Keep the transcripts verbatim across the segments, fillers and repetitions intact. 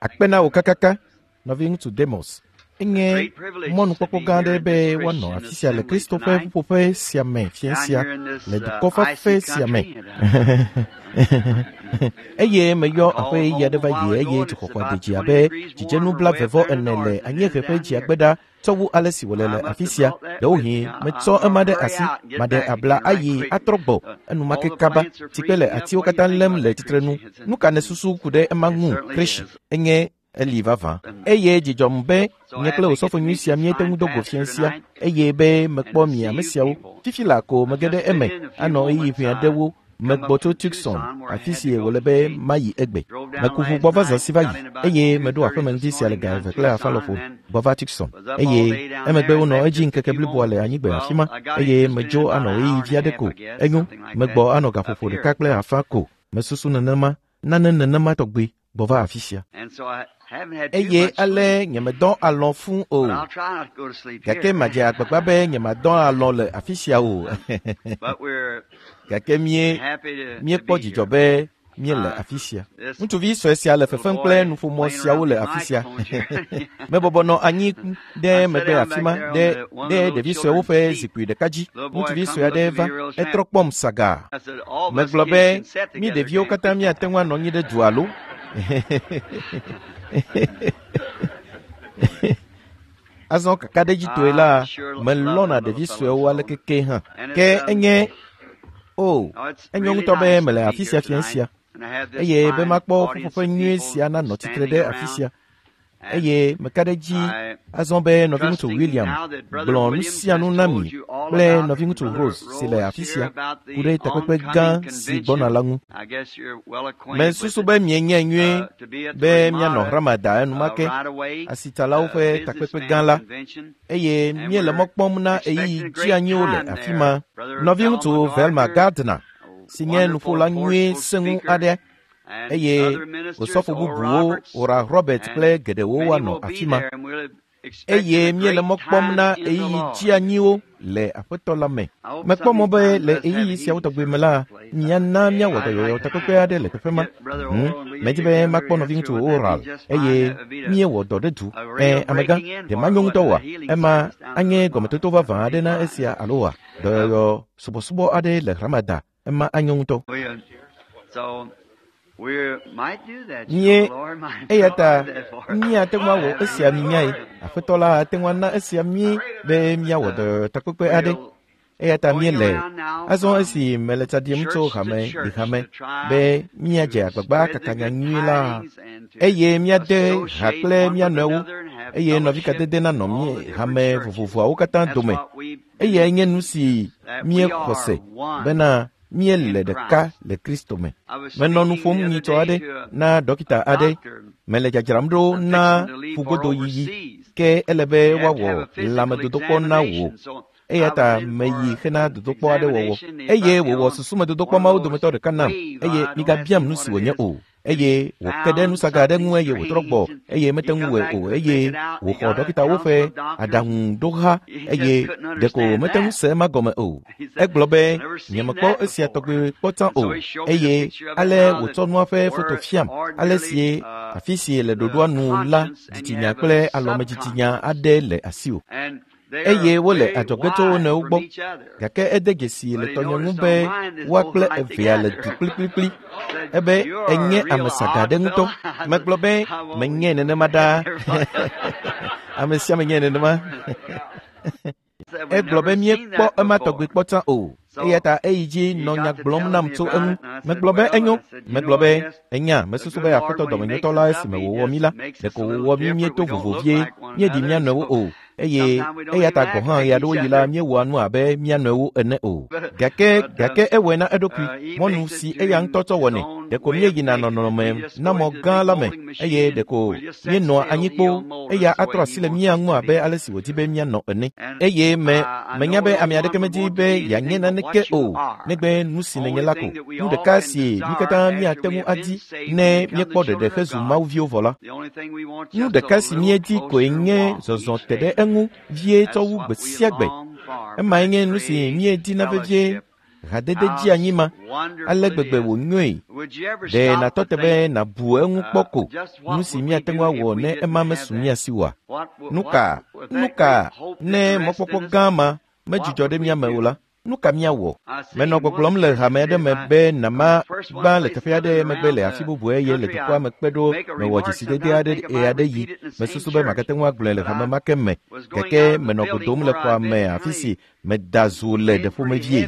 Akpe na wò kakaka, nɔviŋutsu Demos. Enye mɔnukpɔkpɔ gã aɖe be woanɔ afi sia le Kristo ƒe ƒuƒoƒe sia me fiẽ sia le dukɔ fafɛ sia me. Eye meyɔ aƒe ɣeyiɣi aɖe va yi eye dzuxɔxɔa de dzi abe dzidzenu blaeve ene le anyiehe ƒe dziagbe ɖa tsɔ wu ale si wòle le afi sia. Ɖewohĩ metsɔ ema ɖe asi, maɖe abla ayi atrɔ gbɔ enumake kaba. Tsikpe le atiwo katã lém le tsitrenu. Nu ka nèsusu ku ɖe ema ŋu, Krishi? Enye eli vavã. Eye dzidzɔm be nye kple osɔfo nyui sia míete ŋu do go fiẽ sia eye be mekpɔ mi ame siawo. Fifi la ko mege ɖe eme anɔ ɣeyiɣi ʋɛ aɖewo megbɔ tso Tucson, afi si wòle be mayi egbe. Meku ʋu gbɔ va zã si va yi eye meɖo aƒeme ŋdi sia le ga eve kple afã lɔƒo gbɔ va Tucson eye emegbe wonɔ edzi ŋkeke bliboa le anyigbe afi ma eye medzo anɔ ɣeyiɣi vi aɖe ko. Enyo, megbɔ anɔ gaƒoƒo ɖeka kple afã ko. Mesusu nenema, nane nenema tɔgbi gbɔ va afi sia. Eye ale nyemedɔ alɔ̃ fũu o. Gake madze agbagba be nyemadɔ alɔ̃ le afi sia o. Gake mie míekpɔ dzidzɔ be míele afi sia. Ŋutsuvi sue sia le fefem kple nuƒomɔ siawo le afi sia. Mebɔbɔ nɔ anyi ɖe megbe afi ma ɖe ɖe ɖevi suewo ƒe zikpui ɖeka dzi. Ŋutsuvi sue aɖe va, etrɔ kpɔm sagaa. Megblɔ be mí ɖeviwo katã míate ŋu anɔ anyi ɖe du alo? Azɔ kakaɖedzitɔe la, melɔ̃na ɖevi suewo aleke ke hã. Ke enye o, enyo ŋutɔ be mele afi sia fiẽ sia eye be makpɔ ƒuƒoƒe nyui sia nanɔ tsitre ɖe afi sia. Eye meka ɖe edzi azɔ be nɔviŋutsu William gblɔ nu sia nu na mi kple nɔviŋutsu Rose si le afi sia ku ɖe takpekpe gã si gbɔna la ŋu. Mesusu be mienyae nyuie be míanɔ Ramada enumake, asitsalawo ƒe takpekpe gã la, eye míele mɔ kpɔm na ɣeyiɣi dzeanyiwo le afi ma. Nɔviŋutsu Velma Gardner si nye nuƒola nyui sẽŋu aɖe eye osɔfo bubuwo Oral Robert kple geɖewo woanɔ afi ma. Eye míele mɔ kpɔm na ɣeyiɣi dzeanyiwo le Aƒetɔ la me. Mekpɔ mɔ be le ɣeyiɣi siawo tɔgbi me la, míana míawɔ dɔyɔyɔ takpekpe aɖe le teƒe ma. Hmm, medi be makpɔ nɔviŋutsu Oral eye míewɔ dɔ ɖe du. Ẽ, amegã, ɖe manyo ŋutɔ oa? Ema anye gɔmetoto vavã aɖe na esia alo oa? Dɔyɔyɔ subɔsubɔ aɖe le Ramada, ema anyo ŋutɔ. Mie eya ta míate ŋu awɔ esia minyae. Aƒetɔ la ate ŋu ana esia mí be míawɔ dɔyɔyɔ takpekpe aɖe. Eya ta míele azɔ esi mele tsa ɖim tso hame yi hame be míadze agbagba kaka nya nyui la eye míade ha kple mía nɔewo eye nɔvikadede nanɔ mí hame vovovoawo katã dome. Eyae nye nu si míexɔ se bena míele ɖeka le Kristo me. Menɔ nu ƒom nyitsɔ aɖe na dɔkita aɖe. Mele dzadzram ɖo na ƒugodoyiyi ke ele be woawɔ lãmedodokpɔ na wò. Eya ta meyi hena dodokpɔ aɖe wɔwɔ eye wòwɔ susumedodokpɔ mawo dometɔ ɖeka nam eye migabiam nu si wònye o. Eye wòke ɖe nusaga aɖe ŋu eye wòtrɔ gbɔ eye mete ŋu wɔe o eye wòxɔ dɔkitawo ƒe aɖaŋuɖoha eye ɖeko mete ŋu se ema gɔme o. Egblɔ be nyemekpɔ esia tɔgbi kpɔ tsã o eye ale wòtsɔ nua ƒe foto fiam ale si afi si le ɖoɖoa nu la dzitsinya kple alɔmedzitsinya aɖe le asiwò. Eye wole adzɔge tso wo nɔewo gbɔ. Gake ede dzesi le tɔnye ŋu be woa kple evea le du kplikplikpli. Ebe enye ame saga ɖe ŋutɔ. Megblɔ be menye nenema ɖaa. Ame sia ame nye nenema. Egblɔ be míekpɔ ema tɔgbi kpɔ tsã o. Eya ta eyi dzi nɔ nya gblɔm nam tso eŋu. Megblɔ be enyo. Megblɔ be enya mesusu be Aƒetɔ dɔmenyotɔ la esime wòwɔ mí la, ɖeko wòwɔ mí míeto vovo vie, míeɖi mía nɔewo o. Eye eya ta gɔ̃ hã ɣeaɖewoɣi la míewɔa nu abe mía nɔewo ene o. Gake gake ewɔe na eɖokui, mɔnu si eya ŋutɔ tsɔ wɔnɛ. Ɖeko míeyina nɔnɔme na mɔ gã la me eye ɖeko míenɔa anyi kpoo eya atrɔ asi le mía ŋu abe ale si wòdi be míanɔ ene. Eye me menya be ame aɖeke medi be yeanye naneke o negbe nu si nènye la ko. Nu ɖeka si mí katã míate ŋu adi ne míekpɔ ɖeɖe hezu mawuviwo vɔ la. Nu ɖeka si míedi koe nye zɔzɔ te ɖe eŋu vie tsɔ wu gbe sia gbe. Emae nye nu si míedina vevie Hadede dzi anyi ma ale gbegbe wònyoe. Ɖe nàtɔ te be nàbu eŋu kpɔ ko nu si míate ŋu awɔ ne ema mesu mía si oa? Nu ka nu ka ne mɔkpɔkpɔ gã ma medzudzɔ ɖe mía me o la? Nu ka míawɔ? Menɔ gbɔgblɔm le hame aɖe me be nama gbã le teƒe aɖe megbe le afi bubu eye le dukɔa me kpe ɖo mewɔ dzesidede aɖe ɣeaɖeɣi. Mesusu be magate ŋu agblɔe le hame ma ke me gake menɔ godom le xɔa me afi si meda zo le ɖeƒomevie.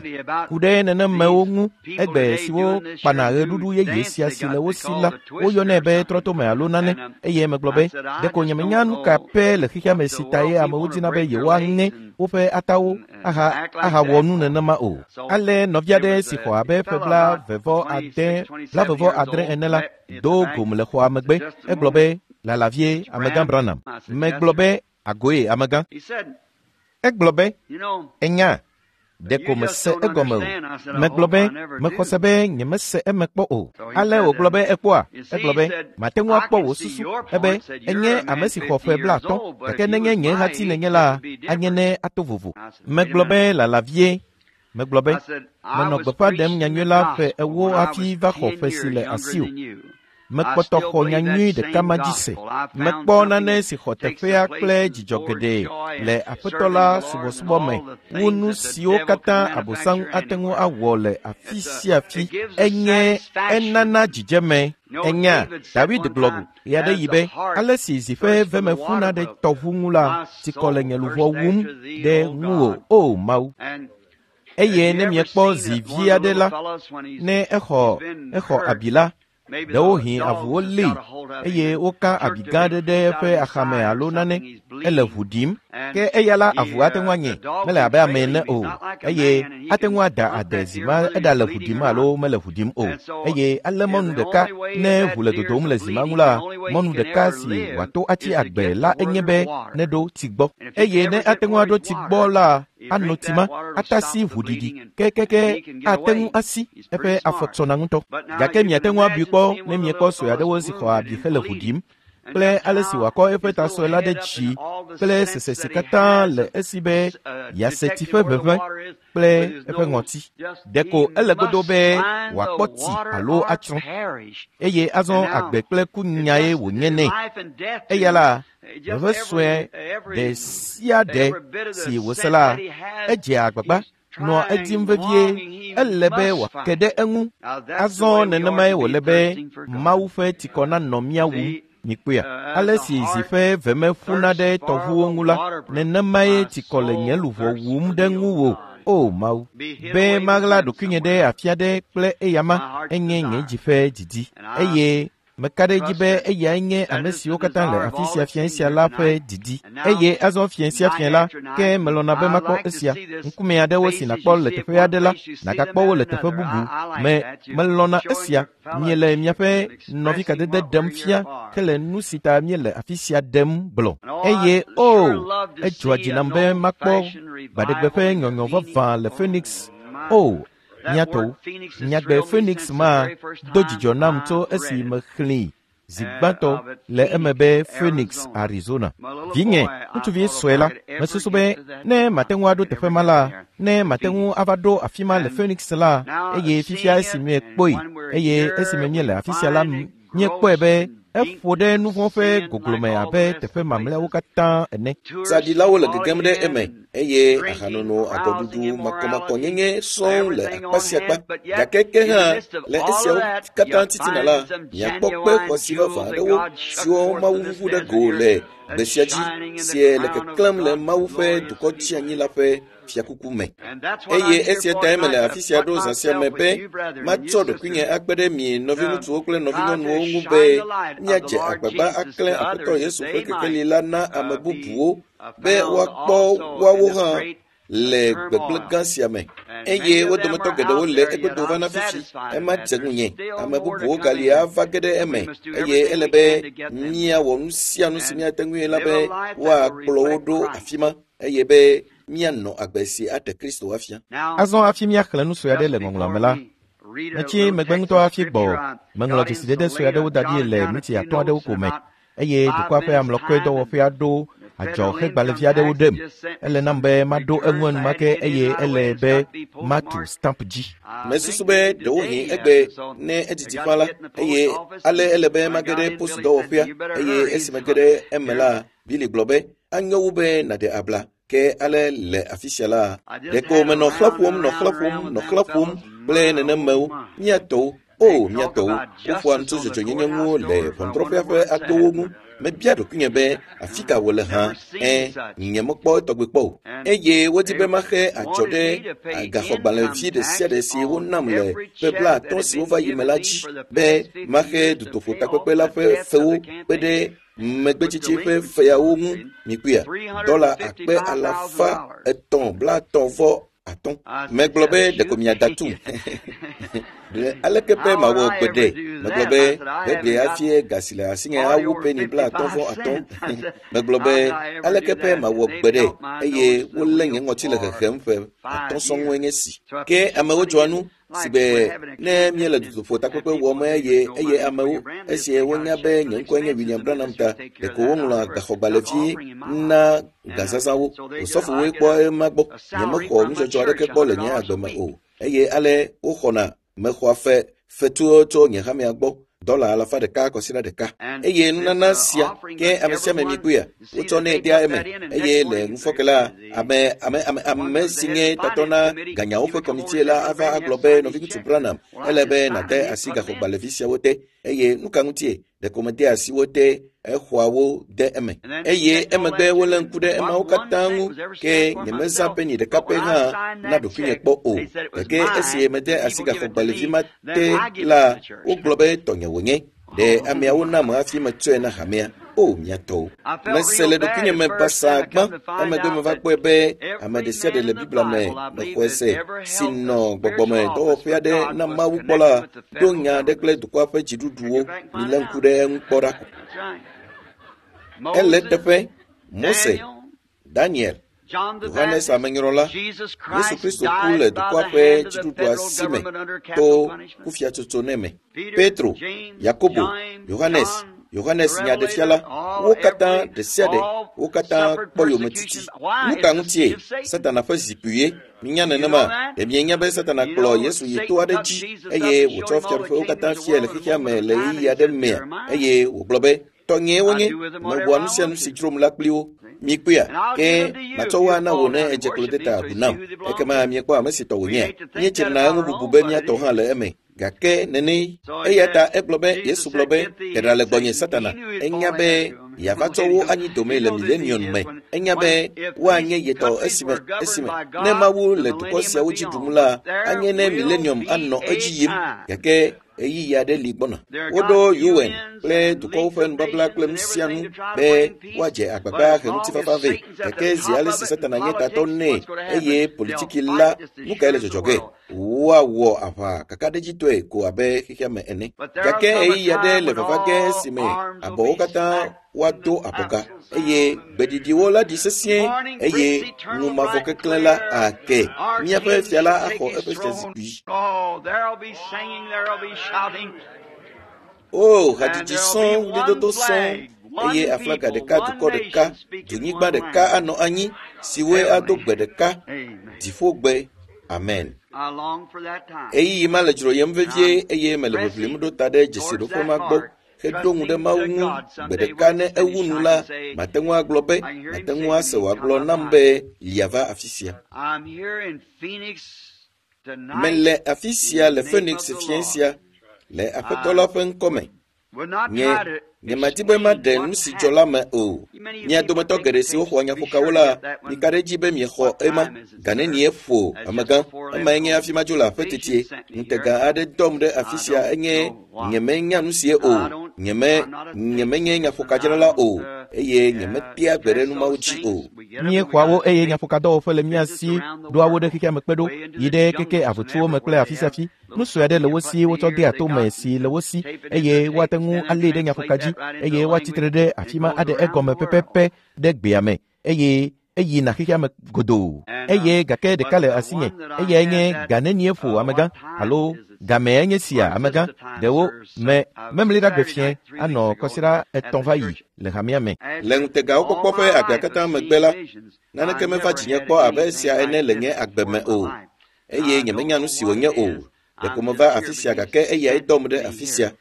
Ku ɖe nenemewo ŋu egbe siwo kpana ɣeɖuɖu yeye sia si le wo si la, woyɔnɛ be trɔtome alo nane eye megblɔ be ɖeko nyemenya nu ka pɛ le xexea me si ta ye amewo dina be yewoaŋe woƒe atawo aha ahawɔ nu nenema o. Ale nɔvi aɖe si xɔ abe ƒe blavevɔ ade blavevɔ adre ene la do gom le xɔa megbe. Egblɔ be lala vie amegã Branham. Megblɔ be agoe amegã. Egblɔ be enya ɖeko mese egɔme o. Megblɔ be mexɔ se be nyemese eme kpɔ o. Ale wògblɔ be ekpɔa? Egblɔ be mate ŋu akpɔ wò susu ebe enye ame si xɔ ƒe blaatɔ̃ gake nenye nye hati nenye la anye ne ato vovo. Megblɔ be lala vie. Megblɔ be menɔ gbeƒã ɖem nyanyui la ƒe ewo hafi va xɔ ƒe si le asiwò. Mekpɔtɔ xɔ nyanyui ɖeka ma dzi se. Mekpɔ nane si xɔ teƒea kple dzidzɔ geɖe le Aƒetɔ la subɔsubɔ me wu nu siwo katã Abosam ate ŋu awɔ le afi sia afi. Enye enana dzidzeme. Enya David gblɔ ɣeaɖeɣi be ale si zi ƒe veme ƒuna ɖe tɔʋu ŋu la, tsikɔ le nye luʋɔ wum ɖe ŋuwò, o Mawu. Eye ne miekpɔ zi vi aɖe la, ne exɔ exɔ abi la, ɖewohĩ avuwo lée eye woka abi gã aɖe ɖe eƒe axame alo nane ele ʋu ɖim. Ke eya la avu ate ŋu anye mele abe ame ene o eye ate ŋu ada ade zi ma eɖale ʋu ɖim alo mele ʋu ɖim o. Eye ale mɔnu ɖeka ne ʋu le dodom le zi ma ŋu la, mɔnu ɖeka si wòato atsi agbe la enye be neɖo tsi gbɔ. Eye ne ate ŋu aɖo tsi gbɔ la, ano tsi ma atasi ʋuɖiɖi kekeke ate ŋu asi eƒe afɔ tsɔna ŋutɔ. Gake miate ŋu abui kpɔ ne miekpɔ sue aɖewo si xɔ abi hele ʋu ɖim kple ale si wòakɔ eƒe ta sue la ɖe dzi kple sese si katã le esi be yease tsi ƒe ʋeʋẽ kple eƒe ŋɔti. Ɖeko ele godo be wòakpɔ tsi alo atsrɔ̃. Eye azɔ agbe kple ku nyae wònye nɛ. Eya la ʋeʋẽ sue ɖe sia ɖe si wòse la, edzea agbagba nɔa edim vevie. Ele be wòake ɖe eŋu. Azɔ nenemae wòle be Mawu ƒe tsikɔ nanɔ mía wum. Mikpɔea? Ale si zi ƒe veme ƒuna ɖe tɔʋuwo ŋu la, nenemae tsikɔ le nye luʋɔ wum ɖe ŋuwò, o Mawu. Be maɣla ɖokuinye ɖe afi aɖe kple eyama enye nye dzi ƒe didi. Eye meka ɖe edzi be eyae nye ame siwo katã le afi sia fiẽ sia la ƒe didi. Eye azɔ fiẽ sia fiẽ la, ke melɔ̃na be makpɔ esia. Ŋkume aɖewo si nàkpɔ le teƒe aɖe la, nàgakpɔ wo le teƒe bubu. Me melɔ̃na esia. Miele miaƒe nɔvikadede ɖem fia hele nu si ta míele afi sia ɖem gblɔ. Eye o, edzɔa dzi nam be makpɔ gbaɖegbe ƒe nyɔnyɔ vavã le Phoenix. O, mía tɔwo, nyagbe Phoenix ma do dzidzɔ nam tso esi mexlẽe zi gbãtɔ le eme be Phoenix, Arizona. Vinye, ŋutsuvi sue la, mesusu be ne mate ŋu aɖo teƒe ma la, ne mate ŋu ava ɖo afi ma le Phoenix la, eye fifia esi miekpɔe, eye esime míele afi sia la, míekpɔe be eƒo ɖe nu vɔ̃ ƒe goglome abe teƒe mamlɛawo katã ene. Tsaɖilawo le gegem ɖe eme eye ahanono, agɔɖuɖu, makɔmakɔnyenye sɔŋ le akpa sia akpa. Gake ke hã le esiawo katã titina la, miakpɔ kpe xɔasi vavã aɖewo siwo Mawu ʋuʋu ɖe go le gbe sia dzi sie le keklẽm le Mawu ƒe dukɔ tsianyi la ƒe fiakuku me. Eye esia tae mele afi sia ɖo zã sia me be matsɔ ɖokuinye akpe ɖe mi nɔviŋutsuwo kple nɔvinyɔnuwo ŋu be míadze agbagba aklẽ Aƒetɔ Yesu ƒe kekeli la na ame bubuwo be woakpɔ woawo hã le gbegblẽ gã sia me. Eye wo dometɔ geɖewo le egodo va na fifi. Ema dze ŋunye. Ame bubuwo gali ava ge ɖe eme eye ele be míawɔ nu sia nu si míate ŋui la be woakplɔ wo ɖo afi ma eye be míanɔ agbe si aɖe Kristo afia. Azɔ hafi míaxlẽ nu sue aɖe le ŋɔŋlɔa me la, metsi megbe ŋutɔ hafi gbɔ. Meŋlɔ dzesidede sue aɖewo da ɖi le miniti atɔ̃ aɖewo ko me eye dukɔa ƒe amlɔkɔe dɔwɔƒea ɖo Adzɔxegbalẽvi aɖewo ɖem. Ele nam be maɖo eŋu enumake eye ele be matu stamp dzi. Mesusu be ɖewohĩ egbe ne edidi ƒã la, eye ale ele be mage ɖe posudɔwɔƒea eye esi mege ɖe eme la, Billy gblɔ be anyo wu be nàɖe abla. Ke ale le afi sia la, ɖeko menɔ xlẽ ƒom, nɔ xlẽ ƒom, nɔ xlẽ ƒom kple nenemewo, mía tɔwo. O, mía tɔwo, woƒoa nu tso dzɔdzɔenyenye ŋu le ʋɔnudrɔ̃ƒea ƒe agbowo ŋu. Mebia ɖokuinye be afi ka wòle hã, ẽ, nyemekpɔ etɔgbe kpɔ o. Eye wodi be maxe adzɔ ɖe gaxɔgbalẽvi ɖe sia ɖe si wonam le ƒe blaatɔ̃ siwo va yi me la dzi be maxe dutoƒotakpekpe la ƒe fewo kpe ɖe megbetsitsi ƒe feawo ŋu. Mikpɔea, dɔla akpe alafa etɔ̃ blaatɔ̃ vɔ atɔ̃. Megblɔ be ɖeko miada tum. Aleke be mawɔ gbeɖe? Megblɔ be gbegbe hafi ga si le asinye awu peni blaatɔ̃ vɔ atɔ̃. Megblɔ be aleke be mawɔ gbeɖe eye wolé nye ŋɔti le hehem ƒe atɔ̃ sɔŋue nye si. Ke amewo dzɔa nu si be ne míele dutoƒotakpekpe wɔm eye eye amewo esi wonya be nye ŋkɔe nye William Branham ta, ɖeko woŋlɔa gaxɔgbalẽvi na gazazãwo. Osɔfowoe kpɔ ema gbɔ. Nyemexɔ nudzɔdzɔ aɖeke kpɔ le nye agbe me o. Eye ale woxɔna mexɔa fe fetuwo tso nye hamea gbɔ dɔla alafa ɖeka kɔsiɖa ɖeka. Eye nunana sia ke ame sia ame mikpɔea, wotsɔnɛ dea eme. Eye le ŋufɔke la, ame ame ame ame si nye tatɔ na ganyawo ƒe kɔmitie la ava agblɔ be nɔviŋutsu Branham, ele be nàde asi gaxɔgbalẽvi siawo te. Eye nu ka ŋutie? Ɖeko mede asi wo te, exɔa wo de eme. Eye emegbe wolé ŋku ɖe emawo katã ŋu, ke nyemezã peni ɖeka pɛ hã na ɖokuinye kpɔ o. Gake esi mede asi gaxɔgbalẽvi ma te la, wogblɔ be tɔnye wònye. Ɖe ameawo nam hafi metsɔe na hamea. O, mía tɔwo. Mese le ɖokuinye me basaa gbã, emegbe meva kpɔe be ame ɖe sia ɖe le Biblia me mexɔe se si nɔ gbɔgbɔme dɔwɔƒe aɖe na Mawu kpɔ la, ɖo nya aɖe kple dukɔa ƒe dziɖuɖuwo. Milé ŋku ɖe eŋu kpɔ ɖa. Ele teƒe Mose, Daniel, Yohanes Amenyrɔla, Yesu Kristo ku le dukɔa ƒe dziɖuɖua si me to kufiatsotso nɛ me. Petro, Yakobo, Yohanes, Yohanes nyaɖefiala, wo katã ɖe sia ɖe, wo katã kpɔ yometiti. Nu ka ŋutie? Satana ƒe zikpuie. Minya nenema, ɖe mienya be Satana kplɔ Yesu yi to aɖe dzi eye wòtsɔ fiaɖuƒewo katã fiae le xexea me le ɣeyiɣi aɖe mea? Eye wògblɔ be, tɔnyee wonye, mewɔa nu sia nu si dzrom la kpli wo. Mikpɔea, ke matsɔ wo ana wò ne edze klo de ta agu nam. Ekema miekpɔ ame si tɔ wònyea? Míetsrina eŋu bubu be mía tɔ hã le eme. Gake nene, eya ta egblɔ be, Yesu gblɔ be, te ɖa le gbɔnye Satana. Enya be yeava tsɔ wo anyi dome le milenium me. Enya be woanye yetɔ esime esime ne Mawu le dukɔ siawo dzi ɖum la, anye ne milenium anɔ edzi yim. Gake ɣeyiɣi aɖe li gbɔna. Woɖo U N kple dukɔwo ƒe nubabla kple nu sia nu be woadze agbagba he ŋutifafa vɛ. Gake zi ale si Satana nye tatɔ nɛ eye politiki la, nu kae le dzɔdzɔ ge? Woawɔ aʋa kakaɖedzitɔe ko abe xexea me ene. Gake ɣeyiɣi aɖe le vava ge esime abɔwo katã woado abɔga eye gbeɖiɖiwo la ɖi sesĩe eye ŋu mavɔ keklẽ la ake. Míaƒe fia la axɔ eƒe fiazikpui. O, hadzidzi sɔŋ, ɣlidodo sɔŋ, eye aflaga ɖeka, dukɔ ɖeka, dunyigba ɖeka anɔ anyi siwoe ado gbe ɖeka, dziƒogbe. Amen. Ɣeyiɣi ma le dzroyem vevie eye mele ʋiʋlim ɖo ta ɖe dzesiɖoƒe ma gbɔ heɖo ŋu ɖe Mawu ŋu. Gbe ɖeka ne ewu nu la, mate ŋu agblɔ be, mate ŋu ase wòagblɔ nam be lia va afi sia. Mele afi sia le Phoenix fiẽ sia le Aƒetɔ la ƒe ŋkɔme. Nye nyemadi be maɖe nu si dzɔ la me o. Mia dometɔ geɖe siwo xɔ nyaƒokawo la, mika ɖe edzi be miexɔ ema. Ga nenie ƒo amegã? Emae nye hafi madzo le aƒe tetie. Ŋutega aɖe dɔm ɖe afi sia enye nyemenya nu sie o. Nyeme nyemenye nyaƒokadzrala o eye nyemetea gbe ɖe nu mawo dzi o. Míexɔa wo eye nyaƒokadɔwɔƒe le mía si ɖoa wo ɖe xexea me kpe ɖo yi ɖe keke avutuwo me kple afi sia afi. Nu sue aɖe le wo si wotsɔ dea tome si le wo si eye woate ŋu alée ɖe nyaƒoka dzi eye woatsitre ɖe afi ma aɖe egɔme pɛpɛpɛ ɖe gbea me eye eyina xexea me godoo. Eye gake ɖeka le asinye, eyae nye ga nenie ƒo amegã alo Gamee nye sia amegã ɖewo me memli ɖa gbe fiẽ anɔ kɔsiɖa etɔ̃ va yi le hamea me. Le ŋutegawo kpɔkpɔ ƒe agbea katã megbe la, naneke meva dzinye kpɔ abe esia ene le nye agbe me o, eye nyemenya nu si wònye o. Ɖeko meva afi sia gake eyae dɔm ɖe afi sia.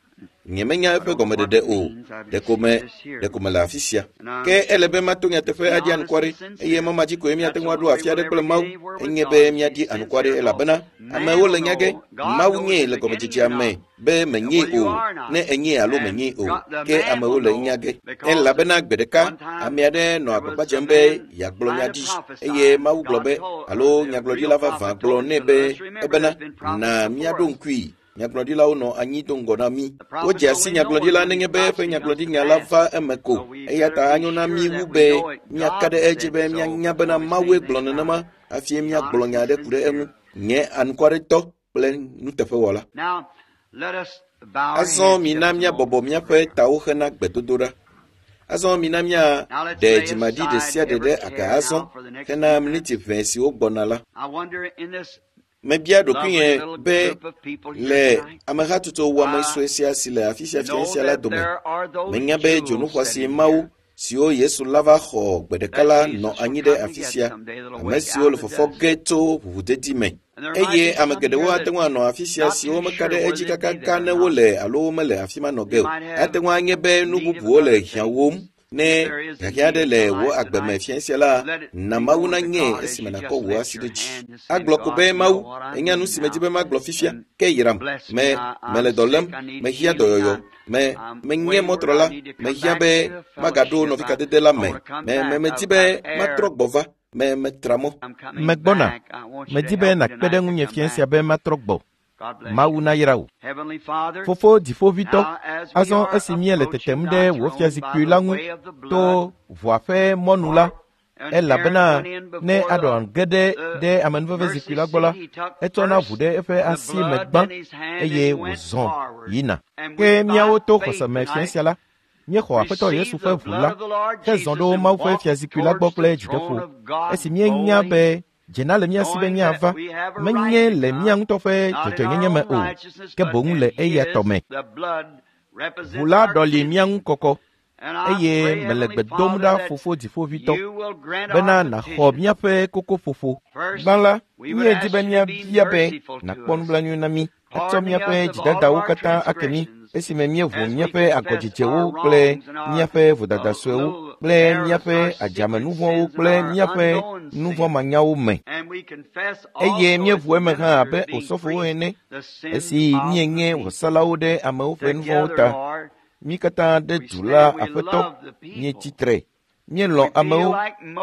Nyemenya eƒe gɔmeɖeɖe o. Ɖeko me ɖeko mele afi sia. Ke ele be mato nyateƒe aɖi anukware eye mɔ ma dzi koe míate ŋu aɖo afi aɖe kple Mawu. Enye be míaɖi anukware elabena amewo le nya ge Mawu nyee le gɔmedzedzea me be menyee o, ne enyee alo menyee o. Ke amewo le nya ge elabena gbe ɖeka ame aɖe nɔ agbagba dzem be yeagblɔ nya ɖi eye Mawu gblɔ be alo nyagblɔɖila vavã gblɔ nɛ be ebena na míaɖo ŋkui. Nyagblɔɖilawo nɔ anyi do ŋgɔ na mí. Wodze asi nyagblɔɖila nenye be eƒe nyagblɔɖinya la va eme ko. Eya ta anyo na mí wu be míaka ɖe edzi be míanya bena Mawue gblɔ nenema hafi míagblɔ nya aɖe ku ɖe eŋu. Nye anukwaretɔ kple nuteƒewɔla. Azɔ mina míabɔbɔ míaƒe tawo hena gbedodoɖa. Azɔ mina míaɖe dzimaɖi ɖe sia ɖe ɖe aga azɔ hena miniti ʋɛ siwo gbɔna la. Mebia ɖokuinye be le amehatsotso wɔame sue sia si le afi sia fiẽ sia la dome, menya be dzonu xɔasi Mawu siwo Yesu la va xɔ gbe ɖeka la nɔ anyi ɖe afi sia, ame siwo le fɔfɔ ge tso ʋuʋudedi me. Eye ame geɖewo ate ŋu anɔ afi sia siwo meka ɖe edzi kakaka ne wole alo womele afi ma nɔ ge o. Ate ŋu anye be nu bubuwo le hiãwom. Ne hiahiã aɖe le wò agbe me fiẽ sia la, na Mawu nanye esime nàkɔ wò asi ɖe dzi. Agblɔ ko be Mawu, enya nu si medzi be magblɔ fifia, ke yram. Me mele dɔ lém, mehiã dɔyɔyɔ, me menye mɔtrɔla, mehiã be magaɖo nɔvikadede la me, me me medi be matrɔ gbɔ va, me metra mɔ. Megbɔna, medi be nàkpe ɖe ŋunye fiẽ sia be matrɔ gbɔ. Mawu nayra wò. Fofo dziƒoʋĩtɔ, azɔ esi míele tetem ɖe wò fiazikpui la ŋu to ʋua ƒe mɔnu la, elabena ne Aron ge ɖe ɖe amenuvevezikpui la gbɔ la, etsɔna ʋu ɖe eƒe asi me gbã eye wòzɔ yina. Ke míawo to xɔseme fiẽ sia la, míexɔ Aƒetɔ Yesu ƒe ʋu la hezɔ ɖo Mawu ƒe fiazikpui la gbɔ kple dzideƒo. Esi míenya be dzena le mía si be míava, menye le mía ŋutɔ ƒe dzɔdzɔenyenye me o, ke boŋ le eya tɔ me. Ʋu la ɖɔli mía ŋu kɔkɔ, eye mele gbe dom ɖa Fofo Dziƒoʋĩtɔ bena nàxɔ míaƒe kokoƒoƒo. Gbã la, míedi be míabia be nàkpɔ nublanui na mí, atsɔ míaƒe dzidadawo katã ake mí esime míeʋu míaƒe agɔdzedzewo kple míaƒe vodada suewo kple míaƒe adzamenuvɔ̃wo kple míaƒe nuvɔ̃manyawo me. Eye míeʋu eme hã abe osɔfowo ene, esi míenye vɔsalawo ɖe amewo ƒe nuvɔ̃wo ta. Mí katã ɖe du la Aƒetɔ, míetsi tre. Míelɔ̃ amewo,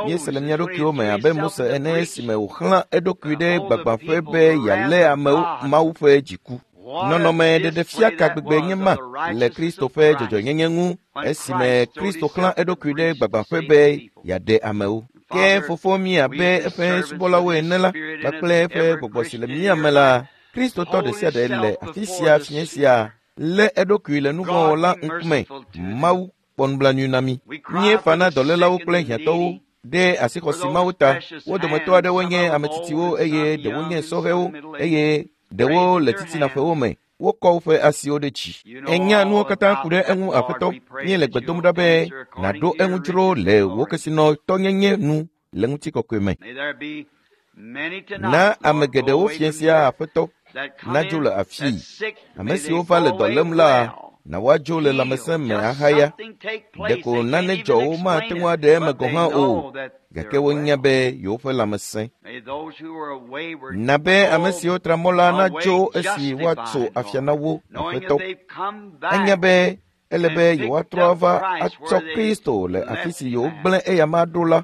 míese le mía ɖokuiwo me abe Mose ene esime wòxlã eɖokui ɖe gbagbãƒe be yealé amewo Mawu ƒe dziku. Nɔnɔme ɖeɖefia ka gbegbe nye ma le Kristo ƒe dzɔdzɔenyenye ŋu esime Kristo xlã eɖokui ɖe gbagbãƒe be yeaɖe amewo. Ke Fofo mí abe eƒe subɔlawo ene la kpakple eƒe gbɔgbɔ si le mía me la, Kristotɔ ɖe sia ɖe le afi sia fiẽ sia lé eɖokui le nuvɔ̃wɔla ŋkume. Mawu kpɔ nublanui na mí. Míefa na dɔlélawo kple hiãtɔwo ɖe asixɔsi Mawu ta. Wo dometɔ aɖewo nye ame tsitsiwo eye ɖewo nye sɔhɛwo eye ɖewo le titinaƒewo me. Wokɔ woƒe asiwo ɖe dzi. Enya nuwo katã ku ɖe eŋu Aƒetɔ. Míele gbe dom ɖa be nàɖo eŋu dzro le wò kesinɔtɔnyenye nu le ŋutikɔkɔe me. Na ame geɖewo fiẽ sia Aƒetɔ nadzo le afii. Ame siwo va le dɔ lém la, na woadzo le lãmesẽ me ahaya. Ɖeko nane dzɔ wo mate ŋu aɖe eme gɔ̃ hã o, gake wonya be yewoƒe lãmesẽ. Na be ame siwo tra mɔ la natso esi woatso afia na wo Aƒetɔ. Enya be ele be yewoatrɔ ava atsɔ Kristo le afi si yewogblẽ eyama ɖo la.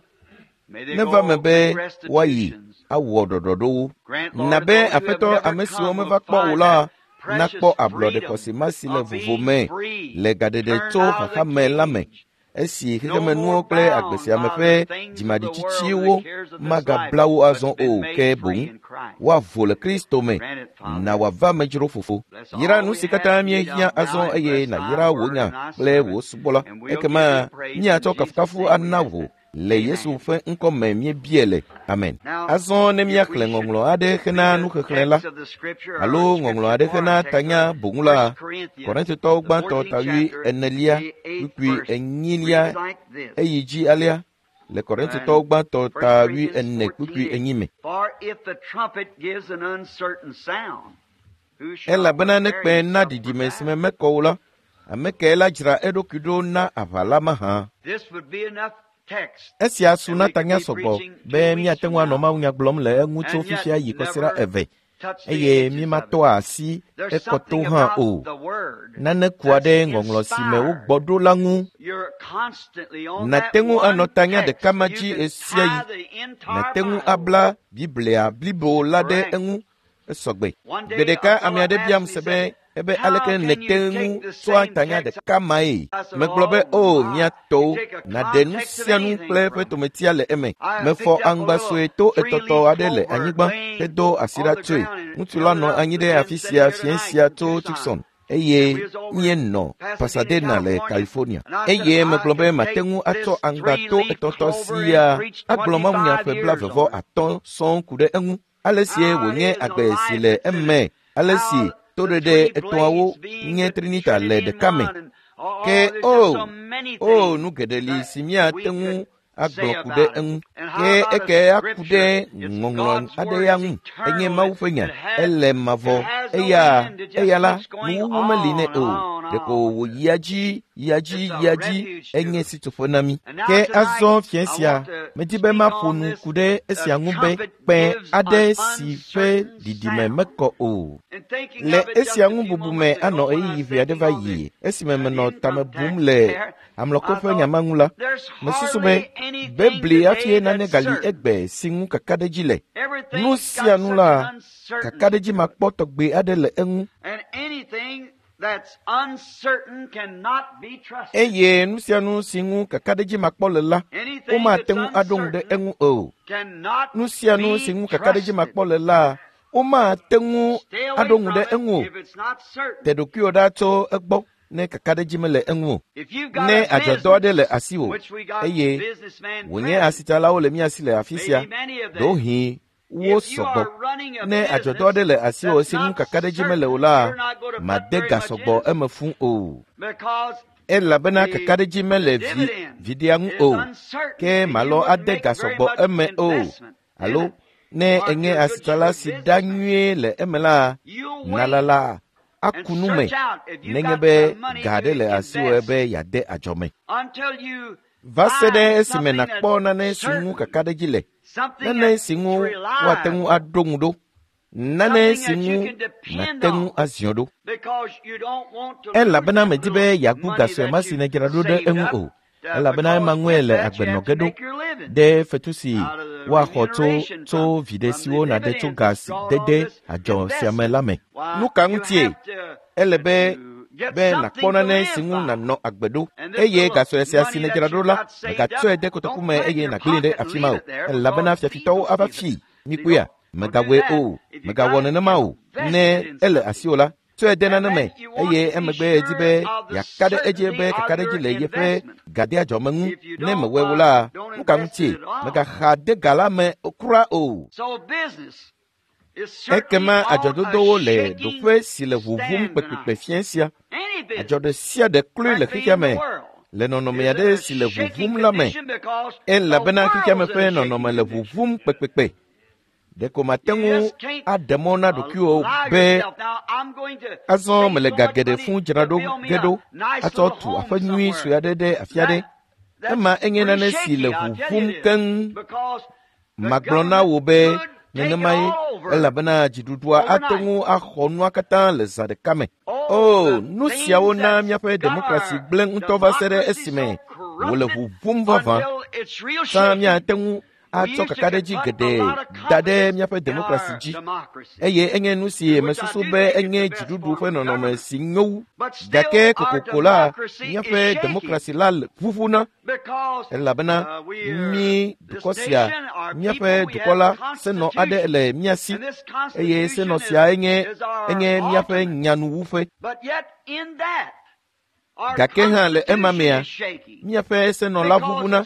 Neva me be woayi awɔ ɖɔɖɔɖowo. Na be Aƒetɔ ame siwo meva kpɔ o la nakpɔ ablɔɖe xɔse ma si le vovo me le gaɖeɖe tso xaxa me la me, esi xexemenuwo kple agbe sia me ƒe dzimaɖitsitsiwo magabla wo azɔ o, ke boŋ woavo le Kristo me. Na wòava medzro Fofo. Yra nu si katã míehiã azɔ eye nàyra wò nya kple wò subɔla. Ekema míatsɔ kafukafu ana wò Le Yesu ƒe ŋkɔ me míebia le. Amen. Azɔ ne míaxlẽ ŋɔŋlɔ aɖe hena nuxexlẽ la alo ŋɔŋlɔ aɖe hena tanya boŋu la, Korintotɔwo gbãtɔ ta wui enelia kpukpui enyilia eyi dzi alea le Korintotɔwo gbãtɔ ta wui ene kpukpui enyi me. Elabena ne kpẽ na ɖiɖime si me mekɔ o la, ame kae la dzra eɖokui ɖo na aʋa la mahã? Esia su na tanya sɔgbɔ be míate ŋu anɔ mawunya gblɔm le eŋu tso fifia yi kɔsiɖa eve eye mímatɔ asi ekɔto hã o. Nane kua ɖe ŋɔŋlɔ si me wogbɔ ɖo la ŋu. Nàte ŋu anɔ tanya ɖeka ma dzi ɣe sia ɣi. Nàte ŋu abla Biblia blibo la ɖe eŋu esɔgbe. Gbe ɖeka ame aɖe biam se be ebe aleke nète ŋu tsɔa tanya ɖeka mae. Megblɔ be o mía tɔwo, nàɖe nu sia nu kple eƒe tometia le eme. Mefɔ aŋgba sue to etɔtɔ aɖe le anyigba hedo asi ɖa tsoe. Ŋutsu la nɔ anyi ɖe afi sia fiẽ sia tso Tucson eye míenɔ Pasadena le California. Eye megblɔ be mate ŋu atsɔ aŋgba to etɔtɔ sia agblɔ mawunya ƒe blaeve vɔ atɔ̃ sɔŋ ku ɖe eŋu. Ale sie wònye agbe si le eme, ale si toɖeɖe etɔ̃awo nye Trinita le ɖeka me. Ke o, o nu geɖe li si míate ŋu agblɔ ku ɖe eŋu. Ke eke aku ɖe ŋɔŋlɔ aɖe ya ŋu. Enye Mawu ƒe nya. Ele mavɔ. Eya, eya la, nuwuwu meli nɛ o. Ɖeko wòyia dzi, yia dzi, yia dzi. Enye sitsoƒe na mí. Ke azɔ fiẽ sia, medi be maƒo nu ku ɖe esia ŋu be kpẽ aɖe si ƒe ɖiɖime mekɔ o. Le esia ŋu bubu me anɔ ɣeyiɣi ʋɛ aɖe va yi esime menɔ tame bum le amlɔkɔ ƒe nya ma ŋu la, mesusu be bebli hafi nane gali egbe si ŋu kakaɖedzi le. Nu sia nu la, kakaɖedzi makpɔ tɔgbe aɖe le eŋu. Eye nu sia nu si ŋu kakaɖedzi makpɔ le la, womate ŋu aɖo ŋu ɖe eŋu o. Nu sia nu si ŋu kakaɖedzi makpɔ le la, womate ŋu aɖo ŋu ɖe eŋu o. Te ɖokuiwò ɖa tso egbɔ ne kakaɖedzi mele eŋu o. Ne adzɔdɔ aɖe le asiwò eye wònye asitsalawo le mía si le afi sia, ɖewohĩ wo sɔgbɔ. Ne adzɔdɔ aɖe le asiwò si ŋu kakaɖedzi mele o la, made ga sɔgbɔ eme fũ o. Elabena kakaɖedzi mele vi viɖea ŋu o, ke malɔ ade ga sɔgbɔ eme o. Alo ne enye asitsala si ɖa nyuie le eme la, nalala aku nu me nenye be ga aɖe le asiwò be yeade adzɔme. Va se ɖe esime nàkpɔ nane si ŋu kakaɖedzi le, nane si ŋu woate ŋu aɖo ŋu ɖo, nane si ŋu nàte ŋu aziɔ ɖo. Elabena medi be yeagu ga sue ma si nèdzra ɖo ɖe eŋu o. Elabena ema ŋue le agbe nɔ ge ɖo ɖe fetu si woaxɔ tso tso viɖe siwo nàɖe tso ga si dede adzɔ sia me la me. Nu ka ŋutie? Ele be be nàkpɔ nane si ŋu nànɔ agbe ɖo eye ga sue sia si nèdzra ɖo la, mègatsɔe de kotoku me eye nàgblẽe ɖe afi ma o. Elabena fiafitɔwo ava fii. Mikpɔea? Mègawɔe o. Mègawɔ nenema o. Ne ele asiwò la, tsɔe de nane me eye emegbe edi be yeaka ɖe edzi be kakaɖedzi le yeƒe gadeadzɔme ŋu. Ne mewɔe o la, nu ka ŋutie? Mègaxa de ga la me kura o. Ekema adzɔdodowo le ɖoƒe si le ʋuʋum kpekpekpe fiẽ sia. Adzɔ ɖe sia ɖe kloe le xexea me le nɔnɔme aɖe si le ʋuʋum la me. Elabena xexea me ƒe nɔnɔme le ʋuʋum kpekpekpe. Ɖeko mate ŋu aɖe mɔ na ɖokuiwò be azɔ mele ga geɖe fũ dzra ɖo ge ɖo atsɔ tu aƒe nyui sue aɖe ɖe afi aɖe. Ema enye nane si le ʋuʋum keŋ. Magblɔ na wò be nenemae elabena dziɖuɖua ate ŋu axɔ nua katã le zã ɖeka me. O, nu siawo na míaƒe demokrasi gblẽ ŋutɔ va se ɖe esime wòle ʋuʋum vavã. Tsã míate ŋu atsɔ kakaɖedzi geɖe da ɖe míaƒe demokrasi dzi eye enye nu si mesusu be enye dziɖuɖu ƒe nɔnɔme si nyo wu. Gake kokoko la, míaƒe demokrasi la ʋuʋuna elabena mí dukɔ sia, míaƒe dukɔ la, senɔ aɖe le mía si eye senɔ sia enye enye míaƒe nyanuwuƒe. Gake hã le ema mea, míaƒe senɔla ʋuʋuna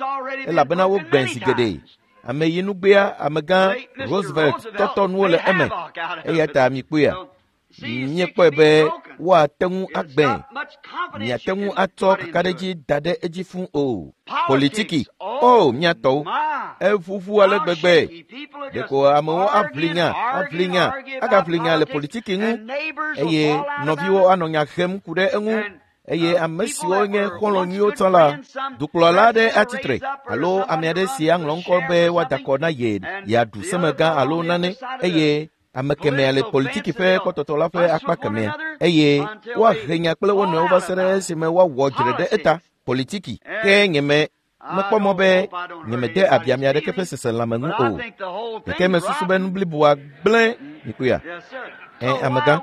elabena wogbẽ zi geɖe. Ameyinugbea amegã Roosevelt tɔtɔ nuwo le eme. Eya ta mikpɔea, míekpɔe be woate ŋu agbẽ. Miate ŋu atsɔ kakaɖedzi da ɖe edzi fũu o. Politiki, o mía tɔwo, eʋuʋu ale gbegbe. Ɖeko amewo aʋli nya, aʋli nya, agaʋli nya le politiki ŋu eye nɔviwo anɔ nya hem ku ɖe eŋu. Eye ame siwo nye xɔlɔ̃ nyuiwo tsã la, dukplɔla aɖe atsitre alo ame aɖe si aŋlɔ ŋkɔ be woada akɔ na ye yeaɖu semegã alo nane eye ame kemɛa le politiki ƒe kpɔtɔtɔ la ƒe akpa kemɛa eye woahe nya kple wo nɔewo va se ɖe esime woawɔ dzre ɖe eta. Politiki ke nyeme mekpɔ mɔ be nyemede abi ame aɖeke ƒe seselãme ŋu o. Gake mesusu be nu bliboa gblẽ mikpɔea. Ẽ amegã,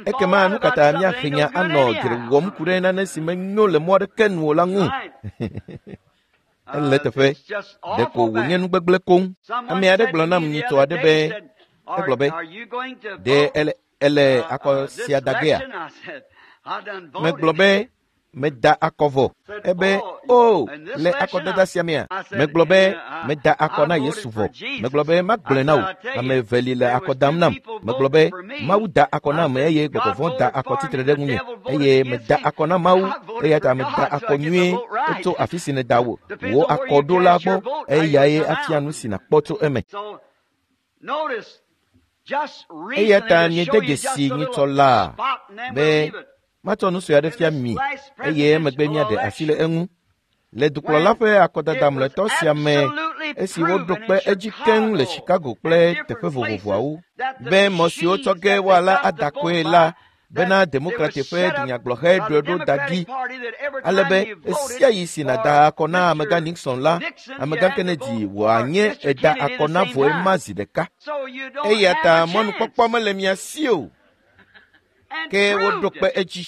ekema nu ka ta míahe nya anɔ dzre wɔm ku ɖe nane si menyo le mɔ aɖeke nu o la ŋu? Ele teƒe, ɖeko wònye nu gbegblẽ koŋ. Ame aɖe gblɔ nam nyitɔ aɖe be, egblɔ be, ɖe ele ele akɔ sia da gea? Megblɔ be, meda akɔ vɔ. Ebe, o, le akɔdada sia mea? Megblɔ be, meda akɔ na Yesu vɔ. Megblɔ be, magblɔe na wò. Ame eve li le akɔ dam nam. Megblɔ be, Mawu da akɔ nam eye gbɔgbɔ vɔ̃ da akɔ tsitre ɖe ŋunye. Eye meda akɔ na Mawu eya ta meda akɔ nyuie tso afi si nèda wò wò akɔ ɖo la gbɔ. Eyae afia nu si nàkpɔ tso eme. Eya ta miede dzesi nyitsɔ laa be matsɔ nu sue aɖe fia mi eye emegbe míaɖe asi le eŋu. Le dukplɔla ƒe akɔdada mlɔetɔ sia me, esi woɖo kpe edzi keŋ le Chicago kple teƒe vovovoawo be mɔ siwo tsɔ ge woala ada akɔe la bena Demokrati ƒe dunyagblɔhe ɖoe ɖo da ɖi ale be ɣesiaɣi si nàda akɔ na amegã Nixon la, amegã Kennedy wòanye eda akɔ na vɔe ma zi ɖeka. Eya ta mɔnukpɔkpɔ mele mia si o. Ke woɖo kpe edzi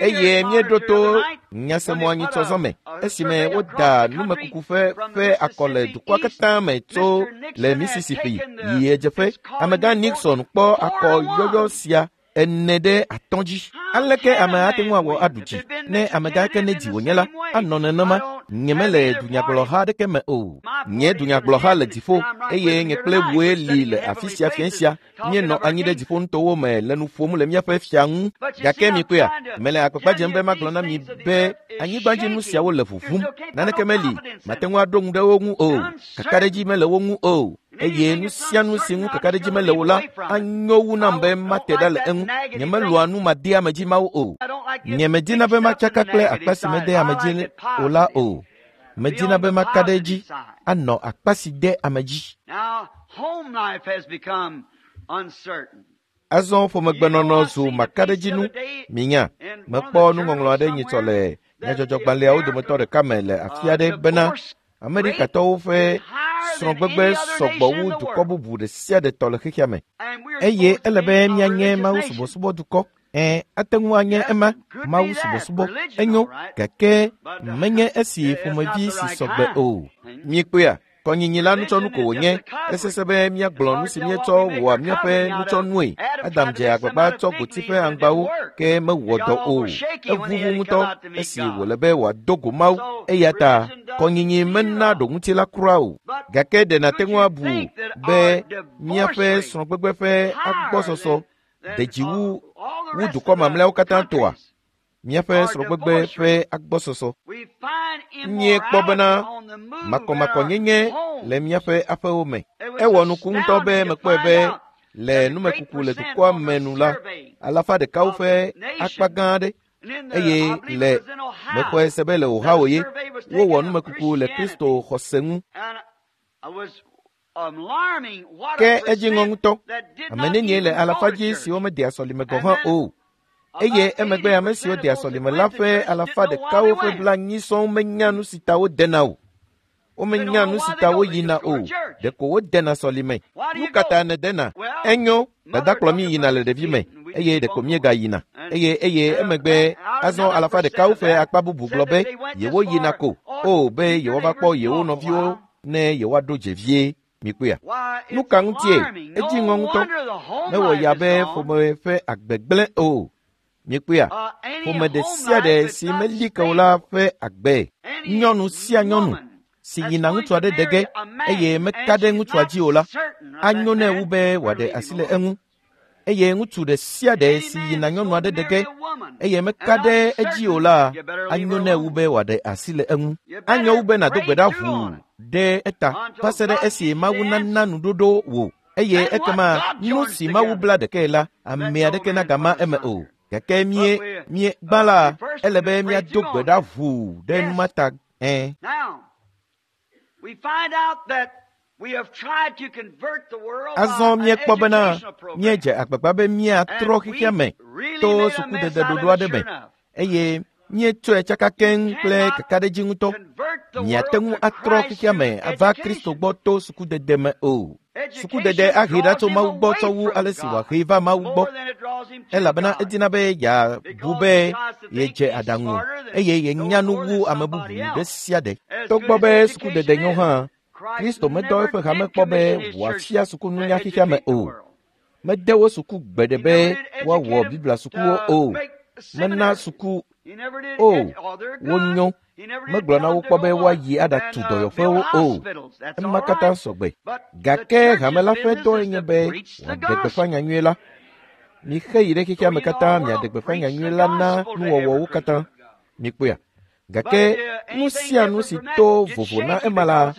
eye míeɖo to nyasemɔ anyitsɔzɔ me esime woda numekuku ƒe ƒe akɔ le dukɔa katã me tso le Mississippi yi ɣedzeƒe. Amegã Nixon kpɔ akɔ yɔyɔ sia ene ɖe atɔ̃ dzi. Aleke ame ate ŋu awɔ aɖu dzi ne amegã Kennedy wònye la anɔ nenema? Nyemele dunyagblɔha aɖeke me o. Nye dunyagblɔha le dziƒo eye nye kple wòe li le afi sia fiẽ sia. Míenɔ anyi ɖe dziƒonutowo me le nu ƒom le míaƒe fia ŋu. Gake mikpɔea, mele agbagba dzem be magblɔ na mi be anyigbadzinu siawo le ʋuʋum. Naneke meli, mate ŋu aɖo ŋu ɖe wo ŋu o. Kakaɖedzi mele wo ŋu o. Eye nu sia nu si ŋu kakaɖedzi mele o la anyo wu nam be mate ɖa le eŋu. Nyemelɔ̃a nu madeamedzi mawo o. Nyemedina be matsaka kple akpa si mede ame dzi o la o. Medina be maka ɖe edzi anɔ akpa si de ame dzi. Azɔ ƒomegbenɔnɔ zu makaɖedzinu. Minya, mekpɔ nuŋɔŋlɔ aɖe nyitsɔ le nyadzɔdzɔgbalẽawo dometɔ ɖeka me le afi aɖe bena Amerikatɔwo ƒe srɔ̃gbegbe sɔgbɔ wu dukɔ bubu ɖe sia ɖe tɔ le xexea me. Eye ele be míanye Mawu subɔsubɔdukɔ. Ẽ, ate ŋu anye ema Mawu subɔsubɔ enyo, gake menye esi ƒomevi si sɔgbe o. Miekpɔea, kɔnyinyi la nutsɔnu ko wònye. Esesẽ be míagblɔ nu si míetsɔ wɔa míaƒe nutsɔnue. Adam dze agbagba tsɔ goti ƒe aŋgbawo ke mewɔ dɔ o. Eʋuʋu ŋutɔ esi wòle be wòado go Mawu. Eya ta kɔnyinyi mena ɖoŋuti la kura o. Gake ɖe nàte ŋu abu be míaƒe srɔ̃gbegbe ƒe agbɔsɔsɔ de dzi wu wu dukɔ mamlɛawo katã tɔa? Míaƒe srɔ̃gbegbe ƒe agbɔsɔsɔ. Míekpɔ bena makɔmakɔnyenye le míaƒe aƒewo me. Ewɔ nuku ŋutɔ be mekpɔe be le numekuku le dukɔa me nu la, alafa ɖekawo ƒe akpa gã aɖe eye le mexɔe se be le Ohio ye wowɔ numekuku le Kristo xɔse ŋu. Ke edzi ŋɔ ŋutɔ. Ame nenie le alafa dzi siwo medea sɔlime gɔ̃ hã o. Eye emegbe ame siwo dea sɔlime la ƒe alafa ɖekawo ƒe blaenyi sɔŋ menya nu si ta wodena o. Womenya nu si ta woyina o. Ɖeko wodena sɔlime. Nu ka ta nèdena? Enyo, dada kplɔ mí yina le ɖevime eye ɖeko míegayina. Eye eye emegbe azɔ alafa ɖekawo ƒe akpa bubu gblɔ be yewoyina ko o be yewoava kpɔ yewo nɔviwo ne yewoaɖo dze vie. Mikpɔea? Nu ka ŋutie? Edzi ŋɔ ŋutɔ. Mewɔ ya be ƒome ƒe agbe gblẽ o. Miekpɔea? Ƒome ɖe sia ɖe si meli ke o la ƒe agbe. Nyɔnu sia nyɔnu si yina ŋutsu aɖe de ge eye meka ɖe ŋutsua dzi o la, anyo nɛ wu be wòaɖe asi le eŋu. Eye ŋutsu ɖe sia ɖe si yina nyɔnu aɖe de ge eye meka ɖe edzi o la, anyo nɛ wu be wòaɖe asi le eŋu. Anyo wu be nàdo gbe ɖa ʋuu ɖe eta va se ɖe esi Mawu nana nuɖoɖo wò. Eye ekema nu si Mawu bla ɖekae la, ame aɖeke nagama eme o. Gake mie mie gbã la, ele be míado gbe ɖa ʋuu ɖe nu ma ta. Ẽ. Azɔ míekpɔ bena míedze agbagba be míatrɔ xexea me to sukudede ɖoɖo aɖe me eye míetsɔe tsaka keŋ kple kakaɖedzi ŋutɔ. Miate ŋu atrɔ xexea me ava Kristo gbɔ to sukudede me o. Sukudede ahe ɖa tso Mawu gbɔ tsɔ wu ale si wòahe va Mawu gbɔ, elabena edina be yeabu be yedze aɖaŋu eye yenya nu wu ame bubu ɖe sia ɖe. Togbɔ be sukudede nyo hã, Kristo medɔ eƒe hame kpɔ be wòafia sukununya xexea me o. Mede wo suku gbe ɖe be woawɔ Biblia sukuwo o. Mena suku o wonyo. Megblɔ na wo kpɔ be woayi aɖatu dɔyɔƒewo o. Ema katã sɔgbe. Gake hame la ƒe dɔe nye be wòaɖe gbeƒã nyanyui la. Mixe yi ɖe xexea me katã miaɖe gbeƒã nyanyui la na nuwɔwɔwo katã. Mikpɔea? Gake nu sia nu si to vovo na ema la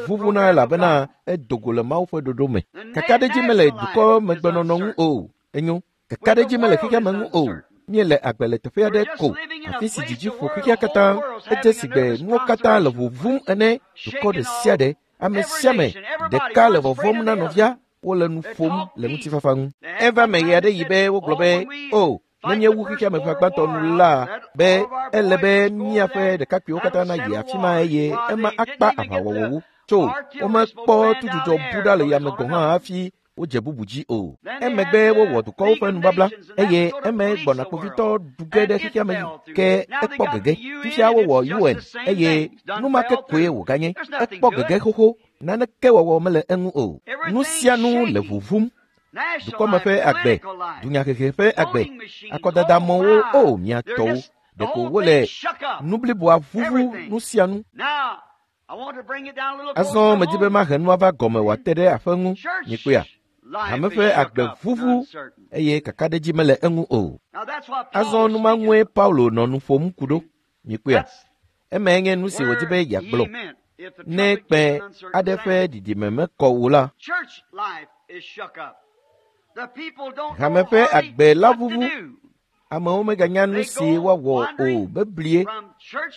vuvuna elabena edo go le Mawu ƒe ɖoɖo me. Kakaɖedzi mele dukɔ megbenɔnɔ ŋu o. Enyo. Kakaɖedzi mele xexea me ŋu o. Míele agbe le teƒe aɖe ko, afi si dzidzi ƒo xexea katã. Edze si gbe nuwo katã le ʋuʋum ene. Dukɔ ɖe sia ɖe, ame sia ame ɖeka le vɔvɔ̃m na nɔvia. Wole nu ƒom le ŋutifafa ŋu. Eva me ɣe aɖe yi be wogblɔ be, o, ne míewu xexea me ƒe agbãtɔ nu la, be ele be míaƒe ɖekakpuiwo katã nayi afi ma eye ema akpa aʋawɔwɔwo. Tso womekpɔ tudzudzɔ bu ɖa le yame gɔ̃ hã hafi wodze bubu dzi o. Emegbe wowɔ dukɔwo ƒe nubabla eye eme gbɔna kpovitɔ ɖu ge ɖe xexea me ke ekpɔ gege. Fifia wowɔ U N eye nu ma ke koe wòganye. Ekpɔ gege xoxo. Naneke wɔwɔ mele eŋu o. Nu sia nu le ʋuʋum. Dukɔme ƒe agbe, dunyahehe ƒe agbe, akɔdadamɔwo o mia tɔwo. Ɖeko wole nu bliboa ʋuʋu nu sia nu. Azɔ medzi be mahe nua va gɔme wòate ɖe aƒe ŋu. Mikpɔea? Hame ƒe agbe ʋuʋu eye kakaɖedzi mele eŋu o. Azɔ nu ma ŋue Paulo nɔ nu ƒom ku ɖo. Mikpɔea? Emae nye nu si wòdi be yeagblɔ. Ne kpẽ aɖe ƒe ɖiɖime mekɔ o la, hame ƒe agbe la ʋuʋu. Amewo meganya nu si woawɔ o beblie.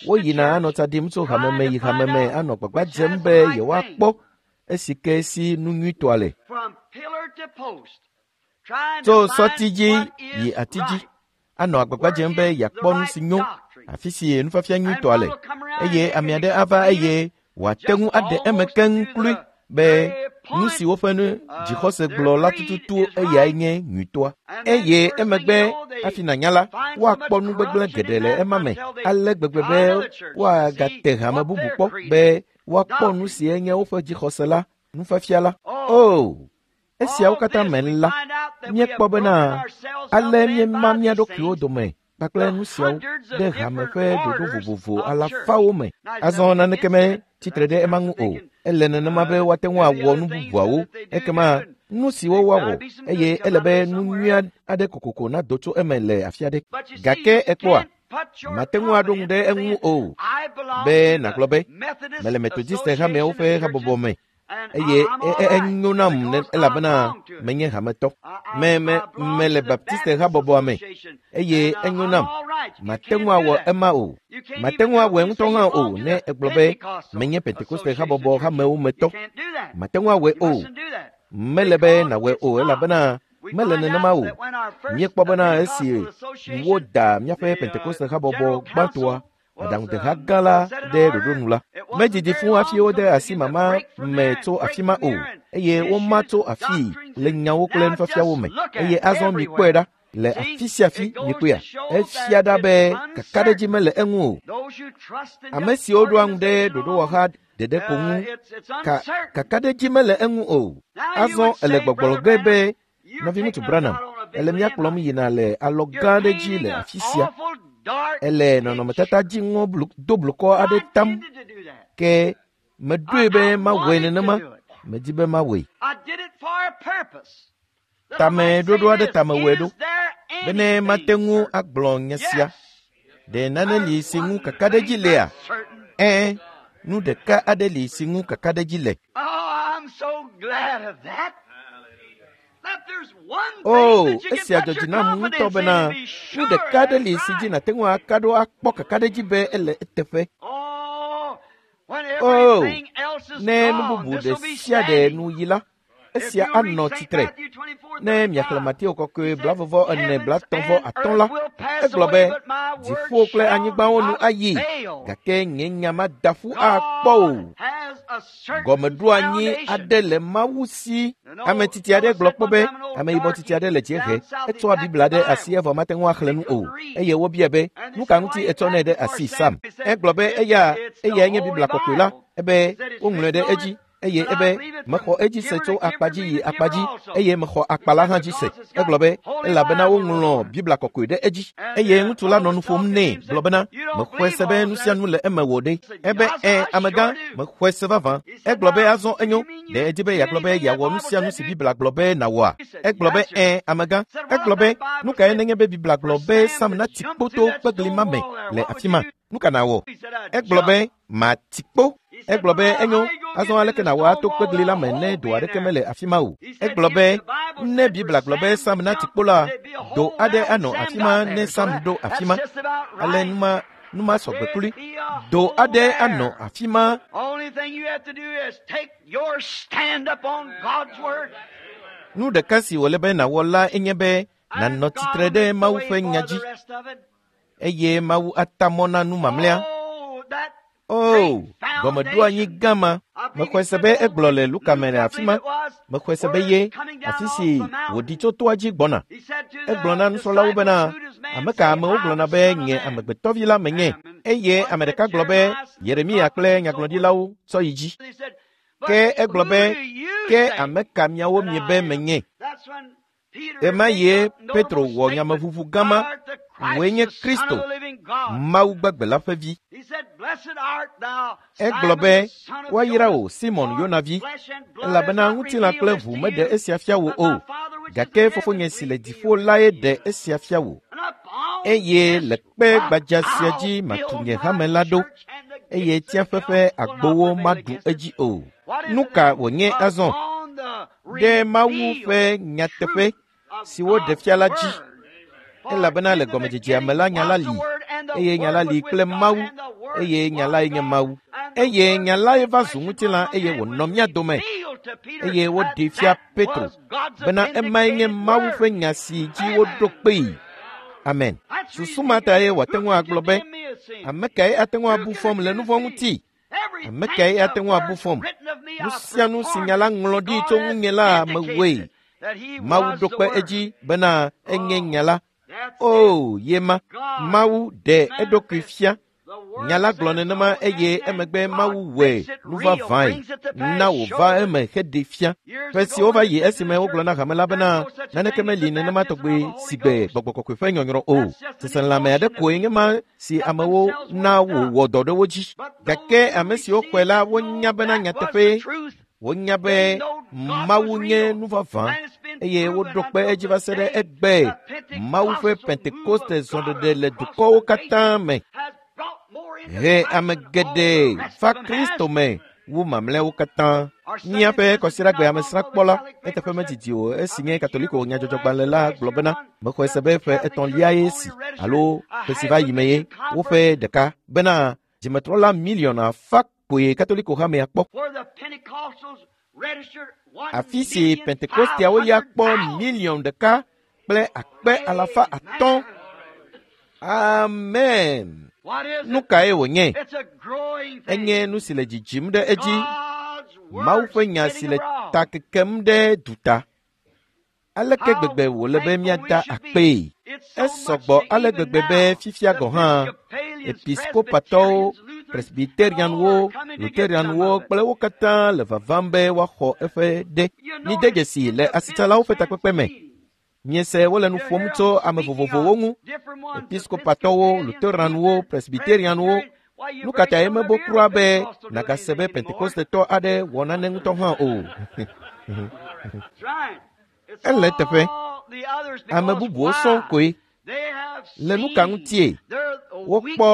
Woyina anɔ tsa ɖim tso hame me yi hame me anɔ gbagba dzem be yewoakpɔ esi ke si nu nyuitɔa le. Tso sɔti dzi yi ati dzi anɔ agbagba dzem be yeakpɔ nu si nyo, afi si nufiafia nyuitɔa le. Eye ame aɖe ava eye wòate ŋu aɖe eme keŋ kloe be nu si woƒe nu dzixɔse gblɔ la tututu eyae nye nyuitɔa. Eye emegbe hafi nànya la, woakpɔ nu gbegblẽ geɖe le ema me ale gbegbe be woagate hame bubu kpɔ be woakpɔ nu si nye woƒe dzixɔse la, nufiafia la. O, esiawo katã me la, míekpɔ bena ale míema mía ɖokuiwo dome kpakple nu siawo ɖe hame ƒe ɖoɖo vovovo alafawo me. Azɔ naneke me tsitre ɖe ema ŋu o. Ele nenema be woate ŋu awɔ nu bubuawo. Ekema nu siwo woawɔ eye ele be nu nyui aɖe kokoko nado tso eme le afi aɖe. Gake ekpɔa, mate ŋu aɖo ŋu ɖe eŋu o be nàgblɔ be mele Methodiste hamewo ƒe habɔbɔ me eye enyo nam elabena menye hametɔ. Me me mele Baptiste habɔbɔa me eye enyo nam. Mate ŋu awɔ ema o. Mate ŋu awɔe ŋutɔ hã o ne egblɔ be menye Pentekoste habɔbɔ hamewo me tɔ. Mate ŋu awɔe o. Mele be nàwɔe o elabena mele nenema o. Míekpɔ bena esi woda míaƒe Pentekoste habɔbɔ gbãtɔa aɖaŋudeha gã la ɖe ɖoɖo nu la, medzidzi fũ hafi wode asi mama me tso afi ma o eye woma tso afii le nyawo kple nufiafiawo me. Eye azɔ mikpɔe ɖa le afi sia afi mikpɔea, efia ɖa be kakaɖedzi mele eŋu o. Ame siwo ɖoa ŋu ɖe ɖoɖowɔha ɖeɖe ko ŋu ka kakaɖedzi mele eŋu o. Azɔ ele gbɔgblɔ ge be nɔviŋutsu Branham, Ele mía kplɔm yina le alɔ gã aɖe dzi le afi sia. Ele nɔnɔmetata dziŋɔ do blukɔ aɖe tam. Ke meɖoe be mawɔe nenema. Medi be mawɔe. Tameɖoɖo aɖe ta mewɔe ɖo bene mate ŋu agblɔ nye sia. Ɖe nane li si ŋu kakaɖedzi lea? Ɛ̃, nu ɖeka aɖe li si ŋu kakaɖedzi le. O, esia dzɔ dzi nam ŋutɔ bena nu ɖeka aɖe li si dzi nàte ŋu aka ɖo akpɔ kakaɖedzi be ele eteƒe. O, ne nu bubu ɖe sia ɖe nu yi la, esia anɔ tsitre. Ne miaxlẽ Mateo kɔkɔe blavɔvɔ ene blatɔ̃ vɔ atɔ̃ la, egblɔ be dziƒo kple anyigbawo nu ayi, gake nye nya mada ƒu akpɔ o. Gɔmeɖoanyi aɖe le Mawu si. Ame tsitsi aɖe gblɔ kpɔ be ameyibɔ tsitsi aɖe le dziehe, etsɔa Biblia ɖe asi evɔ mate ŋu axlẽ nu o. Eye wobia be, nu ka ŋuti etsɔnɛ ɖe asi Sam? Egblɔ be eya eyae nye Biblia kɔkɔe la, ebe woŋlɔe ɖe edzi. Eye ebe mexɔ edzi se tso akpa dzi yi akpa dzi eye mexɔ akpa la hã dzi se. Egblɔ be elabena woŋlɔ Biblia kɔkɔe ɖe edzi. Eye ŋutsu la nɔ nu ƒom nɛ gblɔ bena mexɔe se be nu sia nu le eme wò ɖe. Ebe ẽ amegã mexɔe se vavã. Egblɔ be azɔ enyo ɖe edzi be yeagblɔ be yeawɔ nu sia nu si Biblia gblɔ be nàwɔa. Egblɔ be ẽ amegã. Egblɔ be nu kae nenye be Biblia gblɔ be Sam nati kpo to kpegli ma me le afi ma. Nu ka nàwɔ? Egblɔ be mati kpo. Egblɔ be enyo azɔ aleke nàwɔ ato kpegli la me ne do aɖeke mele afi ma o. Egblɔ be ne Biblia gblɔ be Sam nati kpo la, do aɖe anɔ afi ma ne Sam ɖo afi ma. Ale numa numa sɔgbe klui. Do aɖe anɔ afi ma. Nu ɖeka si wòle be nàwɔ la enye be nànɔ tsitre ɖe Mawu ƒe nya dzi eye Mawu ata mɔ na nu mamlɛa. O, gɔmeɖoanyi gã ma. Mexɔe se be egblɔ le Luka me le afi ma. Mexɔe se be ye, afi si wòɖi tso toa dzi gbɔna. Egblɔ na nusrɔ̃lawo bena, ame ka amewo gblɔna be nye amegbetɔvi la menye. Eye ame ɖeka gblɔ be Yeremia kple nyagblɔɖilawo tsɔ yi dzi. Ke egblɔ be, ke ame ka miawo miebe menye? Ɣemaɣie Petro wɔ nyameʋuʋu gã ma. Wòe nye Kristo, Mawu gbagbe la ƒe vi. Egblɔ be, woayra wò Simon Yona vi, elabena ŋutilã kple ʋu meɖe esia fia wò o, gake fofonye si le dziƒo lae ɖe esia fia wò. Eye le kpe gbadza sia dzi matu nye hame la ɖo, eye tsiaƒe ƒe agbowo maɖu edzi o. Nu ka wònye azɔ? Ɖe Mawu ƒe nyateƒe si woɖe fia la dzi. Elabena le gɔmedzedzea me la nya la li, eye nya la li kple Mawu, eye nya lae nye Mawu. Eye nya lae va zu ŋutilã eye wònɔ mía dome. Eye woɖee fia Petro bena emae nye Mawu ƒe nya si dzi woɖo kpee. Amen. Susu ma tae wòate ŋu agblɔ be, ame kae ate ŋu abu fɔm le nu vɔ̃ ŋuti? Ame kae ate ŋu abu fɔm? Nu sia nu si nya la ŋlɔ ɖi tso ŋunye la mewɔe. Mawu ɖo kpe edzi bena enye nya la. O, ye ma, Mawu ɖe eɖokui fia. Nya la gblɔ nenema eye emegbe Mawu wɔe nu vavãe na wòva eme heɖee fia. Ƒe siwo va yi esime wogblɔ na hame la bena naneke meli nenema tɔgbe si gbe gbɔgbɔ kɔkɔe ƒe nyɔnyrɔ o. Seselãme aɖe koe nye ma si amewo na wòwɔ dɔ ɖe wo dzi. Gake ame siwo xɔe la wonya bena nyateƒee. Wonya be Mawu nye nu vavã eye woɖo kpe edzi va se ɖe egbe. Mawu ƒe Pentekoste zɔɖeɖe le dukɔwo katã me he ame geɖe va Kristo me wu mamlɛawo katã. Míaƒe kɔsiɖagbe amesrãkpɔla eteƒe medidi o esi nye Katoliko nyadzɔdzɔgbalẽ la gblɔ bena mexɔe se be ƒe etɔ̃liae si alo ƒe si va yi me ye woƒe ɖeka bena dzimetrɔla miliɔn afã koe Katoliko hamea kpɔ. Afi si Pentekosteawo ya kpɔ miliɔn ɖeka kple akpe alafa atɔ̃. Amen. Nu kae wònye? Enye nu si le dzidzim ɖe edzi. Mawu ƒe nya si le ta kekem ɖe duta. Aleke gbegbe wòle be míada akpee? Esɔgbɔ ale gbegbe be fifia gɔ̃ hã episkopatɔwo, presbyterianwo, luterianwo kple wo katã le vavam be woaxɔ eƒe ɖe. Mide dzesi le asitsalawo ƒe takpekpe me. Miese wole nu ƒom tso ame vovovowo ŋu, episkopatɔwo, luteranwo, presbiterianwo. Nu ka tae mebo kura be nàgase be pentekostetɔ aɖe wɔ nane ŋutɔ hã o? Ele teƒe. Ame bubuwo sɔŋ koe. Le nu ka ŋutie? Wokpɔ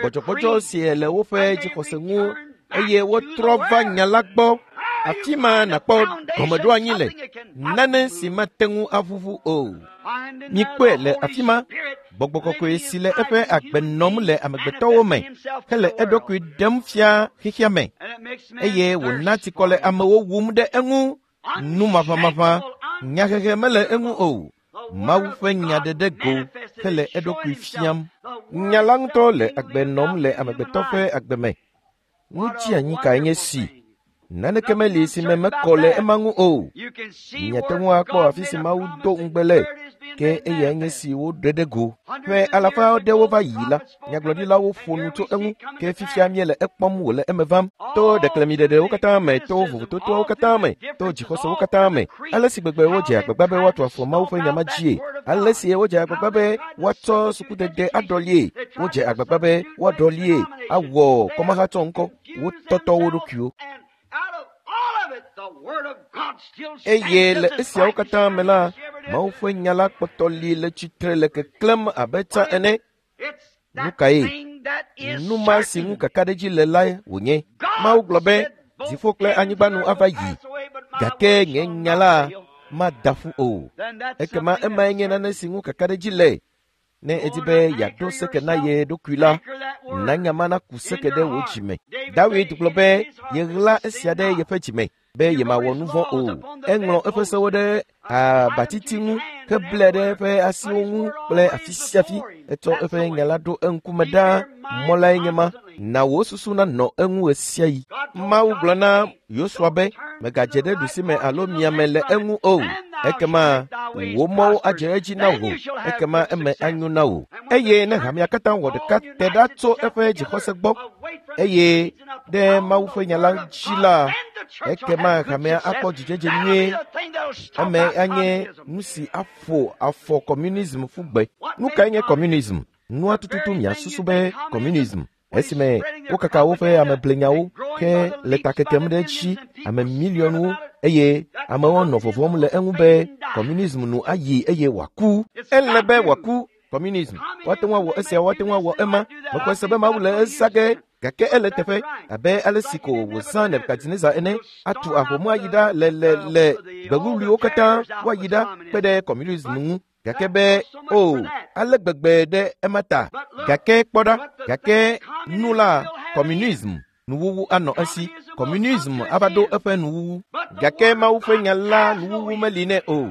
gbɔdzɔgbɔdzɔ si le woƒe dzixɔse ŋu eye wotrɔ va nya la gbɔ. Afi ma nàkpɔ gɔmeɖoanyi le, nane si mate ŋu aʋuʋu o. Mikpɔe le afi ma, gbɔgbɔ kɔkɔe si le eƒe agbe nɔm le amegbetɔwo me hele eɖokui ɖem fia xexea me eye wòna tsikɔ le amewo wum ɖe eŋu. Nu maʋamaʋã, nyahehe mele eŋu o. Mawu ƒe nya ɖeɖe go hele eɖokui fiam. Nya la ŋutɔ le agbe nɔm le amegbetɔ ƒe agbe me. Nu dzianyi kae nye si? Naneke meli si me mekɔ le ema ŋu o. Miate ŋu akpɔ afi si Mawu do ŋugbe le, ke eyae nye si woɖe ɖe go. Ƒe alafa aɖewo va yi la, nyagblɔɖilawo ƒo nu tso eŋu, ke fifia míele ekpɔm wòle eme vam. To ɖeklemiɖeɖewo katã me, to vovototoawo katã me, to dzixɔsewo katã me, ale si gbegbe wodze agbagba be woatu afɔ Mawu ƒe nya ma dzie, ale si wodze agbagba be woatsɔ sukudede aɖɔlie, wodze agbagba be woaɖɔlie awɔ kɔmahatsɔ ŋkɔ, wotɔtɔ wo ɖokuiwo. Eye le esiawo katã me la, Mawu ƒe nya la kpɔtɔ li le tsitre le keklẽm abe tsã ene. Nu kae? Nu ma si ŋu kakaɖedzi le lae wònye. Mawu gblɔ be dziƒo kple anyigba nu ava yi, gake nye nya la mada ƒu o. Ekema emae nye nane si ŋu kakaɖedzi le. Ne edi be yeaɖo seke na ye ɖokui la, na nya ma naku seke ɖe wò dzime. Dawid gblɔ be yeɣla esia ɖe yeƒe dzime be yemawɔ nu vɔ̃ o. Eŋlɔ eƒe sewo ɖe abatiti ŋu heblɛ ɖe eƒe asiwo ŋu kple afi sia afi. Etsɔ eƒe nya la ɖo eŋkume ɖaa. Mɔ lae nye ma. Na wò susu nanɔ eŋu ɣe sia ɣi. Mawu gblɔ na Yosua be megadze ɖe ɖusime alo miame le eŋu o. Ekema wò mɔwo adze edzi na wò, ekema eme anyo na wò. Eye ne hamea katã wɔ ɖeka te ɖa tso eƒe dzixɔse gbɔ eye ɖe Mawu ƒe nya la dzi la, ekema hamea akpɔ dzidzedze nyuie. Eme anye nu si aƒo afɔ kɔmunism ƒu gbe. Nu kae nye kɔmunism? Nua tututu miasusu be kɔmunism esime wokaka woƒe ameblenyawo ke le ta kekem ɖe edzi ame miliɔnwo eye amewo nɔ vɔvɔm le eŋu be kɔmunism nu ayi eye wòaku. Ele be wòaku kɔmunism. Woate ŋu awɔ esia, woate ŋu awɔ ema. Mexɔe se be Mawu le eza ge, gake ele teƒe abe ale si ko wòzã Nebukadnezar ene atu ahomu ayi ɖa le le le gbewuwluiwo katã woayi ɖa kpe ɖe kɔmunism ŋu. Gake be o ale gbegbe ɖe ema ta. Gake kpɔ ɖa, gake nu la kɔmunism nuwuwu anɔ esi. Kɔmunism ava ɖo eƒe nuwuwu. Gake Mawu ƒe nya la nuwuwu meli nɛ o,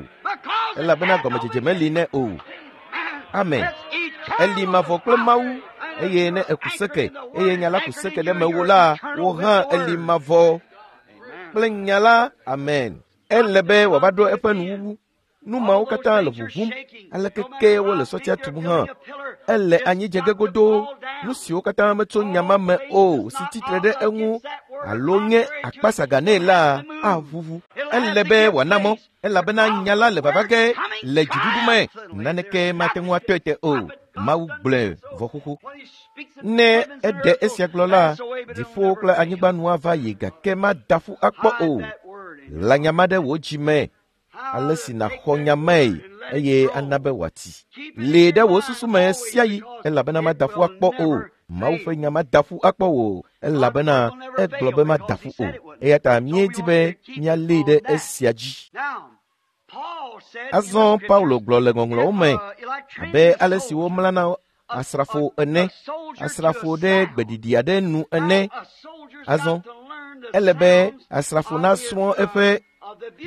elabena gɔmedzedze meli nɛ o. Amen. Eli mavɔ kple Mawu eye ne eku seke eye nya la ku seke ɖe mewò la, wò hã eli mavɔ kple nya la. Amen. Ele be wòava ɖo eƒe nuwuwu. Nu mawo katã le ʋuʋum, aleke ke wole sɔtia tum hã. Ele anyi dze ge godoo. Nu siwo katã metso nya ma me o si tsitre ɖe eŋu alo nye akpasaga nɛ la aʋuʋu. Ele be wòana mɔ, elabena nya la le vava ge le dziɖuɖu me. Naneke mate ŋu atɔe te o. Mawu gblɔe vɔ xoxo. Ne eɖe esia gblɔ la, dziƒo kple anyigba nu ava yi gake mada ƒu akpɔ o. Ɣla nya ma ɖe wò dzime ale si nàxɔ nya mae eye ana be wòati. Lée ɖe wò susu me sia ɣi elabena mada ƒu akpɔ o. Mawu ƒe nya mada ƒu akpɔ o elabena egblɔ be mada ƒu o. Eya ta míedi be míalée ɖe esia dzi. Azɔ Paulo gblɔ le ŋɔŋlɔwo me abe ale si womlana asrafo ene, asrafo ɖe gbeɖiɖi aɖe nu ene. Azɔ ele be asrafo nasrɔ̃ eƒe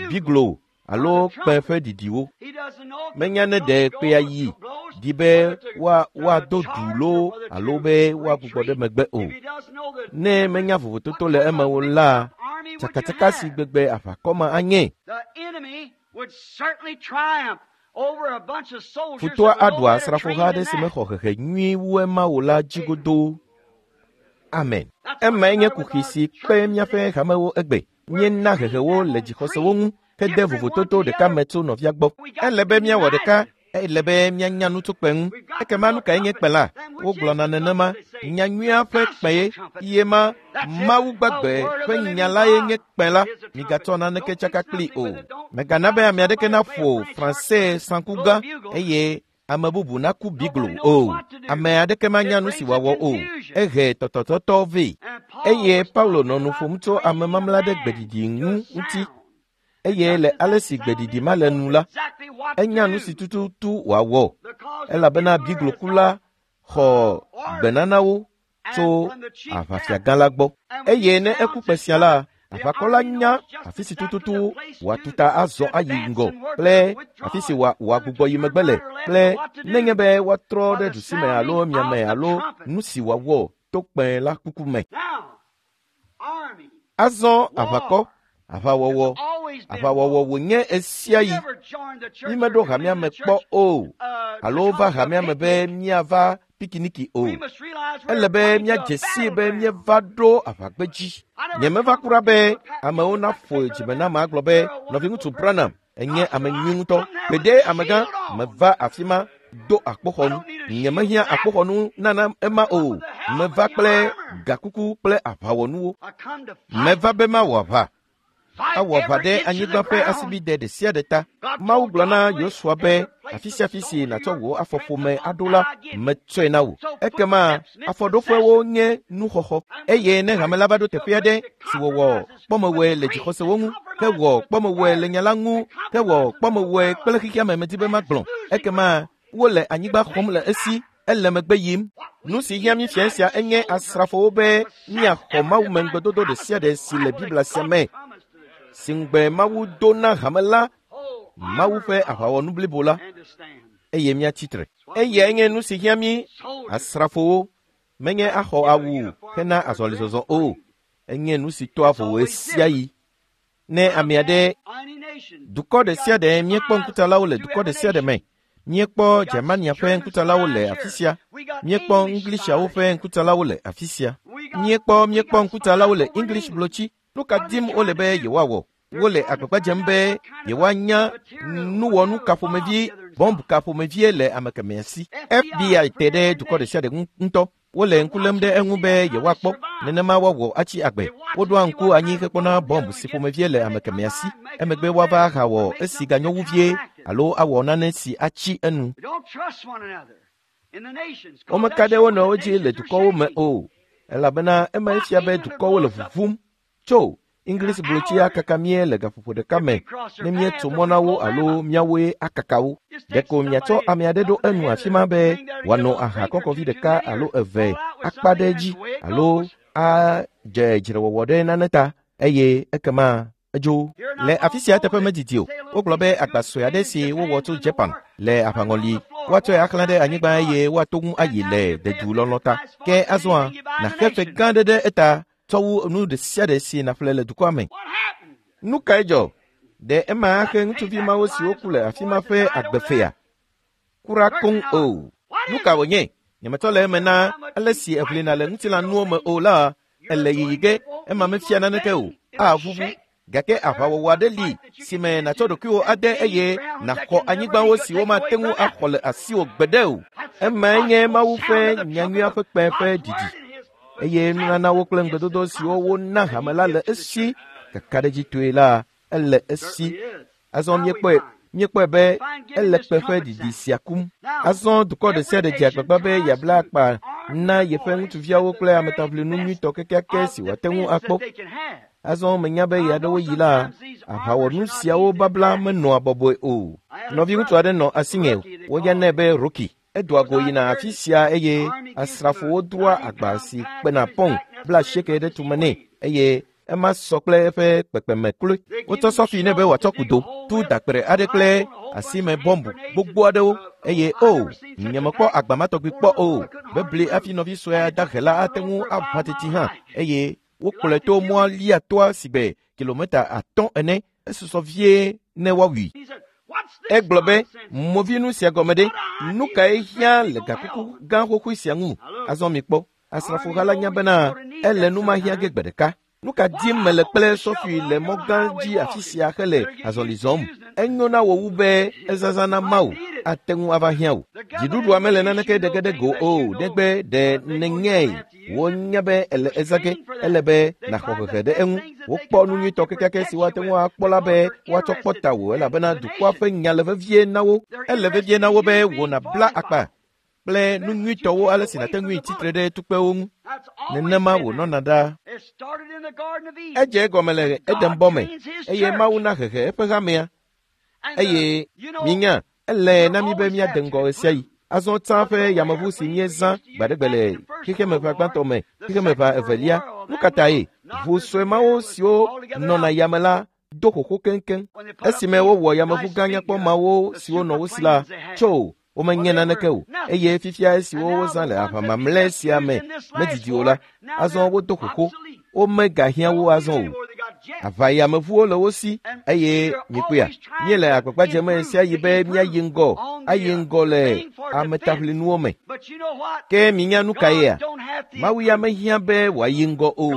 biglo alo kpẽ ƒe ɖiɖiwo. Menya ne ɖe kpea yi ɖi be woa woado du loo alo be woagbugbɔ ɖe megbe o. Ne menya vovototo le eme o la, tsakatsaka si gbegbe aʋakɔ ma anye. Futɔa aɖu asrafoha aɖe si mexɔ hehe nyuie wu ema o la dzi godoo. Amen. Emae nye kuxi si kpe míaƒe hamewo egbe. Míena hehewo le dzixɔsewo ŋu, hede vovototo ɖeka me tso nɔvia gbɔ. Ele be míawɔ ɖeka, ele be míanya nu tso kpẽ ŋu. Ekema nu kae nye kpẽ la? Wogblɔna nenema, nyanyuia ƒe kpẽ ye, ye ma Mawu gbagbe ƒe nya la ye nye kpẽ la. Migatsɔ naneke tsaka kpli o. Mègana be ame aɖeke naƒo Fransɛ saŋku gã eye ame bubu naku biglo o. Ame aɖeke manya nu si wòawɔ o. Ehe tɔtɔtɔtɔ vɛ. Eye Paulo nɔ nu ƒom tso ame mamla ɖe gbeɖiɖi ŋu ŋuti. Eye le ale si gbeɖiɖi ma le nu la, enya nu si tututu wòawɔ, elabena biglokula xɔ gbenanawo tso aʋafiagã la gbɔ. Eye ne eku kpẽ sia la, aʋakɔ la nya afi si tututu wòatuta azɔ ayi ŋgɔ kple afi si wòagbugbɔ yi megbe le kple nenye be woatrɔ ɖe ɖusime alo miame alo nu si wòawɔ to kpẽ la kuku me. Azɔ aʋakɔ, aʋawɔwɔ, aʋawɔwɔ wònye esiayi. Mímeɖo hamea me kpɔ o, alo va hamea me be míava pikiniki o. Ele be míadze sii be míeva ɖo aʋagbedzi. Nyemeva kura be amewo naƒo dzime nam agblɔ be nɔviŋutsu Branham enye ame nyui ŋutɔ. Gbeɖe amegã, meva afi ma do akpoxɔnu. Nyemehiã akpoxɔnu nana ema o. Meva kple gakuku kple aʋawɔnuwo. Meva be mawɔ aʋa. Awɔ aʋa ɖe anyigba ƒe asibide ɖe sia ɖe ta. Mawu gblɔ na Yosua be afi sia afi si nàtsɔ wò afɔƒome aɖo la, metsɔe na wò. Ekema afɔɖoƒewo nye nuxɔxɔ. Eye ne hame la va ɖo teƒe aɖe si wòwɔ kpɔmewɔe le dzixɔsewo ŋu, hewɔ kpɔmewɔe le nya la ŋu, hewɔ kpɔmewɔe kple xexea me medi be magblɔ, ekema wole anyigba xɔm le esi, ele megbe yim. Nu si hiã mí fia sia enye asrafowo be míaxɔ Mawu me ŋugbedodo ɖe sia ɖe si le Biblia sia me, si ŋugbe Mawu do na hame la, Mawu ƒe aʋawɔnu blibo la, eye míatsi tre. Eyae nye nu si hiã mí asrafowo, menye axɔ awu hena azɔlizɔzɔ o. Enye nu si toa vovo ɣesiaɣi. Ne ame aɖe, dukɔ ɖe sia ɖe, míekpɔ ŋkutsalawo le dukɔ ɖe sia ɖe me. Míekpɔ Germania ƒe ŋkutsalawo le afi sia. Míekpɔ Englishawo ƒe ŋkutsalawo le afi sia. Míekpɔ míekpɔ ŋkutsalawo le English blotsi. Nu ka dim wole be yewoawɔ? Wole agbagba dzem be yewoanya nuwɔnu ka ƒomevi, bɔmb ka ƒomevie le ame kemɛa si. F B I te ɖe dukɔ ɖe sia ɖe ŋu ŋutɔ. Wole ŋku lém ɖe eŋu be yewoakpɔ nenema woawɔ atsi agbe. Woɖoa ŋku anyi hekpɔna bɔmb si ƒomevie le ame kemɛa si. Emegbe woava ahawɔ esi ganyo wu vie alo awɔ nane si atsi enu. Womeka ɖe wo nɔewo dzi le dukɔwo me o, elabena ema fia be dukɔwo le vuvum tso English blotsia kaka mie le gaƒoƒo ɖeka me ne míetso mɔ na wo alo míawoe akaka wo. Ɖeko miatsɔ ame aɖe ɖo enu afi ma be wòano aha kɔkɔvi ɖeka alo eve akpa ɖe edzi alo adze dzrewɔwɔ ɖe nane ta eye ekema edzo. Le afi sia teƒe medidi o, wogblɔ be agba sue aɖe si wowɔ tso Japan le aʋaŋɔli, woatsɔe axlã ɖe anyigba eye woato ŋu ayi le dedulɔlɔ̃ ta. Ke azɔa, nàxe fe gã aɖe ɖe eta tsɔ wu nu ɖe sia ɖe si nàƒle le dukɔa me. Nu kae dzɔ? Ɖe ema axe ŋutsuvi mawo siwo ku le afi ma ƒe agbefea? Kura koŋ o. Nu ka wònye? Nyemetsɔ le eme na ale si eʋlina le ŋutilãnuwo me o la, ele yiyi ge, ema mefia naneke o. Aʋuʋu. Gake aʋawɔwɔ aɖe li si me nàtsɔ ɖokuiwò ade eye nàxɔ anyigbawo si womate ŋu axɔ le asiwò gbeɖe o. Emae nye Mawu ƒe nyanyuia ƒe kpẽ ƒe didi. Eye nunanawo kple ŋugbedodo siwo wona hame la le esi kakaɖedzitɔe la, ele esi. Azɔ míekpɔe, míekpɔe be ele kpẽ ƒe didi sia kum. Azɔ dukɔ ɖe sia ɖe dze agbagba be yeabla akpa na yeƒe ŋutsuviawo kple ametaʋlinu nyuitɔ kekeake si wòate ŋu akpɔ. Azɔ menya be ɣeaɖewoɣi la, aʋawɔnu siawo babla menɔa bɔbɔe o. Nɔviŋutsu aɖe nɔ asinye, woyɔnɛ be Rocky. Edoa go yina afi sia eye asrafowo doa agba si kpena pɔŋ bla asieke ɖe tume nɛ eye ema sɔ kple eƒe kpekpeme kloe. Wotsɔ sɔfi nɛ be wòatsɔ kudo, tu dakpere aɖe kple asime bɔmbu gbogbo aɖewo eye o, nyemekpɔ agba ma tɔgbi kpɔ o. Bebli hafi nɔvi sue dahe la ate ŋu aʋã teti hã eye wokplɔe to mɔa lia toa si gbe kilometa atɔ̃ ene esusɔ vie ne woawui. Egblɔ be movinu sia gɔme ɖe, nu kae hiã le gakuku gã xoxoe sia ŋu? Azɔ mikpɔ, asrafoha la nya bena ele nu ma hiã ge gbe ɖeka. Nu ka dim mele kple sɔfui le mɔ gã dzi afi sia hele azɔli zɔm? Enyo na wò wu be ezazã na Mawu ate ŋu ava hiã wò. Dziɖuɖua mele naneke ɖe ge ɖe go o, negbe ɖe nènyae. Wonya be ele ezã ge, ele be nàxɔ hehe ɖe eŋu. Wokpɔ nu nyuitɔ kekeake si woate ŋu akpɔ la be woatsɔ kpɔ ta wò elabena dukɔa ƒe nya le vevie na wo. Ele vevie na wo be wò nàbla akpa kple nu nyuitɔwo ale si nàte ŋui tsitre ɖe tukpewo ŋu. Nenema wònɔna ɖaa. Edze egɔme le Edenbɔ me eye Mawu na hehe eƒe hamea. Eye minya, ele na mi be míade ŋgɔ ɣe sia ɣi. Azɔ tsã ƒe yameʋu si míezã gbaɖegbe le xexemeʋa gbãtɔ me, xexemeʋa evelia. Nu ka tae? Ʋu sue mawo siwo nɔna yame la do xoxo keŋkeŋ. Esime wowɔ yameʋu gã nyakpɔ mawo siwo nɔ wo si la, tso womenye naneke o. Eye fifia esiwo wozã le aʋa mamlɛ sia me medidi o la, azɔ wodo xoxo. Womegahiã wo azɔ o. Aʋayameʋuwo le wo si eye mikpɔea, míele agbagba dzem ɣe sia ɣi be míayi ŋgɔ, ayi ŋgɔ le ametaʋlinuwo me. Ke minya nu kaea? Mawu ya mehiã be wòayi ŋgɔ o.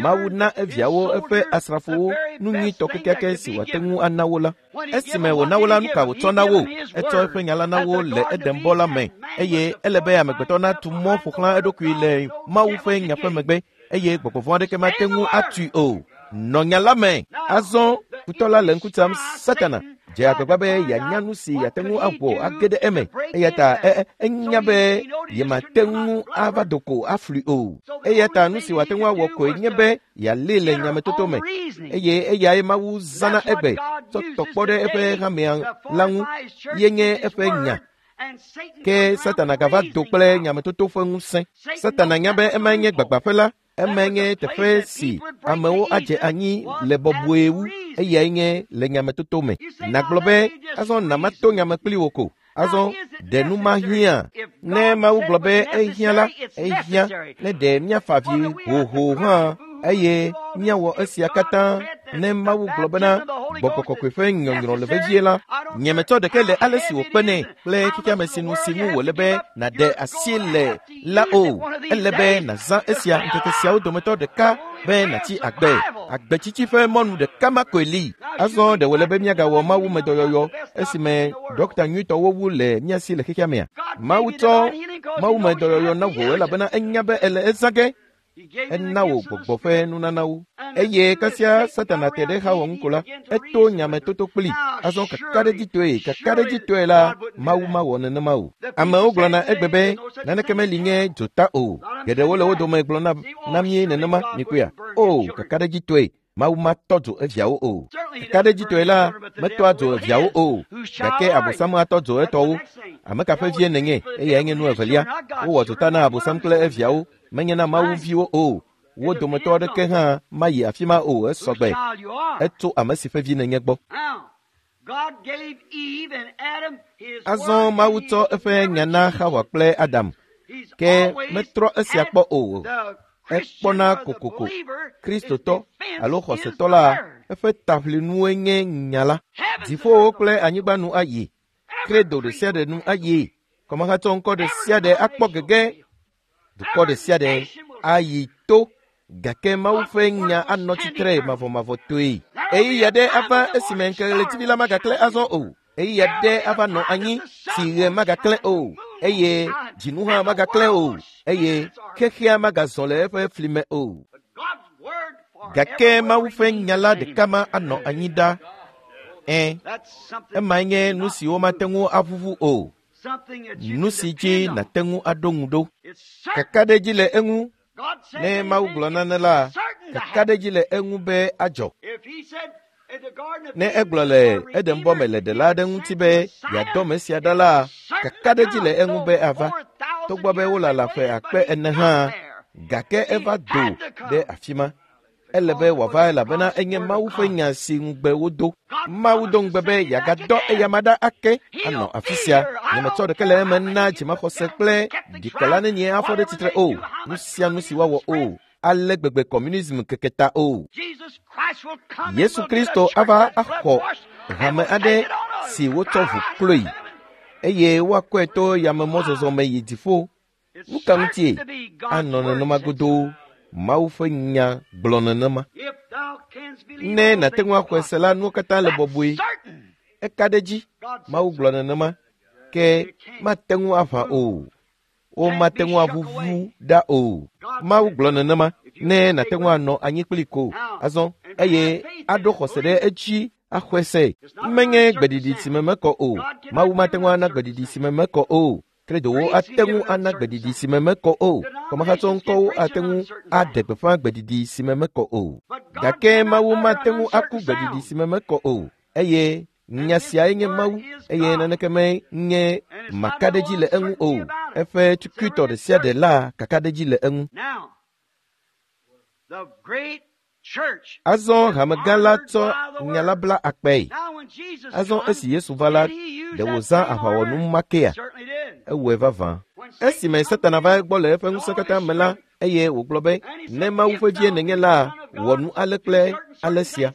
Mawu na eviawo eƒe asrafowo nu nyuitɔ kekeake si wòate ŋu ana wo la. Esime wòna wo la, nu ka wòtsɔ na wo? Etsɔ eƒe nya la na wo le Edenbɔ la me eye ele be amegbetɔ natu mɔ ƒo xlã eɖokui le Mawu ƒe nya ƒe megbe eye gbɔgbɔ vɔ̃ aɖeke mate ŋu atui o. Nɔ nya la me. Azɔ futɔ la le ŋku tsam Satana dze agbagba be yeanya nu si yeate ŋu awɔ age ɖe eme eya ta enya be yemate ŋu ava do ko aflui o. Eya ta nu si wòate ŋu awɔ koe nye be yealée le nyametoto me eye eyae Mawu zãna egbe tsɔ tɔ kpɔ ɖe eƒe hamea la ŋu ye nye eƒe nya. Ke Satana gava do kple nyametoto ƒe ŋusẽ. Satana nya be emae nye gbagbaƒe la, emae nye teƒe si amewo adze anyi le bɔbɔe wu, eyae nye le nyametoto me. Nàgblɔ be, azɔ namato nyame kpli wò ko. Azɔ ɖe nu ma hiã. Ne Mawu gblɔ be ehiã la, ehiã. Ne ɖe míafa avi hoho hã eye míawɔ esia katã. Ne Mawu gblɔ bena gbɔgbɔ kɔkɔe ƒe nyɔnyrɔ le vevie la, nyemetsɔ ɖeke le ale si wòkpenɛ kple xexeame sinu si ŋu wòle be nàɖe asi le la o. Ele be nàzã esia ŋkeke siawo dometɔ ɖeka be nàtsi agbe. Agbetsitsi ƒe mɔnu ɖeka ma koe li. Azɔ ɖe wòle be míagawɔ mawumedɔyɔyɔ esime ɖɔkta nyuitɔwo wu le mía si le xexea mea? Mawu tsɔ mawumedɔyɔyɔ na wò elabena enya be ele ezã ge. Ena wò gbɔgbɔ ƒe nunanawo. Eye kasia Satana te ɖe Xawa ŋu ko la, eto nyametoto kpli. Azɔ kakaɖedzitɔe, kakaɖedzitɔe la, Mawu mawɔ nenema o. Amewo gblɔna egbe be naneke meli nye dzota o. Geɖewo le wo dome gblɔna na mí nenema, mikpɔea? O, kakaɖedzitɔe, Mawu matɔ dzo eviawo o. Kakaɖedzitɔe la, metɔa dzo eviawo o. Gake Abosam atɔ dzo etɔwo. Ame ka ƒe vie nènye? Eyae nye nu evelia. Wowɔ dzota na Abosam kple eviawo, menye na Mawu viwo o. Wo dometɔ aɖeke hã mayi afi ma o esɔgbe. Etso ame si ƒe vi nènye gbɔ. Azɔ Mawu tsɔ eƒe nya na Xawa kple Adam, ke metrɔ esia kpɔ o. Ekpɔna kokoko. Kristotɔ alo xɔsetɔ la, eƒe taʋlinue nye nya la. Dziƒowo kple anyigba nu ayi. Kredo ɖe sia ɖe nu ayi. Kɔmahatsɔ ŋkɔ ɖe sia ɖe akpɔ gege. Dukɔ ɖe sia ɖe ayi to. Gake Mawu ƒe nya anɔ tsitre mavɔmavɔtɔe. Ɣeyiɣi aɖe ava esime ŋkeke ɣletivi la magaklẽ azɔ o. Ɣeyiɣi aɖe ava nɔ anyi si ɣe magaklẽ o eye dzinu hã magaklẽ o eye xexea magazɔ le eƒe fli me o. Gake Mawu ƒe nya la ɖeka ma anɔ anyi ɖa. Ẽ, emae nye nu si womate ŋu aʋuʋu o. Nu si dzi nàte ŋu aɖo ŋu ɖo. Kakaɖedzi le eŋu. Ne Mawu gblɔ nane la, kakaɖedzi le eŋu be adzɔ. Ne egblɔ le Edenbɔ me le ɖela aɖe ŋuti be yeadɔ ame sia ɖa la, kakaɖedzi le eŋu be ava. Togbɔ be wolala ƒe akpe ene hã, gake eva do ɖe afi ma. Ele be wòava elabena enye Mawu ƒe nya si ŋugbe wodo. Mawu do ŋugbe be yeagadɔ eyama ɖa ake anɔ afi sia. Nyemetsɔ ɖeke le eme na dzimaxɔse kple ɖikela nenie afɔ ɖe tsitre o. Nu sia nu si woawɔ o. Ale gbegbe kɔmunism keke ta o. Yesu Kristo ava axɔ hame aɖe si wotsɔ ʋu kloe eye woakɔe to yamemɔzɔzɔ me yi dziƒo. Nu ka ŋutie anɔ nenema godoo? Mawu ƒe nya gblɔ nenema. Ne nàte ŋu axɔe se la, nuwo katã le bɔbɔe. Eka ɖe edzi. Mawu gblɔ nenema. Ke mate ŋu aʋã o. Womate ŋu aʋuʋu ɖa o. Mawu gblɔ nenema. Ne nàte ŋu anɔ anyi kpli ko azɔ eye aɖo xɔse ɖe edzi axɔe se. Menye gbeɖiɖi si me mekɔ o. Mawu mate ŋu ana gbeɖiɖi si me mekɔ o. Kredowo ate ŋu ana gbeɖiɖi si me mekɔ o. Kɔmahatsɔŋkɔwo ate ŋu aɖe gbeƒã gbeɖiɖi si me mekɔ o. Gake Mawu mate ŋu aku gbeɖiɖi si me mekɔ o. Eye nya siae nye Mawu eye naneke menye makaɖedzi le eŋu o. Eƒe tukutɔ ɖe sia ɖe la kakaɖedzi le eŋu. Azɔ hamegã la tsɔ nya la bla akpae. Azɔ esi Yesu va la, ɖe wòzã aʋawɔnu ma kea? Ewɔe vavã. Esime Satana va egbɔ le eƒe ŋusẽ katã me la, eye wògblɔ be, ne Mawu ƒe vie nènye la, wɔ nu ale kple ale sia.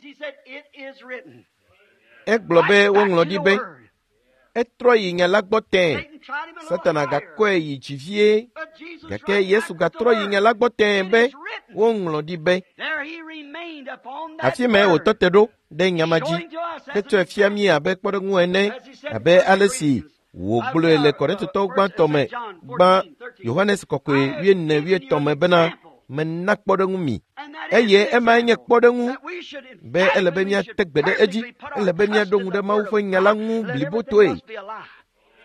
Egblɔ be woŋlɔ ɖi be, etrɔ yi nya la gbɔ tẽe. Satana gakɔe yi dzi vie, gake Yesu gatrɔ yi nya la gbɔ tẽe be woŋlɔ ɖi be. Afi mae wòtɔ te ɖo ɖe nya ma dzi hetsɔe fia mí abe kpɔɖeŋu ene, abe ale si wògblɔe le Korintotɔwo gbãtɔ me gbã Yohanes kɔkɔe wuiene wuietɔ̃ me bena mena kpɔɖeŋu mi. Eye emae nye kpɔɖeŋu be ele be míate gbe ɖe edzi, ele be míaɖo ŋu ɖe Mawu ƒe nya la ŋu blibotoe.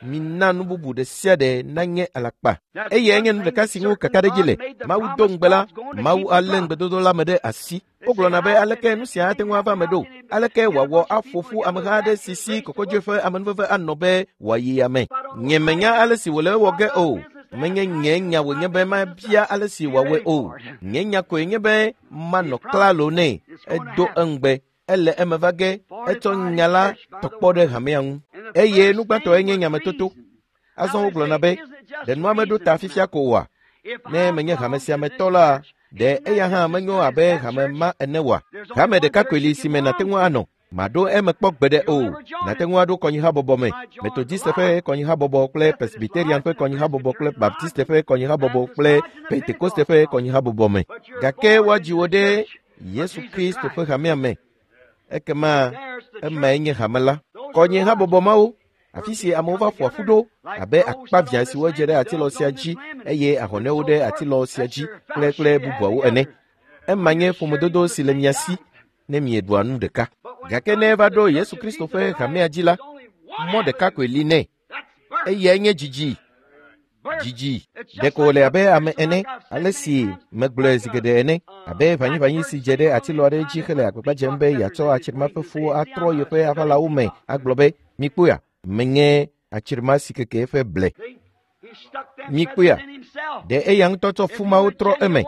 Mina nu bubu ɖe sia ɖe nanye alakpa. Eye nye nu ɖeka si ŋu kakaɖedzi le. Mawu do ŋugbe la, Mawu alé ŋugbedodo la me ɖe asi. Wogblɔna be aleke nu sia ate ŋu ava eme ɖo? Aleke wòawɔ aƒo ƒu ameha aɖe si si kɔkɔdzoe ƒe amenuveve anɔ be wòayi ame? Nye menya ale si wòle ewɔ ge o. Menye nye nya wònye be mabia ale si wòawɔe o. Nye nya koe nye be manɔ klalo nɛ. Edo eŋugbe. Ele eme va ge. Etsɔ nya la tɔkpɔ ɖe hamea ŋu. Eye nu gbãtɔe nye nyametoto. Azɔ wogblɔna be, ɖe nua meɖo ta fifia ko oa? Ne menye hame sia me tɔ la, ɖe eya hã menyo abe hame ma ene oa? Hame ɖeka koe li si me nàte ŋu anɔ. Maɖo eme kpɔ gbeɖe o. Nàte ŋu aɖo kɔnyihabɔbɔ me. Metodiste ƒe kɔnyihabɔbɔ kple Presbyterian ƒe kɔnyihabɔbɔ kple Baptiste ƒe kɔnyihabɔbɔ kple Pentekoste ƒe kɔnyihabɔbɔ me. Gake woadzi wò ɖe Yesu Kristo ƒe hamea me. Ekema emae nye hame la. Kɔnyihabɔbɔ mawo, afi si amewo va ƒoa ƒu ɖo abe akpavia siwo dze ɖe atilɔ sia dzi eye ahɔnɛwo ɖe atilɔ sia dzi kple kple bubuawo ene. Ema nye ƒomedodo si le mia si ne mieɖua nu ɖeka. Gake ne eva ɖo Yesu Kristo ƒe hamea dzi la, mɔ ɖeka koe li nɛ. Eyae nye dzidzi. Dzidzi. Ɖeko wòle abe ame ene, ale si megblɔe zi geɖe ene, abe ʋanyiʋanyi si dze ɖe atilɔ aɖe dzi hele agbagba dzem be yeatsɔ atsirima ƒe fuwo atrɔ yeƒe aʋalawo me agblɔ be, mikpɔea, menye atsirima si keke eƒe ble. Mikpɔea, ɖe eya ŋutɔ tsɔ fu mawo trɔ eme.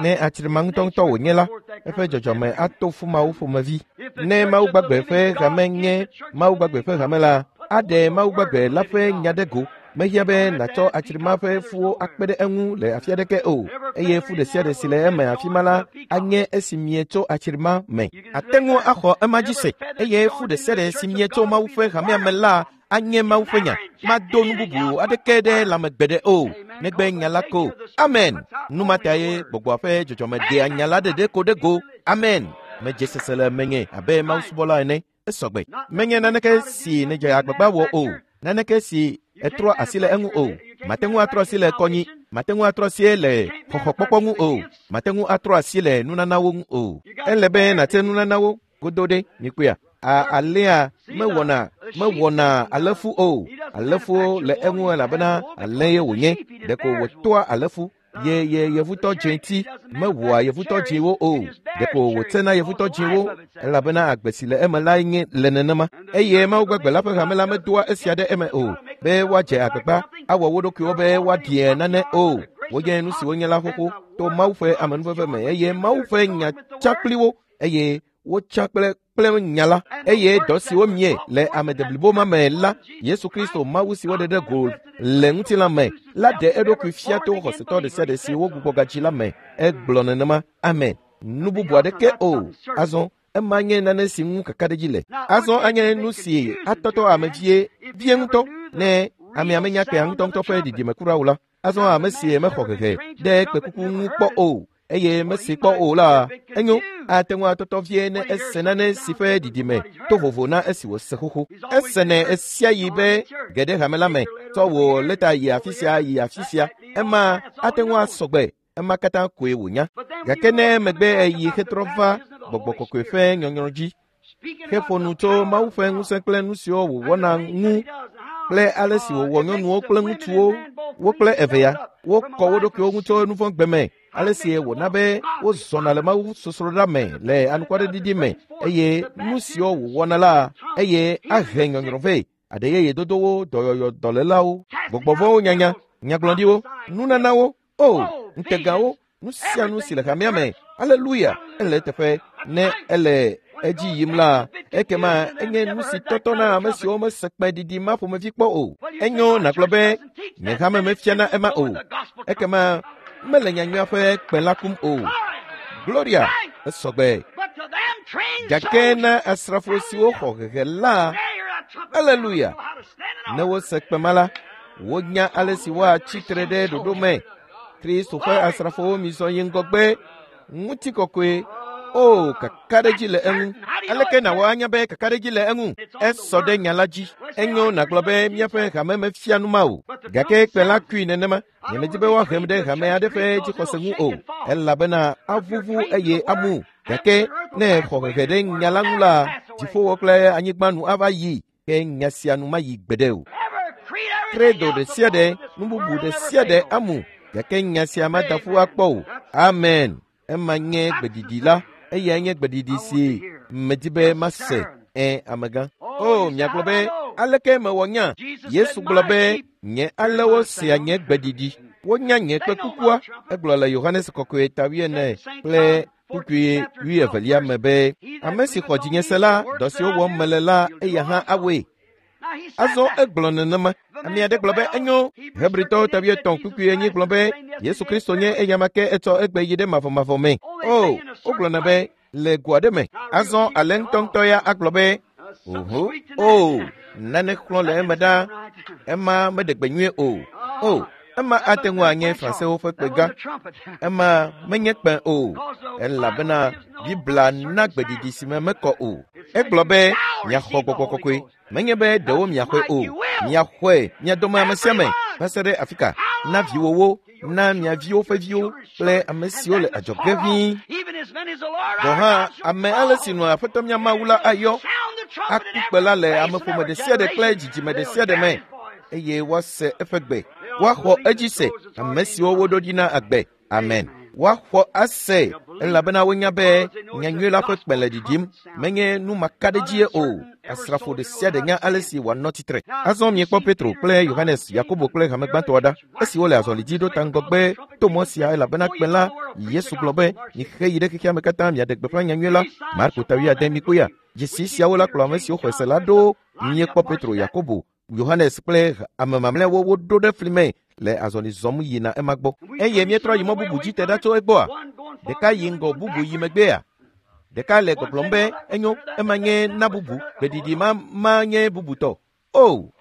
Ne atsirima ŋutɔŋutɔ wònye la, eƒe dzɔdzɔme ato fu mawo ƒomevi. Ne Mawu gbagbe ƒe hame nye Mawu gbagbe ƒe hame la, aɖe Mawu gbagbe la ƒe nya ɖe go. Mehiã be nàtsɔ atsirima ƒe fuwo akpe ɖe eŋu le afi aɖeke o, eye fu ɖe sia ɖe si le eme afi ma la anye esi mietso atsirima me. Ate ŋu axɔ ema dzi se, eye fu ɖe sia ɖe si mietso Mawu ƒe hamea me la anye Mawu ƒe nya. Mado nu bubu aɖeke ɖe lãme gbeɖe o, negbe nya la ko. Amen. Nu ma tae gbɔgbɔa ƒe dzɔdzɔme ɖea nya la ɖeɖe ko ɖe go. Amen. Medze sese le menye abe Mawu subɔla ene. Esɔgbe. Menye naneke si nèdze agbagba wɔ o. Naneke si etrɔ asi le eŋu o. Mate ŋu atrɔ asi le kɔnyi. Mate ŋu atrɔ asi le xɔxɔkpɔkpɔ ŋu o. Mate ŋu atrɔ asi le nunanawo ŋu o. Ele be nàte nunanawo godo ɖe mikpɔea. A alea mewɔna mewɔna alefu o. Alefuwo le eŋu elabena ale ye wònye. Ɖeko wòtoa alefu. Ye ye yevutɔ dzẽti mewɔa yevutɔ dzẽwo o. Ɖeko wòtsena yevutɔ dzẽwo elabena agbe si le eme lae nye le nenema. Eye Mawu gbagbe la ƒe hame la medoa esia ɖe eme o, be woadze agbagba awɔ wo ɖokuiwo be woaɖie nane o. Wonye nu si wonye la xoxo to Mawu ƒe amenuveve me eye Mawu ƒe nya tsa kpli wo eye wotsa kple kple nya la. Eye dɔ si womie le ame deblibo ma me la, Yesu Kristo Mawu si woɖe ɖe go le ŋutilã me la ɖe eɖokui fia to xɔsetɔ ɖe sia ɖe si wogbugbɔ gadzi la me. Egblɔ nenema. Amen. Nu bubu aɖeke o. Azɔ ema nye nane si ŋu kakaɖedzi le. Azɔ anye nu si atɔtɔ ame vie vie ŋutɔ ne amea menya kpea ŋutɔŋutɔ ƒe ɖiɖime kura o la. Azɔ ame si mexɔ hehe ɖe kpekuku ŋu kpɔ o. eye mese kpɔ o la, enyo ate ŋu atɔtɔ vie ne ese nane si ƒe ɖiɖime to vovo na esi wòse xoxo. Esenɛ esia yi be ge ɖe hame la me, tsɔ wò lɛta yi afi sia yi afi sia. Ema ate ŋu asɔgbe. Ema katã koe wònya. Gake ne megbe eyi hetrɔ va gbɔgbɔ kɔkɔe ƒe nyɔnyrɔ dzi, heƒo nu tso Mawu ƒe ŋusẽ kple nu siwo wòwɔna ŋu kple ale si wòwɔ nyɔnuwo kple ŋutsuwo, wo kple evea, wokɔ wo ɖokuiwo ŋu tso nuvɔ̃gbe me, ale si wòna be wozɔna le Mawu sosroɖa me le anukwaɖeɖiɖi me, eye nu siwo wòwɔna la, eye ahe nyɔnyrɔ vɛ, aɖe yeye dodowo, dɔyɔyɔ dɔlélawo, gbɔgbɔvɔ̃wo nyanya, nyagblɔɖiwo, nunanawo, o ŋutegawo, nu sia nu si le hamea me. Aleluya! Ele eteƒe. Ne ele edzi yim la, ekema enye nu si tɔtɔ na ame siwo mese kpẽɖiɖi ma ƒomevi kpɔ o. Enyo nàgblɔ be nye hame mefiana ema o. Ekema mele nyanyuia ƒe kpẽ la kum o. Gloria! Esɔgbe. Gake na asrafo siwo xɔ hehe la, aleluya! Ne wose kpẽ ma la, wonya ale si woatsi tre ɖe ɖoɖo me. Kristo ƒe asrafowo mizɔ yi ŋgɔgbe, ŋutikɔkɔe. O, kakaɖedzi le eŋu. Aleke nàwɔ anya be kakaɖedzi le eŋu? Esɔ ɖe nya la dzi. Enyo nàgblɔ be míaƒe hame mefia nu ma o. Gake kpẽ la kui nenema. Nyemedi be woahem ɖe hame aɖe ƒe dzixɔse ŋu o, elabena avuvu eye amu. Gake ne xɔ hehe ɖe nya la ŋu la, dziƒowo kple anyigba nu ava yi, ke nya sia nu mayi gbeɖe o. Credo ɖe sia ɖe, nu bubu ɖe sia ɖe amu, gake nya sia mada ƒu akpɔ o. Amen. Ema nye gbeɖiɖi la. Eyae nye gbeɖiɖi si medi be mase. Ẽ, amegã. O, miagblɔ be, aleke mewɔ nya? Yesu gblɔ be, nye alewo sea nye gbeɖiɖi. Wonya nye kpe kukua. Egblɔ le Yohanes kɔkɔe ta wuiene kple kpukpui wuievelia me be, ame si xɔ dzinye se la, dɔ siwo wɔm mele la, eya hã awɔe. Azɔ egblɔ nenema. Ame aɖe gblɔ be enyo. Hebritɔwo ta wuietɔ̃ kpukpui enyi gblɔ be Yesu Kristo nye eyama ke etsɔ egbe yi ɖe mavɔmavɔ me. O, wogblɔna be le go aɖe me. Azɔ ale ŋutɔŋutɔ ya agblɔ be oho, o, nane xlɔ̃ le eme ɖa. Ema meɖe gbe nyuie o. O, ema ate ŋu anye Fransewo ƒe kpegã. Ema menye kpẽ o, elabena Biblia na gbeɖiɖi si me mekɔ o. Egblɔ be miaxɔ gbɔgbɔ kɔkɔe. Menye be ɖewo miaxɔe o, miaxɔe mia dome ame sia ame va se ɖe afi ka, na viwòwo, na mia viwo ƒe viwo kple ame siwo le adzɔge ʋĩi. Gɔ̃ hã ame ale si nɔa Aƒetɔ mía Mawu la ayɔ, aku kpe la le ameƒome ɖe sia ɖe kple dzidzime ɖe sia ɖe me, eye woase eƒe gbe. Woaxɔ edzi se, ame siwo woɖo ɖi na agbe. Amen. Woaxɔ ase, elabena wonya be nyanyui la ƒe kpẽ le ɖiɖim. Menye nu makaɖedzie o. Asrafo ɖe sia ɖe nya ale si wòanɔ tsitre. Azɔ miekpɔ Petro kple Yohanes, Yakobo kple hame gbãtɔa ɖa, esi wole azɔli dzi ɖo ta ŋgɔgbe to mɔ sia, elabena kpẽ la, Yesu gblɔ be, mixe yi ɖe xexea me katã miaɖe gbeƒã nyanyui la. Marko ta wuiade mikpɔe. Dzesi siawo la kplɔ ame siwo xɔe se la ɖo. Miekpɔ Petro, Yakobo, Yohanes kple ame mamlɛawo woɖo ɖe fli me le azɔli zɔm yina ema gbɔ. Eye míetrɔ yi mɔ bubu dzi te ɖa tso egbɔa? Ɖeka yi ŋgɔ, bubu yi megbea? Ɖeka le gbɔgblɔm be enyo, ema nye na bubu, gbeɖiɖi ma ma nye bubutɔ. O,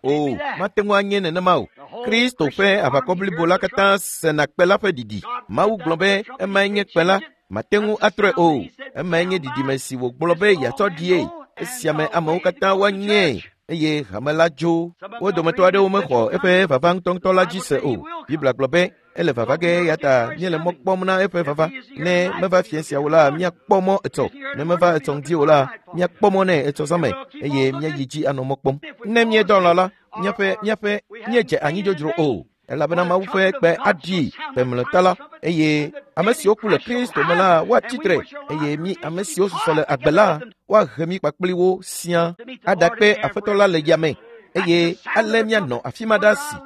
o, mate ŋu anye nenema o. Kristo ƒe aʋakɔ blibo la katã sena kpe la ƒe ɖiɖi. Mawu gblɔ be emae nye kpe la, mate ŋu atrɔe o. Emae nye ɖiɖime si wògblɔ be yeatsɔ ɖie. Esia me amewo katã woanye eye hame la dzo. Wo dometɔ aɖewo mexɔ eƒe vava ŋutɔŋutɔ la dzi se o. Biblia gblɔ be ele vava ge, eya ta míele mɔ kpɔm na eƒe vava. Ne meva fia siawo la, míakpɔ mɔ etsɔ. Ne meva etsɔ ŋdi o la, míakpɔ mɔ nɛ etsɔ zã me, eye míayi dzi anɔ mɔ kpɔm. Ne míedɔ lã la, míaƒe míaƒe míedze anyi dzodzro o, elabena Mawu ƒe kpe aɖi kpe mlɔeta la, eye ame siwo ku le Kristo me la woatsi tre, eye mí ame siwo susɔ le agbe la woahe mí kpakpli wo siaa aɖakpe Aƒetɔ la le yame, eye ale míanɔ afi ma ɖa si.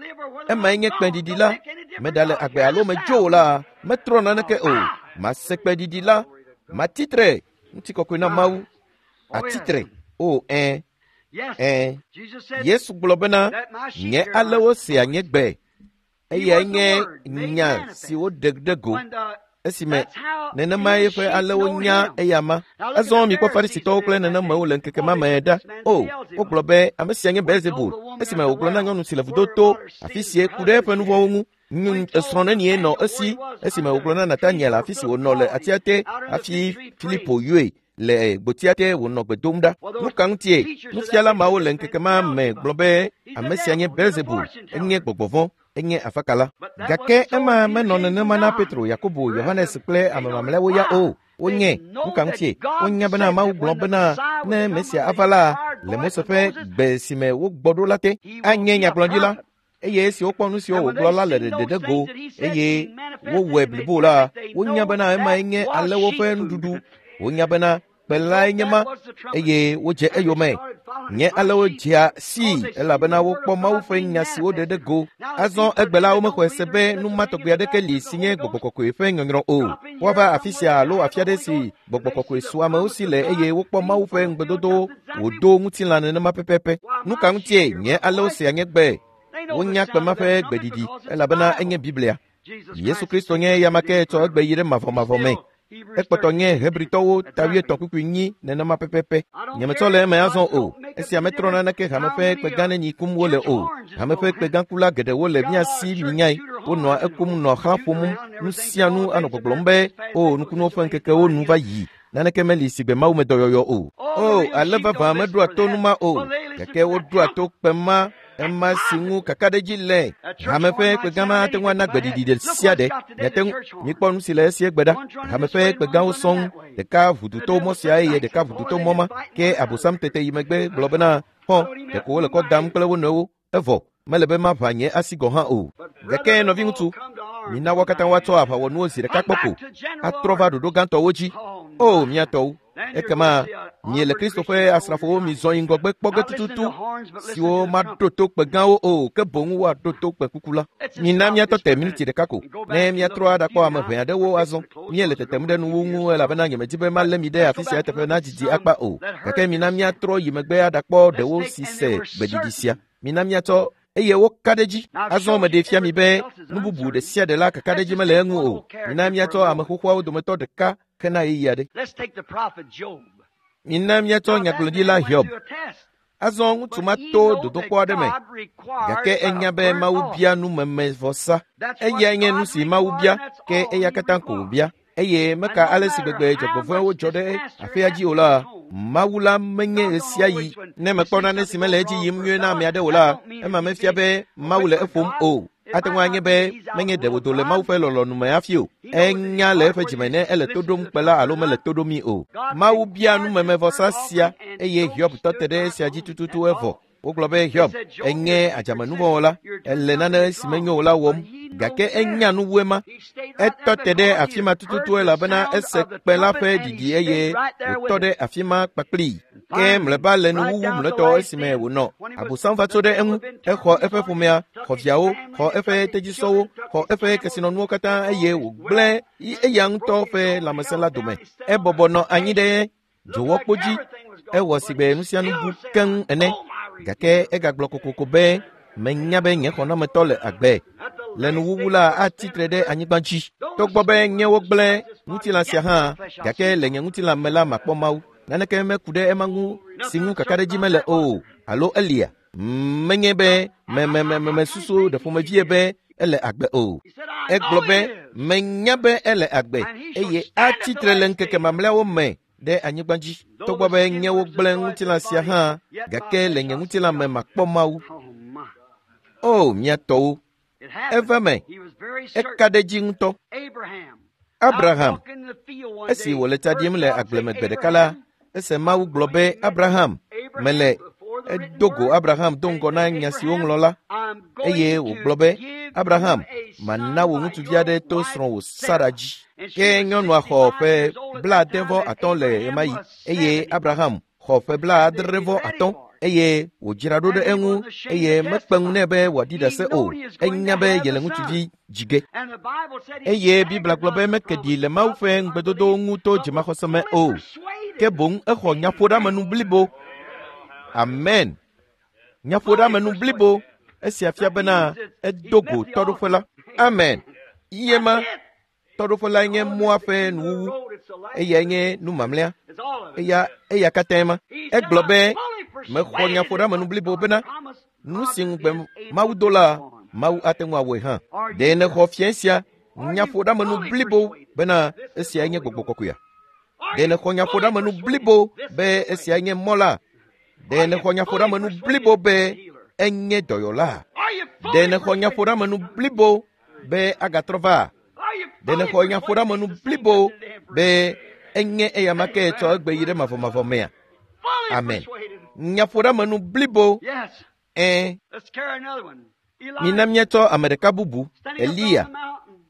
Emae nye kpẽɖiɖi la. Meɖale agbe alo medzo o la, metrɔ naneke o. Mase kpẽɖiɖi la, matsi tre. Ŋutikɔkɔe na Mawu. Atsi tre. O, ẽ, ẽ. Yesu gblɔ bena, nye alewo sea nye gbe. Eyae nye nya si woɖe ɖe go. Esime nenema eƒe alewo nya eyama. Azɔ mikpɔ Farisitɔwo kple nenemewo le ŋkeke ma me ɖa. O, wogblɔ be ame sia nye Beelzebul. Esime wògblɔ na nyɔnu si le vudo to, afi sie ku ɖe eƒe nu vɔ̃wo ŋu. Esrɔ̃ nenie nɔ esi esime wògblɔ na Nataniel afi si wònɔ le atia te hafi Filipo yɔe le gbotia te wònɔ gbe dom ɖa. Nu ka ŋutie nufiala mawo le ŋkeke ma me gblɔ be ame sia nye Belzebul, enye gbɔgbɔ vɔ̃, enye afakala. Gake ema menɔ nenema na Petro, Yakobo, Yohanes kple ame mamlɛawo ya o. Wonye nu ka ŋutie wonya bena Mawu gblɔ bena ne Mesia ava la le Mose ƒe gbe si me wogbɔ ɖo la te anye nyagblɔɖila. Eye esi wokpɔ nu siwo wògblɔ la le ɖeɖe go eye wowɔe blibo la, wonya bena emae nye alẽwo ƒe nuɖuɖu. Wonya bena kpe lae nye ma eye wodze eyome. Nye alẽwo dzea sii elabena wokpɔ Mawu ƒe nya si woɖe ɖe go. Azɔ egbe la womexɔe se be nu ma tɔgbi aɖeke li si nye gbɔgbɔ kɔkɔe ƒe nyɔnyrɔ o. Woava afi sia alo afi aɖe si gbɔgbɔ kɔkɔe su amewo si le eye wokpɔ Mawu ƒe ŋugbedodowo wòdo ŋutilã nenema pɛpɛpɛ. Nu ka ŋutie nye alẽwo sea nye gbe? Wonya kpe ma ƒe gbeɖiɖi elabena enye Biblia. Yesu Kristo nye eya ma ke tsɔ egbe yi ɖe mavɔmavɔ me. Ekpɔtɔ nye Hebritɔwo ta wuietɔ̃ kpukpui nyi nenema pɛpɛpɛ. Nyemetsɔ le eme azɔ o. Esia metrɔ naneke hame ƒe kpegã nenyi kum wole o. Hame ƒe kpegãkula geɖewo le mía si minyae. Wonɔa ekum nɔa xlã ƒom nu sia nu anɔ gbɔgblɔm be o nukunuwo ƒe ŋkekewo nu va yi. Naneke meli si gbe Mawu me dɔyɔyɔ o. O ale vavã meɖoa to nu ma o. Gake woɖoa to kpe ma ema si ŋu kakaɖedzi le. Hame ƒe kpegã ma ate ŋu ana gbeɖiɖi ɖe sia ɖe. Miate ŋu mikpɔ nu si le esie gbe ɖa. Hame ƒe kpegãwo sɔŋ. Ɖeka ʋuduto mɔ sia eye ɖeka ʋuduto mɔ ma. Ke Abosam tete yi megbe gblɔ bena xɔ ɖeko wole kɔ dam kple wo nɔewo. Evɔ mele be maʋã nye asi gɔ̃ hã o. Gake nɔviŋutsu, mina wo katã woatsɔ aʋawɔnuwo zi ɖeka kpɔ ko atrɔ va ɖoɖo gãtɔwo dzi. O mía tɔwo, ekema miele Kristo ƒe asrafowo mizɔ yi ŋgɔgbe kpɔ ge tututu siwo maɖo to kpe gãwo o, ke boŋ woaɖo to kpe kuku la. Mina míatɔ te miniti ɖeka ko ne míatrɔ aɖakpɔ ame ʋɛ aɖewo azɔ. Míele tetem ɖe nuwo ŋu elabena nyemedi be malé mi ɖe afi sia teƒe nadidi akpa o. Gake mina míatrɔ yi megbe aɖakpɔ ɖewo si se gbeɖiɖi sia. Mina míatsɔ eye woka ɖe dzi. Azɔ meɖee fia mi be nu bubu ɖe sia ɖe la kakaɖedzi mele eŋu o. Mina míatsɔ ame xoxoawo dometɔ ɖeka hena ɣeyiɣi aɖe. Mina míatsɔ nyagblɔɖila Hiob. Azɔ ŋutsu ma to dodokpɔ aɖe me, gake enya be Mawu bia numemevɔsa. Eyae nye nu si Mawu bia, ke eya katã ko wòbia. Eye meka ale si gbegbe dzɔgbevɔ̃ewo dzɔ ɖe aƒea dzi o la, Mawu la menye ɣesiaɣi. Ne mekpɔ nane si mele edzi yim nyuie na ame aɖe o la, ema mefia be Mawu le eƒom o. Ate ŋu anye be menye ɖe wòdo le Mawu ƒe lɔlɔ̃nu me hafi o. Enya le eƒe dzime ne ele to ɖom kpe la alo mele to ɖomii o. Mawu bia numemevɔsa sia eye Hiob tɔ te ɖe esia dzi tututu evɔ. Wogblɔ be Hiob enye adzamenuvɔwɔla, ele nane si menyo o la wɔm, gake enya nu wu ema. Etɔ te ɖe afi ma tututu elabena ese kpe la ƒe ɖiɖi eye wòtɔ ɖe afi ma kpakplii. Ke mlɔeba le nuwuwu mlɔetɔ esime wònɔ Abosam va tso ɖe eŋu. Exɔ eƒe ƒomea, xɔ viawo, xɔ eƒe tedzisɔwo, xɔ eƒe kesinɔnuwo katã eye wògblẽ eya ŋutɔ ƒe lãmesẽ la dome. Ebɔbɔ nɔ anyi ɖe dzowɔkpo dzi. Ewɔ sigbe nu sia nu bu keŋ ene. Gake egagblɔ kokoko be menya be nye xɔnametɔ le agbe. Le nuwuwu la atsi tre ɖe anyigba dzi. Togbɔ be nye wogblẽ ŋutilã sia hã, gake le nye ŋutilã me la makpɔ Mawu. Naneke meku ɖe ema ŋu si ŋu kakaɖedzi mele o alo elia. Menye be memememesusu ɖe ƒomevie be ele agbe o. Egblɔ be menya be ele agbe eye atsi tre le ŋkeke mamlɛawo me ɖe anyigba dzi. Togbɔ be nye wogblẽ ŋutilã sia hã, gake le nye ŋutilã me makpɔ Mawu. O mía tɔwo, eva me. Eka ɖe dzi ŋutɔ. Abraham, esi wòle tsa ɖim le agbleme gbe ɖeka la, ese Mawu gblɔ be Abraham mele. Edo go Abraham do ŋgɔ na nya si woŋlɔ la, eye wògblɔ be Abraham, mana wò ŋutsuvi aɖe to srɔ̃wò Sara dzi. Ke nyɔnua xɔ ƒe blaade vɔ atɔ̃ le ɣemaɣi eye Abraham xɔ ƒe blaadre vɔ atɔ̃ eye wòdzra ɖo ɖe eŋu eye mekpe ŋu nɛ be wòaɖi ɖase o. Enya be yele ŋutsuvi dzi ge. Eye Biblia gblɔ be meke ɖi le Mawu ƒe ŋugbedodowo ŋu to dzimaxɔse me o, ke boŋ exɔ nyaƒoɖeamenu blibo. Amen. Nyaƒoɖeamenu blibo. Esia fia bena edo go tɔɖoƒe la. Amen. Yema tɔɖoƒe la nye mɔa ƒe nuwuwu. Eyae nye nu mamlɛa. Eya eya katãe ma. Egblɔ be mexɔ nyaƒoɖeamenu blibo bena nu si ŋugbe Mawu do la Mawu ate ŋu awɔe hã. Ɖe nèxɔ fia sia nyaƒoɖeamenu blibo bena esiae nye gbɔgbɔ kɔkɔea? Ɖe nèxɔ nyaƒoɖeamenu blibo be esiae nye mɔ la? Ɖe nèxɔ nyaƒoɖeamenu blibo be enye dɔyɔla? Ɖe nèxɔ nyaƒoɖeamenu blibo be agatrɔ va? Ɖe nèxɔ nyaƒoɖeamenu blibo be enye eyama ke tsɔ egbe yi ɖe mavɔmavɔ mea? Amen. Nyaƒoɖeamenu blibo. Ɛ̃. Mina míatsɔ ame ɖeka bubu, Eliya.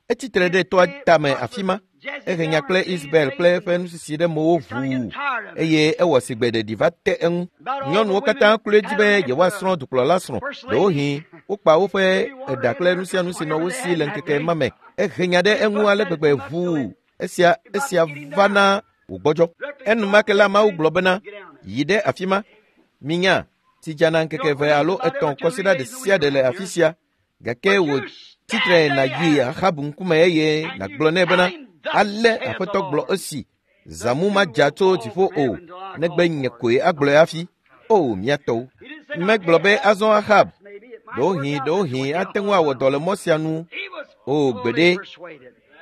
Etsitre ɖe toa tame afi ma. Ehe nya kple Isabel kple eƒe nusisi ɖe mowo ʋuu eye ewɔ sigbe ɖeɖi va te eŋu. Nyɔnuwo katã kloe dzi be yewoasrɔ̃ dukplɔla srɔ̃. Ɖewohĩ wokpa woƒe eɖa kple nu sia nu si nɔ wo si le ŋkeke ma me. Ehe nya ɖe eŋu ale gbegbe ʋuu. Esia esia va na wògbɔdzɔ. Enumake la Mawu gblɔ bena, yi ɖe afi ma. Minya, tsi dzana ŋkeke eve alo etɔ̃ kɔsiɖa ɖe sia ɖe le afi sia. Gake wò tsitre nàyi Ahab ŋkume eye nàgblɔ nɛ bena, ale Aƒetɔ gblɔ esi, zãmu madza tso dziƒo o, negbe nye koe agblɔe hafi. O, mía tɔwo. Megblɔ be azɔ Ahab, ɖewohĩ ɖewohĩ ate ŋu awɔ dɔ le mɔ sia nu. O, gbeɖe,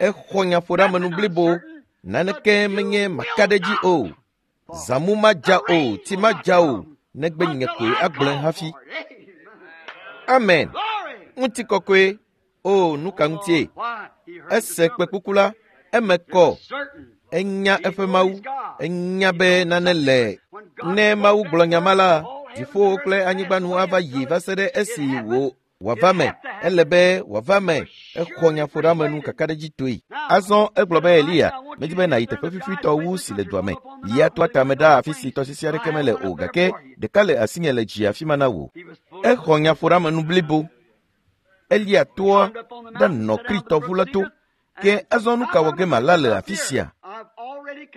exɔ nyaƒoɖeamenu blibo, naneke menye makaɖedzi o. Zãmu madza o, tsi madza o, negbe nye koe agblɔe hafi. Amen. Ŋutikɔkɔe. O, nu ka ŋutie? Ese kpẽkuku la, eme kɔ. Enya eƒe Mawu. Enya be nane le. Ne Mawu gblɔ nya ma la, dziƒowo kple anyigba nu ava yi va se ɖe esi wò wòava me. Ele be wòava me. Exɔ nyaƒoɖeamenu kakaɖedzitɔe. Azɔ egblɔ be Eliya, medi be nàyi teƒe fifitɔ wu si le dua me. Yi atoa tame ɖa afi si tɔsisi aɖeke mele o gake ɖeka le asinye le dzi afi ma na wò. Exɔ nyaƒoɖeamenu blibo. Eliya toa ɖanɔ Kritɔʋu la to. Ke azɔ nu ka wɔ ge mala le afi sia?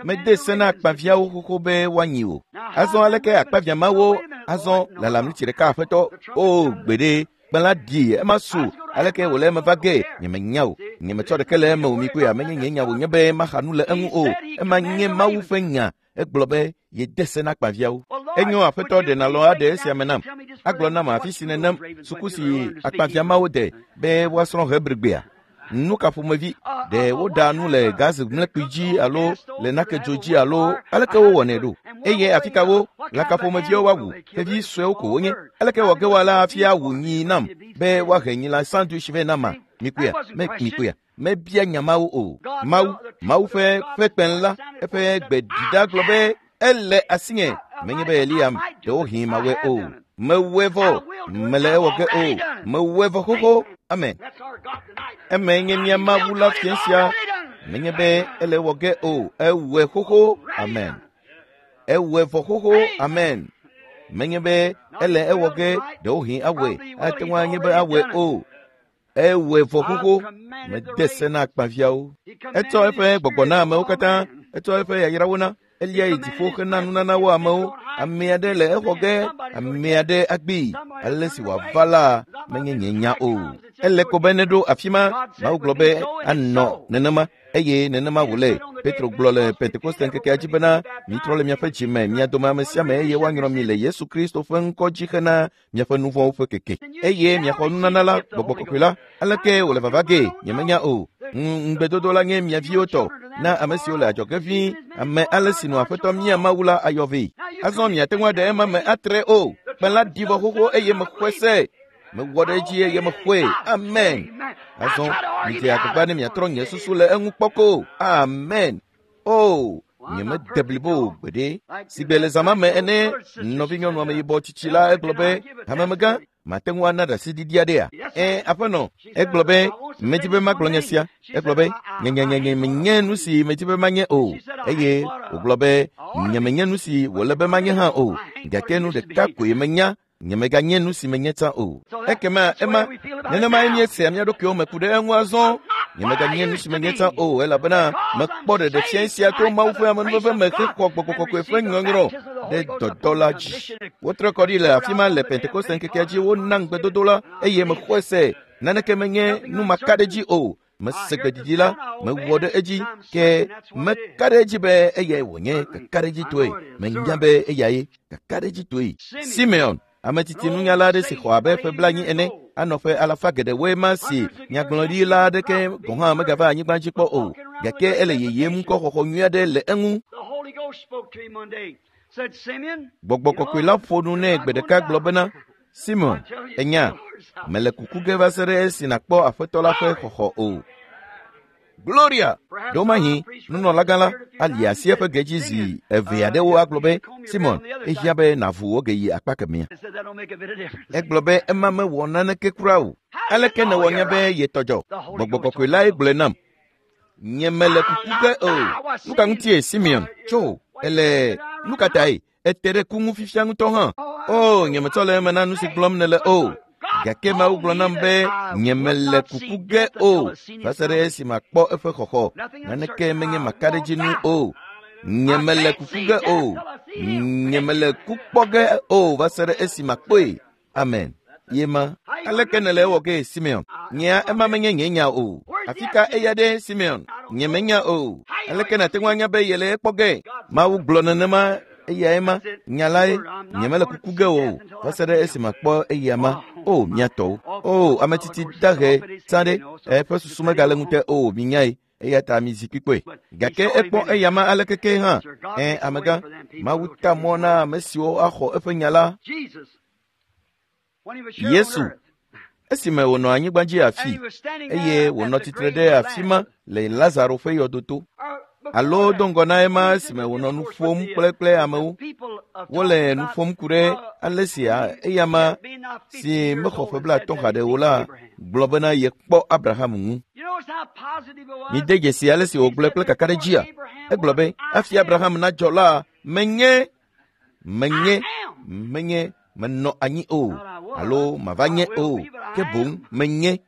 Mede se na akpaviãwo xoxo be woanyi o. Azɔ aleke akpaviã mawo azɔ lalam ɣleti ɖeka aƒetɔ? O gbeɖe, kpẽ la ɖi ema su. Aleke wòle eme va ge? Nyemenya o. Nyemetsɔ ɖeke le eme o mi koe amenye nye nya wònye be maxa nu le eŋu o. Ema nye Mawu ƒe nya. Egblɔ be yede se na akpaviãwo. Enyo aƒetɔ ɖe nalɔ aɖe esia me nam. Agblɔ nam afi si nenem suku si akpaviã mawo de be woasrɔ̃ Hebrigbea. Nu ka ƒomevi ɖe woɖaa nu le gazi mlekpui dzi alo le nakedzo dzi alo aleke wowɔnɛ ɖo? Eye afi ka wo lã ka ƒomeviwo woawu? Xevi suewo ko wonye. Aleke wɔ ge woala hafi awu nyi nam be woahe nyi la sandwich vɛ nama? Mikpɔea? Me mikpɔea? Mebia nya mawo o. Mawu, Mawu ƒe ƒe kpẽ la, eƒe gbe ɖi ɖa gblɔ be ele asinye. Menye be Eliya ɖewohĩ mawɔe o. Mewɔe vɔ. Mele ewɔ ge o. Mewɔe vɔ xoxo. Amen. Eme nye mía Mawu la fia sia. Menye be ele ewɔ ge o. Ewɔe xoxo. Amen. Ewɔe vɔ xoxo. Amen. Menye be ele ewɔ ge ɖewohĩ awɔe. Ate ŋu anye be awɔe o. Ewɔe vɔ xoxo. Mede se na akpaviãwo. Etsɔ eƒe gbɔgbɔ na amewo katã. Etsɔ eƒe yayrawo na. Elia yi dziƒo hena nunana wo amewo. Ame aɖe le exɔ ge, ame aɖe agbee. Ale si wòava la menye nye nya o. Ele ko be neɖo afi ma. Mawu gblɔ be anɔ nenema eye nenema wòle. Petro gblɔ le Pentekoste ŋkekea dzi bena mitrɔ le miaƒe dzi me, mia dome ame sia ame eye woanyrɔ mi le Yesu Kristo ƒe ŋkɔ dzi hena miaƒe nu vɔ̃wo ƒe keke. Eye miaxɔ nunana la, gbɔgbɔ kɔkɔe la. Aleke wòle vava ge? Nyemenya o. Ŋugbedodo la nye mia viwo tɔ na ame siwo le adzɔge ʋĩi, ame ale si nɔ Aƒetɔ mía Mawu la ayɔ vɛ. Azɔ miate ŋu aɖe ema me atre o. Kpẽ la ɖi vɔ xoxo eye mexɔe se. Mewɔ ɖe edzi eye mexɔe. Amen. Azɔ midze agbagba ne miatrɔ nye susu le eŋu kpɔ ko. Amen. O, nyemede blibo o gbeɖe. Sigbe le zã ma me ene, nɔvinyɔnu ameyibɔ tsitsi la egblɔ be, hamemegã, mate ŋu ana ɖaseɖiɖi aɖea? Ẽ, aƒenɔ, egblɔ be, medi be magblɔ nya sia. Egblɔ be, nye menye nu si medi be manye o. Eye wògblɔ be, nyemenye nu si wòle be manye hã o. Gake nu ɖeka koe menya, nyemeganye nu si menye tsã o. Ekema ema, nenemae míesea mía ɖokuiwo me ku ɖe eŋu azɔ. Nyemeganye nu si menye tsã o, elabena mekpɔ ɖeɖe fia sia to Mawu ƒe amenuveve me hexɔ gbɔgbɔ kɔkɔe ƒe nyɔnyrɔ ɖe dɔdɔ la dzi. Wotrɔ kɔ ɖi le afi ma le Pentekoste ŋkekea dzi wona ŋugbedodo la eye mexɔe se. Naneke menye nu makaɖedzi o. Mese gbeɖiɖi la, mewɔ ɖe edzi ke meka ɖe edzi be eyae wònye kakaɖedzitɔe. Menya be eyae kakaɖedzitɔe. Simeon Ame tsitsi nunyala aɖe si xɔ abe ƒe blaenyi ene anɔ ƒe alafa geɖewoe ma si nyagblɔɖila aɖeke gɔ̃ hã megava anyigba dzi kpɔ o. Gake ele yeyem ŋkɔxɔxɔ nyui aɖe le eŋu. Gbɔgbɔ kɔkɔe la ƒo nu nɛ gbe ɖeka gblɔ bena, Simon, enya, mele kuku ge va se ɖe esi nàkpɔ Aƒetɔ la ƒe xɔxɔ o. Gloria! Ɖewomahi nunɔlagã la ali asi eƒe ge dzi zi eve aɖewo agblɔ be, Simon, ehiã be nàvu wò ge yi akpa kemɛa. Egblɔ be ema mewɔ naneke kura o. Aleke nèwɔ nya be yetɔ dzɔ? Gbɔgbɔ kɔkɔe lae gblɔe nam. Nye mele kuku ge o. Nu ka ŋutie Simeon tso? Ele nu ka tae? Ete ɖe ku ŋu fifia ŋutɔ hã. O, nye metsɔ le eme na nu si gblɔm nèle o. Gake Mawu gblɔ nam be nye mele kuku ge o va se ɖe esi makpɔ eƒe xɔxɔ. Naneke menye maka ɖe edzi nu o. Nye mele kuku ge o. Nye mele ku kpɔ ge o va se ɖe esi makpɔe. Amen. Ye ma. Aleke nèle ewɔ ge Simeon? Nyea ema menye nye nya o. Afi ka eya ɖe Simeon? Nye menya o. Aleke nàte ŋu anya be yele ekpɔ ge? Mawu gblɔ nenema eyae ma. Nya lae. Nye mele kuku ge o va se ɖe esi makpɔ eya ma. O, mía tɔwo. O, ame tsitsi dahe tsã ɖe. Eƒe susu megale ŋute o, minyae. Eya ta mi zikpui kpɔe. Gake ekpɔ eya ma aleke ke hã. Ẽ, amegã, Mawu ta mɔ na ame siwo axɔ eƒe nya la. Yesu, esime wònɔ anyigba dzi afi, eye wònɔ tsitre ɖe afi ma le Lazaro ƒe yɔdoto, alo do ŋgɔ na ema esime wònɔ nu ƒom kple kple amewo. Wole nu ƒom ku ɖe ale si eya ma si mexɔ ƒe blaetɔ̃ haɖe o la gblɔ bena yekpɔ Abraham ŋu. Mide dzesi ale si wògblɔe kple kakaɖedzia. Egblɔ be hafi Abraham nadzɔ la, menye, menye, menye menɔ anyi o, alo mava nye o, ke boŋ menye,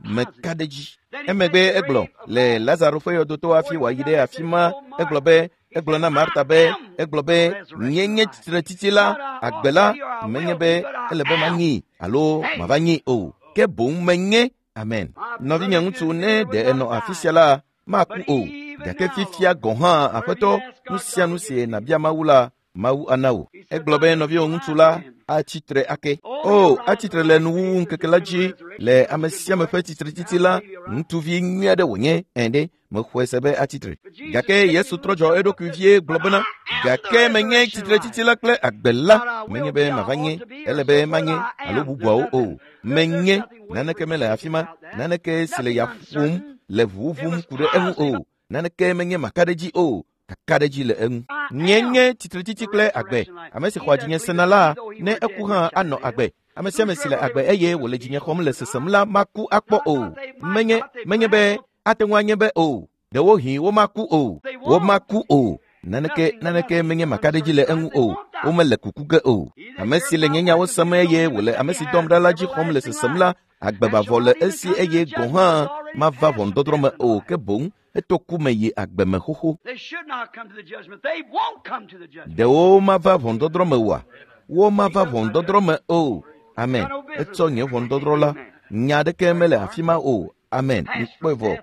meka ɖe dzi. Emegbe egblɔ le Lazaro ƒe yɔdoto hafi wòayi ɖe afi ma, egblɔ be, egblɔ na Marta be, egblɔ be, nye nye tsitretsitsi la, agbe la, menye be ele be manyi alo mava nyi o, ke boŋ menye. Amen. Nɔvinye ŋutsu, ne ɖe enɔ afi sia la, maku o. Gake fifia gɔ̃ hã, Aƒetɔ, nu sia nu si nàbia Mawu la, Mawu ana wò. Egblɔ be nɔviwò ŋutsu la atsitre ake. O, atsitre le nuwuwu ŋkeke la dzi le ame sia ame ƒe tsitretsitsi la, ŋutsuvi nyui aɖe wònye ẽ ɖe, mexɔe se be atsitre. Gake Yesu trɔ dzɔ eɖokui vie gblɔ bena, gake menye tsitretsitsi la kple agbe la, menye be mava nye, ele be manye alo bubuawo o. Menye, naneke mele afi ma, naneke si le ya ƒom le ʋuʋum ku ɖe eŋu o, naneke menye maka ɖe dzi o. Kakaɖedzi le eŋu. Nye nye tsitretsitsi kple agbe. Ame si xɔa dzinye sena la, ne eku hã anɔ agbe. Ame sia ame si le agbe eye wòle dzinye xɔm le sesem la maku akpɔ o. Menye, menye be ate ŋu anye be o. Ɖewohĩ womaku o. Womaku o. Naneke, naneke menye makaɖedzi le eŋu o. Womele kuku ge o. Ame si le nye nyawo sem eye wòle ame si dɔm ɖa la dzi xɔm le sesem la, agbe mavɔ le esi eye gɔ̃ hã mava ʋɔnudɔdrɔ̃ me o, ke boŋ eto ku me yi agbe me xoxo. Ɖewo mava ʋɔnudɔdrɔ̃ me oa? Womava ʋɔnudɔdrɔ̃ me o. Amen. Etsɔ nye ʋɔnudɔdrɔ̃ la. Nya aɖeke mele afi ma o. Amen. Mikpɔe vɔ.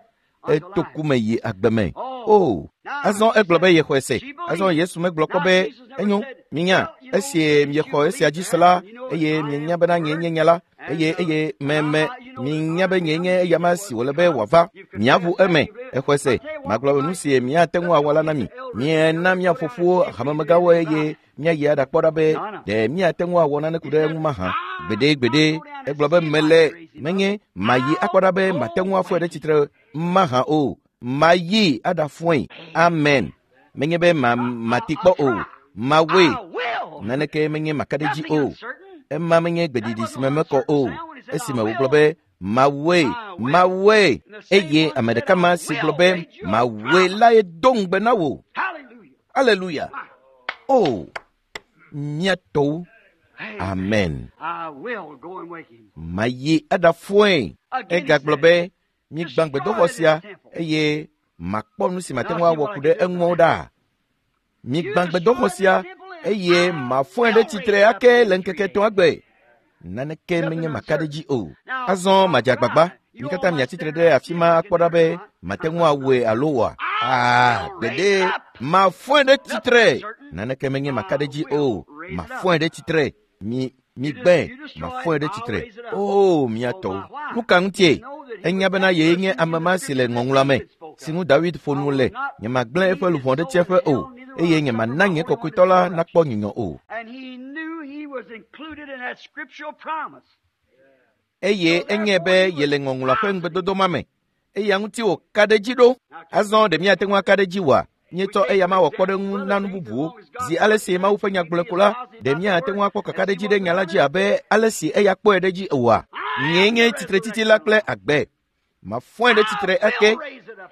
Eto ku me yi agbe me. O. Azɔ egblɔ be yexɔe se. Azɔ Yesu megblɔ kpɔ be enyo. Minya, esi miexɔ esia dzi se la, eye mienya bena nye nye nya la, eye eye me me minya be nye nye eya ma si wòle be wòava. Miaʋu eme. Exɔe se. Magblɔ be nu si miate ŋu awɔ la na mi. Miena mia fofowo hamemegãwo eye miayi aɖakpɔ ɖa be ɖe miate ŋu awɔ nane ku ɖe eŋu mahã. Gbeɖe gbeɖe. Egblɔ be mele menye mayi akpɔ ɖa be mate ŋu afɔe ɖe tsitre mahã o. Mayi aɖafɔe. Amen. Menye be ma mati kpɔ o. Mawoe. Naneke menye maka ɖe dzi o. Ema menye gbeɖiɖi si me mekɔ o. Esime wògblɔ be mawoe, mawoe, eye ame ɖeka ma si gblɔ be mawoe lae do ŋugbe na wò. Aleluya. O, mía tɔwo. Amen. Mayi aɖafɔe. Egagblɔ be migbã gbedoxɔ sia eye makpɔ nu si mate ŋu awɔ ku ɖe eŋu ɖa. Migbã gbedoxɔ sia eye mafɔe ɖe tsitre ake le ŋkeke etɔ̃a gbe. Naneke menye maka ɖe dzi o. Azɔ madze agbagba. Mi katã miatsitre ɖe afi ma akpɔ ɖa be mate ŋu awɔe alo oa. Aa, gbeɖe, mafɔe ɖe tsitre. Naneke menye maka ɖe dzi o. Mafɔe ɖe tsitre. Mi Migbãe, mafɔe ɖe tsitre. Oo, mia tɔwo. Nu ka ŋutie? Enya bena yee nye ame ma si le ŋɔŋlɔa me, si ŋu David ƒo nu le. Nyemagblẽ eƒe luʋɔ ɖe tsiẽƒe o, eye nyemana nye kɔkɔetɔ la nakpɔ nyunyɔ o. Eye enye be yele ŋɔŋlɔa ƒe ŋugbedodo ma me. Eya ŋuti wòka ɖe edzi ɖo. Azɔ ɖe míate ŋu aka ɖe edzi oa? Míetsɔ eya ma wɔ kpɔɖeŋu na nu bubuwo. Zi ale si Mawu ƒe nya gblɔe ko la, ɖe míate ŋu akpɔ kakaɖedzi ɖe nya la dzi abe ale si eya kpɔe ɖe edzi oa? Nyee nye tsitretsitsi la kple agbe. Mafɔe ɖe tsitre ake.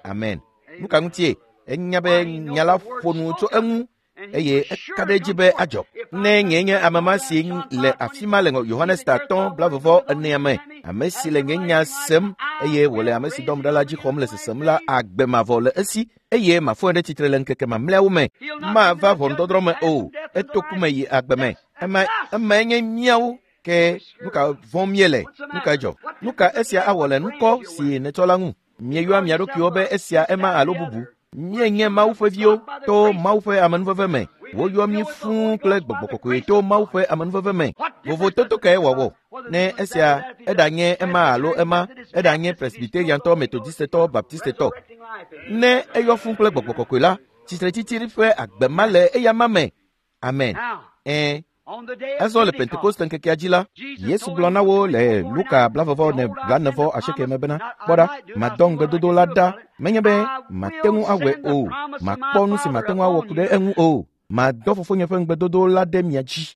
Amen. Nu ka ŋutie? Enya be nya la ƒo nu tso eŋu eye eka ɖe edzi be adzɔ. Ne nyee nye ame ma si le afi ma le Yohanes ta atɔ̃ blaeve enea me, ame si le nye nya sem eye wòle ame si dɔm ɖa la dzi xɔm le sesem la, agbe mavɔ le esi eye mafɔe ɖe tsitre le ŋkeke mamlɛawo me. Mava ʋɔnudɔdrɔ̃ me o, eto ku me yi agbe me. Ema emae nye míawo. Ke nu ka vɔ̃m míele? Nu ka dzɔ? Nu ka esia awɔ le ŋkɔ si nètsɔ la ŋu? Mieyɔa mia ɖokuiwo be esia ema alo bubu. Míenye Mawu ƒe viwo to Mawu ƒe amenuveve me. Woyɔ mí fũu kple gbɔgbɔ kɔkɔe to Mawu ƒe amenuveve me. Vovototo kae wòawɔ? Ne esia eɖanye ema alo ema, eɖanye Presbyteriantɔ, Metodistetɔ, Baptistetɔ. Ne eyɔ fũu kple gbɔgbɔ kɔkɔe la, tsitretsitsi ƒe agbe ma le eya ma me. Amen. Ɛ̃. Azɔ le Pentekoste ŋkekea dzi la, Yesu gblɔ na wo le Luka blaeve ne blaene asieke me bena, kpɔ ɖa, madɔ ŋugbedodo la ɖa, menye be mate ŋu awɔe o, makpɔ nu si mate ŋu awɔ ku ɖe eŋu o, madɔ fofonye ƒe ŋugbedodo la ɖe mia dzi.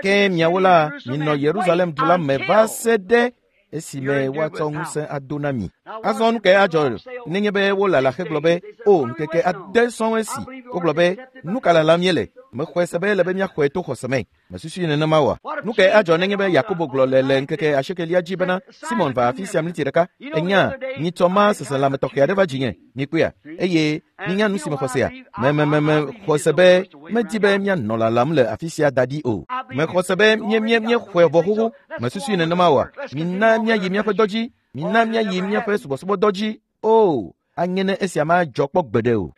Ke miawo la, minɔ Yerusalem du la me va se ɖe esime woatsɔ ŋusẽ ado na mi. Azɔ nu kae adzɔ nenye be wolala hegblɔ be, o, ŋkeke ade sɔŋ esi. Wogblɔ be, nu ka lalam míele? Mexɔe se be ele be míaxɔe to xɔse me. Mesusui nenema oa? Nu kae adzɔ nenye be Yakobo gblɔ le le ŋkeke asiekelia dzi bena, Simon va afi sia mliti ɖeka. Enya, nyitsɔ ma seselãme tɔxɛ aɖe va dzinye. Mikpɔea? Eye minya nu si mexɔ sea? Memememe xɔ se be medi be míanɔ lalam le afi sia da ɖi o. Mexɔ se be mie mie míexɔe vɔ xoxo. Mesusui nenema oa? Mina míayi míaƒe dɔ dzi. Mina míayi míaƒe subɔsubɔdɔ dzi. O, anye ne esia madzɔ kpɔ gbeɖe o.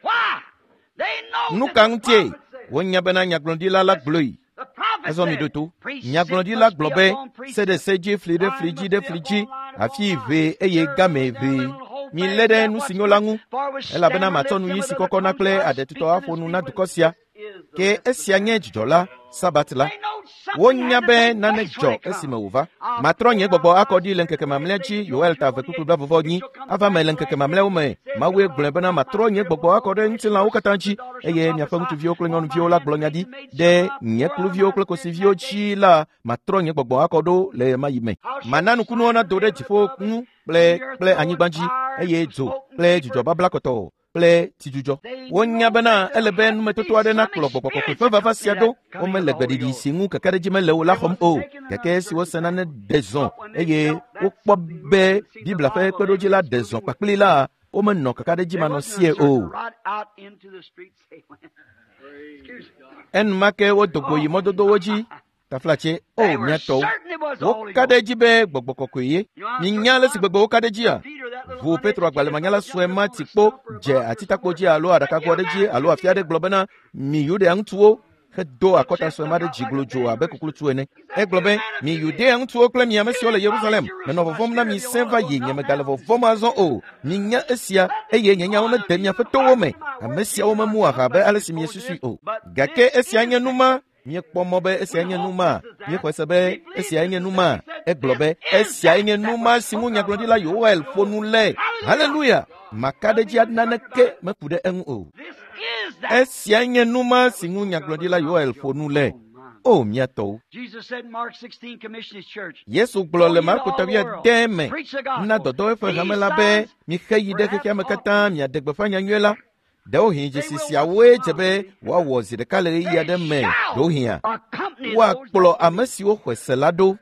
Nu ka ŋutie? Wonya bena nyagblɔɖila la gblɔe. Azɔ mi ɖo to. Nyagblɔɖila gblɔ be, se ɖe se dzi, fli ɖe fli dzi ɖe fli dzi, afi ʋee eye game ʋee. Milé ɖe nu si nyo la ŋu, elabena matsɔ nu ɣi si kɔkɔna kple aɖetutɔ aƒo nu na dukɔ sia. Ke esia nye dzidzɔ la, Sabat la. Wonya be nane dzɔ esime wòva. Matrɔ nye gbɔgbɔ akɔ ɖi le ŋkeke mamlɛa dzi, Yoel ta eve kpukpui blaeve enyi, ava me le ŋkeke mamlɛawo me. Mawue gblɔe bena matrɔ nye gbɔgbɔ akɔ ɖe ŋutilãwo katã dzi, eye miaƒe ŋutsuviwo kple nyɔnuviwo la gblɔ nya ɖi. Ɖe nye kluviwo kple kosiviwo dzi la, matrɔ nye gbɔgbɔ akɔ ɖo le ɣemaɣi me. Mana nukunuwo nado ɖe dziƒo ŋu kple kple anyigba dzi, eye dzo kple dzudzɔ babla kɔtɔɔ kple tsidzudzɔ. Wonya bena ele be numetoto aɖe nakplɔ gbɔgbɔ kɔkɔe ƒe vava sia ɖo. Womele gbeɖiɖi si ŋu kakaɖedzi mele o la xɔm o. Gake esi wose nane ɖe zɔ eye wokpɔ be Biblia ƒe kpeɖodzi la ɖe zɔ kpakpli la, womenɔ kakaɖedzi manɔsie o. Enumake wodo go yi mɔdodowo dzi. Taflatse, o mía tɔwo, woka ɖe edzi be gbɔgbɔ kɔkɔe ye. Minya ale si gbegbe woka ɖe edzia? Ʋu Petro agbalẽmanyala sue ma ti kpo dze atitakpo dzi alo aɖakago aɖe dzi alo afi aɖe gblɔ bena, mi Yudea ŋutsuwo, hedo akɔta sue ma ɖe dzi glodzo abe kuklutsu ene. Egblɔ be, mi Yudea ŋutsuwo kple mi ame siwo le Yerusalem, menɔ vɔvɔ̃m na mi sẽ va yi, nyemegale vɔvɔ̃m azɔ o. Minya esia, eye nye nyawo nede miaƒe towo me. Ame siawo memu aha abe ale si miesusui o. Gake esia nye nu ma. Míekpɔ mɔ be esia nye nu ma. Míexɔe se be esia nye nu ma. Egblɔ be esia nye nu ma si ŋu nyagblɔɖila Yoel ƒo nu le. Haleluya! Maka ɖe edzi naneke meku ɖe eŋu o. Esia nye nu ma si ŋu nyagblɔɖila Yoel ƒo nu le. O mía tɔwo. Yesu gblɔ le Marko ta wuiade me na dɔdɔ eƒe hame la be mixe yi ɖe xexea me katã miaɖe gbeƒã nyanyui la. Ɖewohĩ dzesi siawoe dze be woawɔ zi ɖeka le ɣeyiɣi aɖe me ɖewohĩa woakplɔ ame siwo xɔe se la ɖo.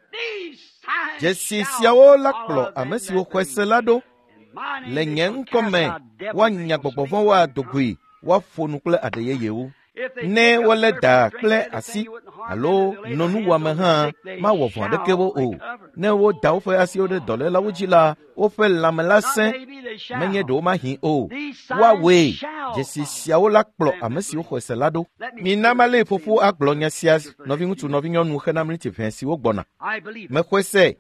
Dzesi siawo la kplɔ ame siwo xɔe se la ɖo. Le nye ŋkɔ me woanya gbɔgbɔ vɔ̃wo ado goe, woaƒo nu kple aɖe yeyewo. Ne wolé da kple asi alo nɔ nuwɔame hã mawɔ vɔ̃ aɖeke wo o. Ne woda woƒe asiwo ɖe dɔlélawo dzi la, woƒe lãme la sẽ, menye ɖewo mahi o. Woawoe dzesi siawo la kplɔ ame siwo xɔe se la ɖo. Mina malé ƒoƒo agblɔ nya sia nɔviŋutsu nɔvinyɔnu xena miniti ʋɛ siwo gbɔna. Mexɔe se.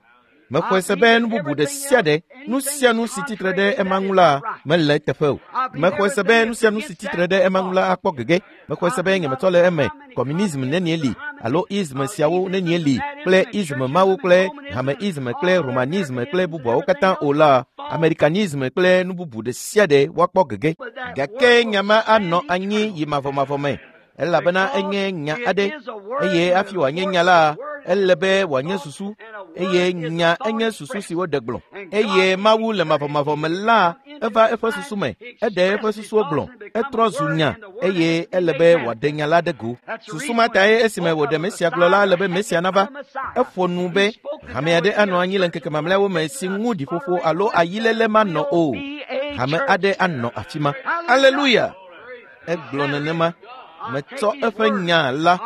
Mexɔe se be nu bubu ɖe sia ɖe, nu sia nu si tsitre ɖe ema ŋu la mele eteƒe o. Mexɔe se be nu sia nu si tsitre ɖe ema ŋu la akpɔ gege. Mexɔe se be nyemetɔ le eme. Kɔmunism nenie li alo ism siawo nenie li kple ism mawo kple hameism kple romanism kple bubuawo katã o la, amerikanism kple nu bubu ɖe sia ɖe woakpɔ gege. Gake nya ma anɔ anyi yi mavɔmavɔ me. Elabena enye nya aɖe eye hafi wòanye nya la, ele be wòanye susu eye nya enye susu si woɖe gblɔ. Eye Mawu le mavɔmavɔ me la, eva eƒe susu me, eɖe eƒe susuwo gblɔ, etrɔ zu nya eye ele be wòaɖe nya la ɖe go. Susu ma tae esime wòɖe Mesia gblɔ la, ele be Mesia nava. Eƒo nu be hame aɖe anɔ anyi le ŋkeke mamlɛawo me si ŋu ɖiƒoƒo alo ayiléle manɔ o. Hame aɖe anɔ afi ma. Aleluya! Egblɔ nenema. Metsɔ eƒe nya la,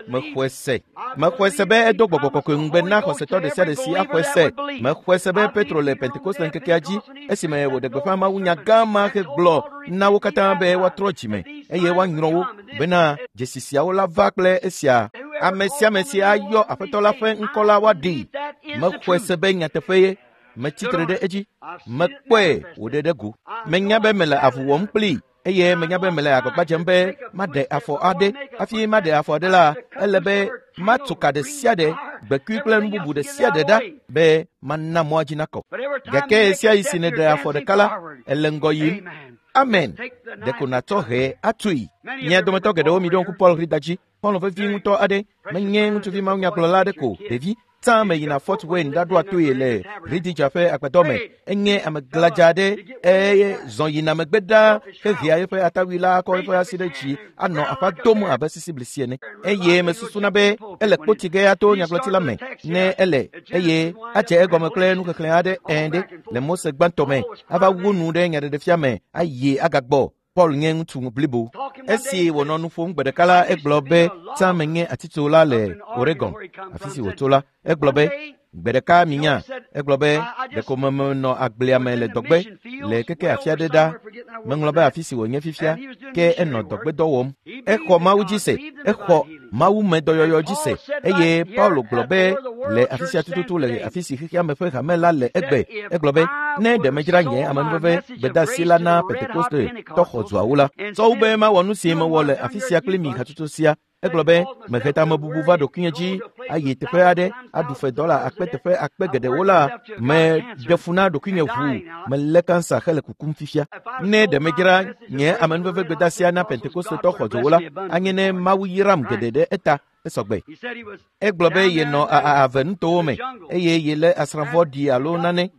mexɔe se. Mexɔe se be edo gbɔgbɔ kɔkɔe ŋugbe na xɔsetɔ ɖe sia ɖe si axɔe se. Mexɔe se be Petro le Pentekoste ŋkekea dzi esime wòɖe gbeƒã mawunya gã ma hegblɔ na wo katã be woatrɔ dzime eye woanyrɔ wo bena dzesi siawo la va kple esia. Ame sia ame si ayɔ Aƒetɔ la ƒe ŋkɔ la woaɖee. Mexɔe se be nyateƒe ye. Metsitre ɖe edzi. Mekpɔe wòɖe ɖe go. Menya be mele avu wɔm kplii. Eye menya be mele agbagba dzem be maɖe afɔ aɖe. Hafi maɖe afɔ aɖe la, ele be matu ka ɖe sia ɖe, gbekui kple nu bubu ɖe sia ɖe ɖa be mana mɔa dzi nakɔ. Gake ɣe sia ɣi si nèɖe afɔ ɖeka la, ele ŋgɔ yim. Amen. Ɖeko nàtsɔ hɛ atui. Mia dometɔ geɖewo miɖo ŋku Paul Rida dzi. Xɔlɔ̃ vevi ŋutɔ aɖe, menye ŋutsuvi mawunyagblɔla aɖe ko, ɖevi. Tsã meyina Fort Wayne ɖaɖoa toe le Ridija ƒe agbadɔ me. Enye ame gladza aɖe eye zɔ yina megbe ɖaa hehea eƒe atawui la kɔ eƒe asi ɖe dzi anɔ aƒa dom abe sisiblisi ene. Eye mesusuna be ele kpoti ge ato nyagblɔti la me ne ele eye adze egɔme kple nuxexlẽ aɖe ẽ ɖe le Mose gbãtɔ me ava wu nu ɖe nyaɖeɖefia me ayi agagbɔ. Paul nye ŋutsu blibo. Esi wònɔ nu ƒom gbe ɖeka la, egblɔ be tsã menye atitsola le Oregon, afi si wòtso la. Egblɔ be gbe ɖeka minya. Egblɔ be ɖeko menɔ agblea me le dɔgbe le keke afi aɖe ɖa. Meŋlɔ be afi si wònye fifia, ke enɔ dɔgbedɔ wɔm. Exɔ Mawu dzi se, exɔ Mawu me dɔyɔyɔ dzi se. Eye Paulo gblɔ be le afi sia tututu le afi si xexea me ƒe hame la le egbe. Egblɔ be ne ɖe medzra nye amenuveve gbedeasi la na Pentekoste tɔ xɔdzoawo la, tsɔ wu be mawɔ nu si mewɔ le afi sia kpli mi hatsotso sia. Egblɔ be mehe tamebubu va ɖokuinye dzi ayi teƒe aɖe aɖu fe dɔla akpe teƒe akpe geɖewo la, meɖe fu na ɖokuinye ʋuu, melé kansa hele kukum fifia. Ne ɖe medzra nye amenuveve gbedeasia na Pentekostetɔ xɔdzowo la, anye ne Mawu yram geɖe ɖe eta esɔgbe. Egblɔ be yenɔ ave nutowo me eye yelé asrãvɔ ɖi alo nane.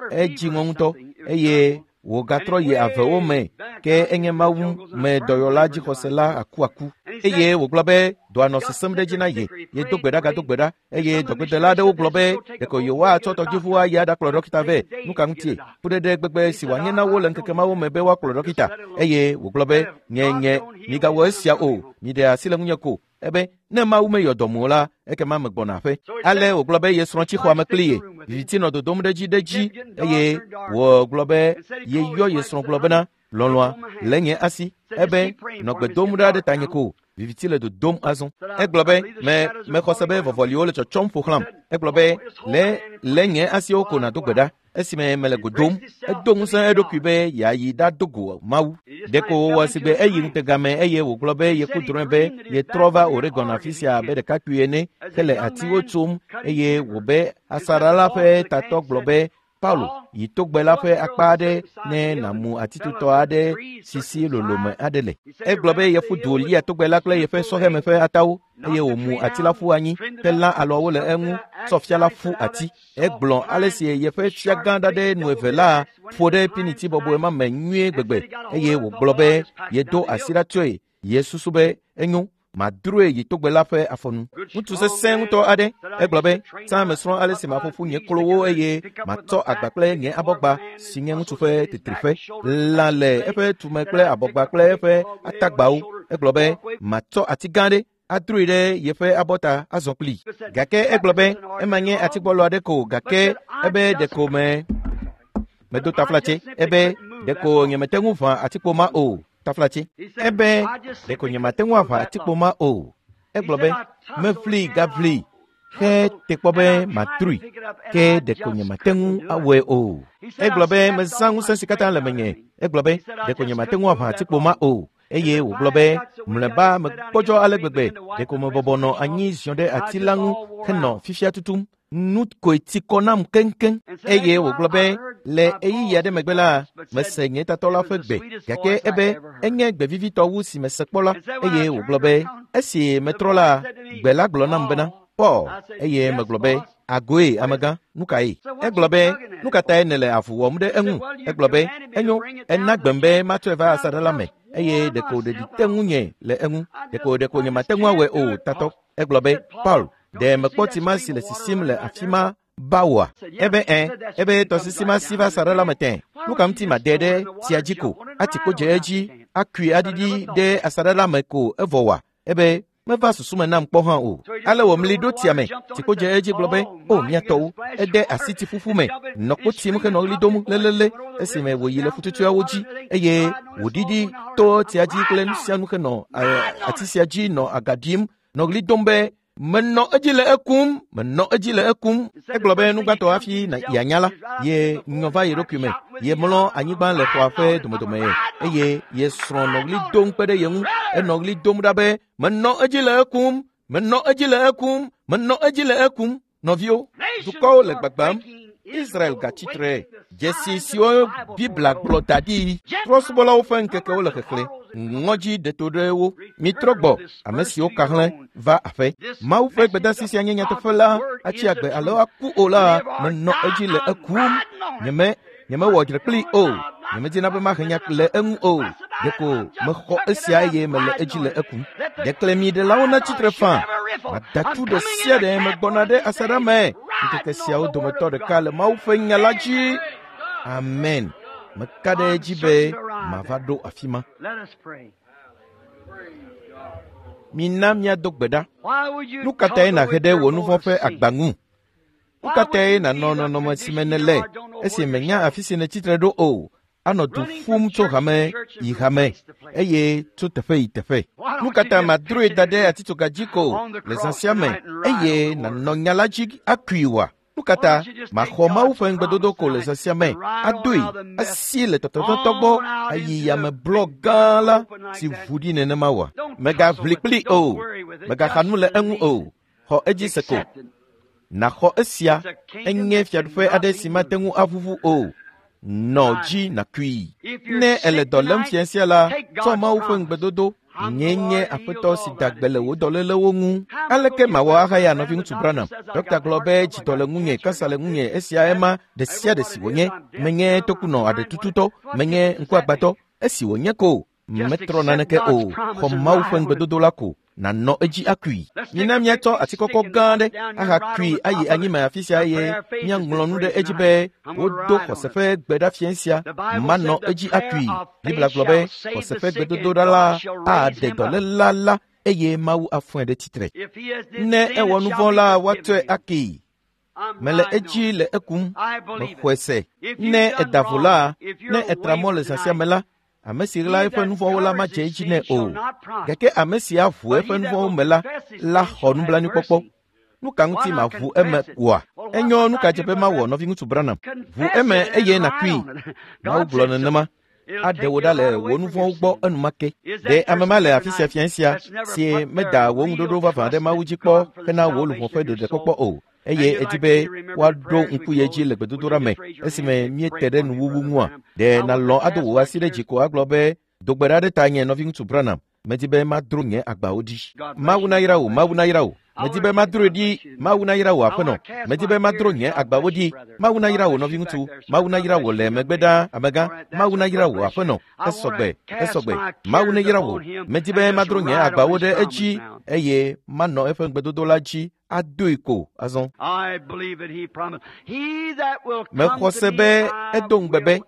Edzi ŋɔ ŋutɔ eye wògatrɔ yi avewo me ke enye Mawu me dɔyɔla dzixɔsela akuaku. Eye wògblɔ be dɔa nɔ sesẽm ɖe edzi na ye. Yedo gbe ɖa gado gbe ɖa eye dɔgbedela aɖewo gblɔ be ɖeko yewoatsɔ tɔdziʋu ayi aɖakplɔ ɖɔkita vɛ. Nu ka ŋutie? Fuɖeɖe gbegbe si wòanye na wo le ŋkeke mawo me be woakplɔ ɖɔkita. Eye wògblɔ be nye nye migawɔ esia o, miɖe asi le ŋunye ko. Ebe ne Mawu meyɔ dɔm o la, ekema megbɔna aƒe. Ale wògblɔ be ye srɔ̃ tsi xɔa me kpli ye. Viviti nɔ dodom ɖe edzi ɖe edzi eye wògblɔ be yeyɔ ye srɔ̃ gblɔ bena lɔlɔ̃a le nye asi. Ebe nɔ gbe dom ɖa ɖe tanye ko. Viviti le dodom azɔ. Egblɔ be me mexɔ se be vɔvɔliwo le tsɔtsɔm ƒo xlãm. Egblɔ be le le nye asiwo ko nàdo gbe ɖa. Esime mele go dom, edo ŋusẽ eɖokui be yeayi ɖado go Mawu. Ɖeko wòwɔ sigbe eyi ŋutegame eye wògblɔ be yeku drɔ̃e be yetrɔ va Oregon afi sia abe ɖekakpui ene hele atiwo tsom eye wòbe asaɖa la ƒe tatɔ gblɔ be Paulo yi togbe la ƒe akpa aɖe ne nàmu atitotɔ aɖe si si lolome aɖe le. Egblɔ be yeƒu du lia togbe la kple yeƒe sɔhɛme ƒe atawo eye wòmu ati la ƒu anyi helã alɔawo le eŋu tsɔ fia la ƒu ati. Egblɔ ale si yeƒe fiagã ɖaɖɛ nu eve la ƒo ɖe piniti bɔbɔe ma me nyuie gbegbe eye wògblɔ be yedo asi ɖa tsoe. Yesusu be enyo madroe yi togbe la ƒe afɔnu. Ŋutsu sesẽ ŋutɔ aɖe. Egblɔ be tsã mesrɔ̃ ale si maƒo ƒu nye klowo eye matsɔ agba kple nye abɔgba si nye ŋutsu ƒe tetriƒe lã le eƒe tume kple abɔgba kple eƒe atagbawo. Egblɔ be matsɔ ati gã aɖe Adroe ɖe yeƒe abɔta azɔ kpli. Gake egblɔ be ema nye atigbɔlɔ aɖe ko gake ebe ɖeko me medo taflatse ebe ɖeko nyemete ŋu ʋã atikpo ma o taflatse ebe ɖeko nyemate ŋu aʋã atikpo ma o. Egblɔ be mevli gavli he te kpɔ be matrui ke ɖeko nyemate ŋu awɔe o. Egblɔ be mezã ŋusẽ si katã le menye. Egblɔ be ɖeko nyemate ŋu aʋã atikpo ma o. Eye wògblɔ be mlɔeba megbɔdzɔ ale gbegbe ɖeko mebɔbɔ nɔ anyi ziɔ ɖe ati la ŋu henɔ fifia tutum. Nu koe ti kɔ nam keŋkeŋ. Eye wògblɔ be le ɣeyiɣi aɖe megbe la mese nye tatɔ la ƒe gbe gake ebe enye gbe vivitɔ wu si mese kpɔ la. Eye wògblɔ be esi metrɔ la gbe la gblɔ nam bena Paul. Eye megblɔ be agoe amegã nu kae? Egblɔ be nu ka tae nèle avu wɔm ɖe eŋu? Egblɔ be enyo ena gbem be matsɔe va asaɖa la me eye ɖeko ɖeɖi te ŋunye le eŋu ɖeko ɖeko nyemate ŋu awɔe o tatɔ. Egblɔ be Paul ɖe mekpɔ tsi ma si le sisim le afi ma ba oa? Ebe ẽ ebe tɔsisi ma si va asaɖa la me tẽ. Nu ka ŋuti made ɖe tsia dzi ko ati kpo dze edzi akui aɖiɖi ɖe asaɖa la me ko evɔ oa? Ebe meva susu me nam kpɔ hã o. Ale wòmli ɖo tsia me. Tsikpo dze edzi gblɔ be o mía tɔwo ede asi tsiƒuƒu me nɔ kpo tim henɔ ɣli dom lelele esime wòyi le fututuawo dzi eye wòɖiɖi to tsia dzi kple nu sia nu henɔ ati sia dzi nɔ aga ɖim nɔ ɣli dom be menɔ edzi le ekum menɔ edzi le ekum. Egblɔ be nu gbãtɔ hafi yeanya la ye nyɔ va ye ɖokui me ye mlɔ anyigba le xɔa ƒe domedome eye ye srɔ̃ nɔ ɣli dom kpe ɖe ye ŋu enɔ ɣli dom ɖa be menɔ edzi le ekum menɔ edzi le ekum menɔ edzi le ekum. Nɔviwo, dukɔwo le gbagbam. Israel gatsitre. Dzesi siwo Biblia gblɔ da ɖi. Trɔ̃subɔlawo ƒe ŋkekewo le xexlẽ. Ŋɔdzi ɖeto ɖe wo. Mitrɔ gbɔ ame siwo ka hlẽ va aƒe. Mawu ƒe gbedeasi sia nye nyateƒe la atsi agbe alo aku o la menɔ edzi le ekum. Nyeme nyemewɔ dzre kplii o. Nyemedina be mahe nya le eŋu o. Ɖeko mexɔ esia eye mele edzi le ekum. Ɖeklemiɖelawo natsitre faa. Madatu ɖe sia ɖe megbɔna ɖe asaɖa me. Ŋkeke siawo dometɔ ɖeka le Mawu ƒe nya la dzi. Amen. Meka ɖe edzi be mava ɖo afi ma. Mina míado gbe ɖa. Nu ka tae nàhe ɖe wò nu vɔ̃ ƒe agba ŋu? Nu ka tae nànɔ nɔnɔme si me nèle esi mènya afi si nètsitre ɖo o? Anɔ du ƒum tso hame yi hame eye tso teƒe yi teƒe. Nu ka ta madroe da ɖe atitsoga dzi ko le zã sia me eye nànɔ nya la dzi akui oa? Nu ka ta maxɔ Mawu ƒe ŋugbedodo ko le zã sia me adoe asi le tɔtɔtɔtɔ gbɔ ayi yameblɔ gã la si ʋu ɖi nenema oa? Mègaʋli kplii o, mègaxa nu le eŋu o, xɔ edzi se ko. Nàxɔ esia enye fiaɖuƒe aɖe si mate ŋu aʋuʋu o. Nɔ dzi nàkui. Ne èle dɔ lém fia sia la, tsɔ Mawu ƒe ŋugbedodo. Nye nye aƒetɔ si da gbe le wò dɔlélewo ŋu. Aleke mawɔ ahaya nɔviŋutsu Branham? Dɔkta gblɔ be dzidɔ le ŋunye, kansa le ŋunye, esia ema ɖe sia ɖe si wònye. Menye tokunɔ aɖetututɔ, menye ŋkuagbãtɔ. Esi wònye ko, metrɔ naneke o. Xɔ Mawu ƒe ŋugbedodo la ko. Nànɔ edzi akui. Mina míatsɔ ati kɔkɔ gã aɖe ahakui ayi anyime afi sia eye míaŋlɔ nu ɖe edzi be wodo xɔse ƒe gbe ɖa fia sia. Manɔ edzi akui. Biblia gblɔ be xɔse ƒe gbedodoɖa la aɖe dɔléla la eye Mawu afɔe ɖe tsitre. Ne ewɔ nu vɔ̃ la, woatsɔe akee. Mele edzi le ekum. Mexɔe se. Ne eda vo la, ne etra mɔ le zã sia me la, ame si ɣla eƒe nu vɔ̃wo la madze edzi nɛ o. Gake ame si aʋu eƒe nu vɔ̃wo me la la xɔ nublanuikpɔkpɔ. Nu ka ŋuti maʋu eme oa? Enyo nu ka dze be mawɔ nɔviŋutsu Branham? Ʋu eme eye nàkui. Mawu gblɔ nenema. Aɖe wò ɖa le wò nu vɔ̃wo gbɔ enumake. Ɖe ame ma le afi sia fia sia si meda wò ŋuɖoɖo vavã ɖe Mawu dzi kpɔ hena wò luʋɔ ƒe ɖeɖekpɔkpɔ o. Eye edi be woaɖo ŋku ye dzi le gbedodoɖa me esime míete ɖe nuwuwu ŋua. Ɖe nàlɔ̃ ado wò asi ɖe dzi ko agblɔ be do gbe ɖa ɖe tanye nɔviŋutsu Branham. Medi be madro nye agbawo ɖi. Mawu nayra wò, Mawu nayra wò. Medi be madroe ɖi. Mawu nayra wò aƒenɔ. Medi be madro nye agbawo ɖi. Mawu nayra wò nɔviŋutsu. Mawu nayra wò le megbe ɖaa amegã. Mawu nayra wò aƒenɔ. Esɔgbe, esɔgbe. Mawu neyra wò. Medi be madro nye agbawo ɖe edzi eye manɔ eƒe ŋugbedodo la dzi adoe ko azɔ. Mexɔ se be edo ŋugbe be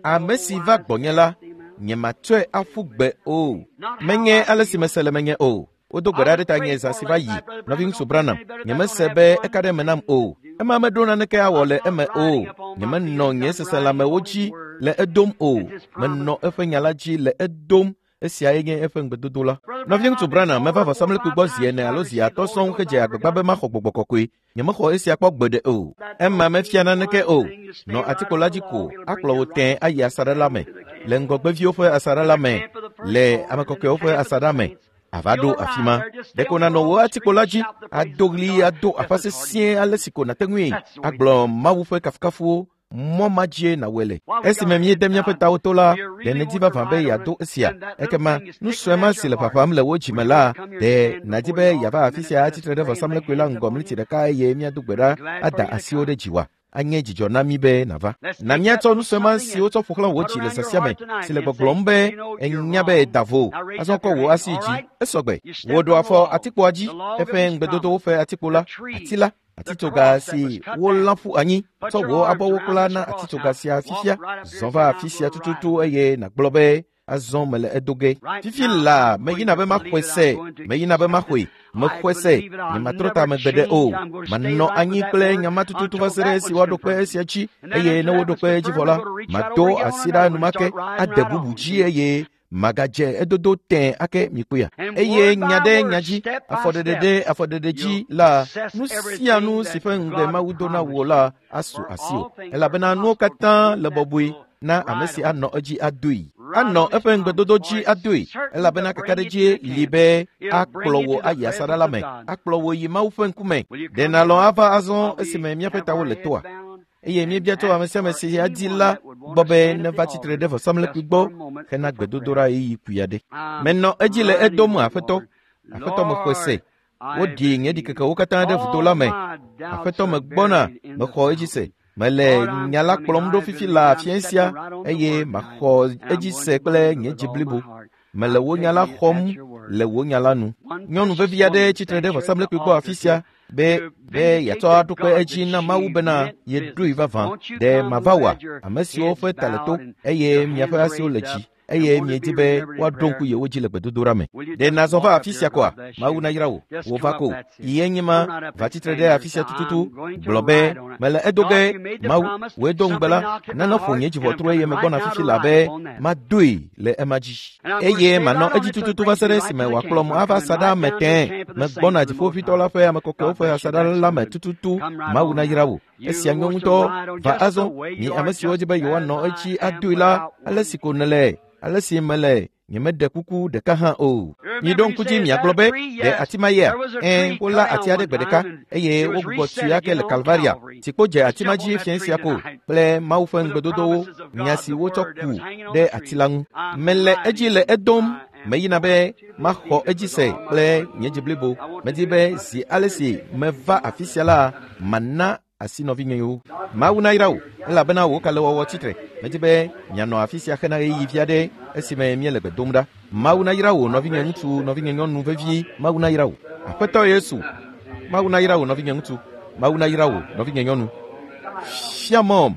ame si va gbɔnye la, nyematsɔe aƒu gbe o. Menye ale si mese le menye o. Wodo gbe ɖa ɖe tanye zã si va yi. Nɔviŋutsu Branham, nyemese be eka ɖe eme nam o. Ema meɖo naneke awɔ le eme o. Nyemenɔ nye seselãmewo dzi le edom o. Menɔ eƒe nya la dzi le edom. Esiae nye eƒe ŋugbedodo la. Nɔviŋutsu Branham meva vɔsamlekpui gbɔ zi ene alo zi atɔ̃ sɔŋ hedze agbagba be maxɔ gbɔgbɔ kɔkɔe. Nyemexɔ esia kpɔ gbeɖe o. Ema mefia naneke o. Nɔ atikpo la dzi ko akplɔ wò tẽe ayi asaɖa la me, le ŋgɔgbeviwo ƒe asaɖa la me, le ame kɔkɔewo ƒe asaɖa me. Ava ɖo afi ma. Ɖeko nànɔ wò atikpo la dzi, ado ɣli, ado aƒa sesĩe ale si ko nàte ŋui agblɔ Mawu ƒe kafukafuwo. Mɔ ma dzie nàwɔe le. Esime míede míaƒe tawo to la, ɖe nèdi vavã be yeado esia. Ekema nu sue ma si le ƒaƒam le wò dzime la, ɖe nàdi be yeava afi sia atsitre ɖe vɔsamlekpui la ŋgɔ mliti ɖeka eye míado gbe ɖa ada asiwo ɖe dziwòa? Anye dzidzɔ na mí be nàva. Na míatsɔ nu sue ma si wotsɔ ƒo xlã wò dzi le zã sia me, si le gbɔgblɔm be ènya be da vo. Azɔ kɔ wò asi dzi. Esɔgbe. Wò ɖo afɔ atikpoa dzi, eƒe ŋugbedodowo ƒe atikpo la, ati la. Atitsoga si wolã ƒu anyi, tsɔ wò abɔwo kpla na atitsoga sia fifia. Zɔ va afi sia tututu eye nàgblɔ be azɔ mele edo ge. Fifi la meyina be maxɔe se, meyina be maxɔe, mexɔe se, nyematrɔ ta megbe ɖe o. Manɔ anyi kple nya ma tututu va se ɖe esi woaɖo kpe esia dzi, eye ne woɖo kpe edzi vɔ la, mado asi ɖa enumake, ade bubu dzi eye magadze edodo tẽ ake mikpɔea. Eye nya ɖe nya dzi, afɔɖeɖe ɖe afɔɖeɖe dzi la, nu sia nu si ƒe ŋugbe Mawu do na wò la asu asiwò. Elabena nuwo katã le bɔbɔe na ame si anɔ edzi adoe. Anɔ eƒe ŋugbedodo dzi adoe, elabena kakaɖedzie li be akplɔ wò ayi asaɖa la me, akplɔ wò yi Mawu ƒe ŋkume. Ɖe nàlɔ̃ ava azɔ esime míaƒe tawo le toa? Eye míebia tso ame sia ame si adi la gbɔ be neva tsitre ɖe vɔsamlekpui gbɔ hena gbedodoɖa ɣeyiɣi kpui aɖe. Menɔ edzi le edom Aƒetɔ. Aƒetɔ mexɔe se. Woɖi nye ɖikekewo katã ɖe vudo la me. Aƒetɔ megbɔna, mexɔ edzi se. Mele nya la kplɔm ɖo fifi la fiẽ sia eye maxɔ edzi se kple nye dzi blibo. Mele wò nya la xɔm le wò nya la nu. Nyɔnu vevi aɖe tsitre ɖe vɔsamlekpui gbɔ afi sia be be yeatsɔ aɖo kpe edzi na Mawu bena yeɖoe vavã. Ɖe mava wòa, ame siwo ƒe ta le to eye miaƒe asiwo le dzi eye miedi be woaɖo ŋku yewo dzi le gbedodoɖa me. Ɖe nàzɔ va afi sia koa? Mawu nayra wò. Wò va ko. Yi enye ma, va tsitre ɖe afi sia tututu. Gblɔ be, mele edo ge. Mawu, wòe do ŋugbe la, nane ƒo nye dziʋɔtru eye megbɔna fifi la be madoe le ema dzi. Eye manɔ edzi tututu va se ɖe esime wòakplɔm ava asaɖa me tẽe. Megbɔna dziƒoʋĩtɔ la ƒe ame kɔkɔewo ƒe asaɖa la me tututu. Mawu nayra wò. Esia nyo ŋutɔ. Va azɔ, mi ame siwo di be yewoanɔ edzi adoe la, ale si ko nèle, ale si mele, nyemeɖe kuku ɖeka hã o. Miɖo ŋku dzi miagblɔ be, ɖe ati ma yea? Ɛ̃, wolã ati aɖe gbe ɖeka eye wogbugbɔ tui ake le Kalvaria. Tsikpo dze ati ma dzi fiẽ sia ko kple Mawu ƒe ŋugbedodowo, nya si wotsɔ ku ɖe ati la ŋu. Mele edzi le edom. Meyina be maxɔ edzi se kple nye dzi blibo. Medi be zi ale si meva afi sia la, mana asi nɔvinyewo. Mawu nayra wò, elabena wò kalẽwɔwɔ tsitre. Medi be mianɔ afi sia hena ɣeyiɣi vi aɖe esime míele gbe dom ɖa. Mawu nayra wò nɔvinye ŋutsu, nɔvinye nyɔnu vevi. Mawu nayra wò. Aƒetɔ Yesu, Mawu nayra wò nɔvinye ŋutsu. Mawu nayra wò nɔvinye nyɔnu. Fia mɔm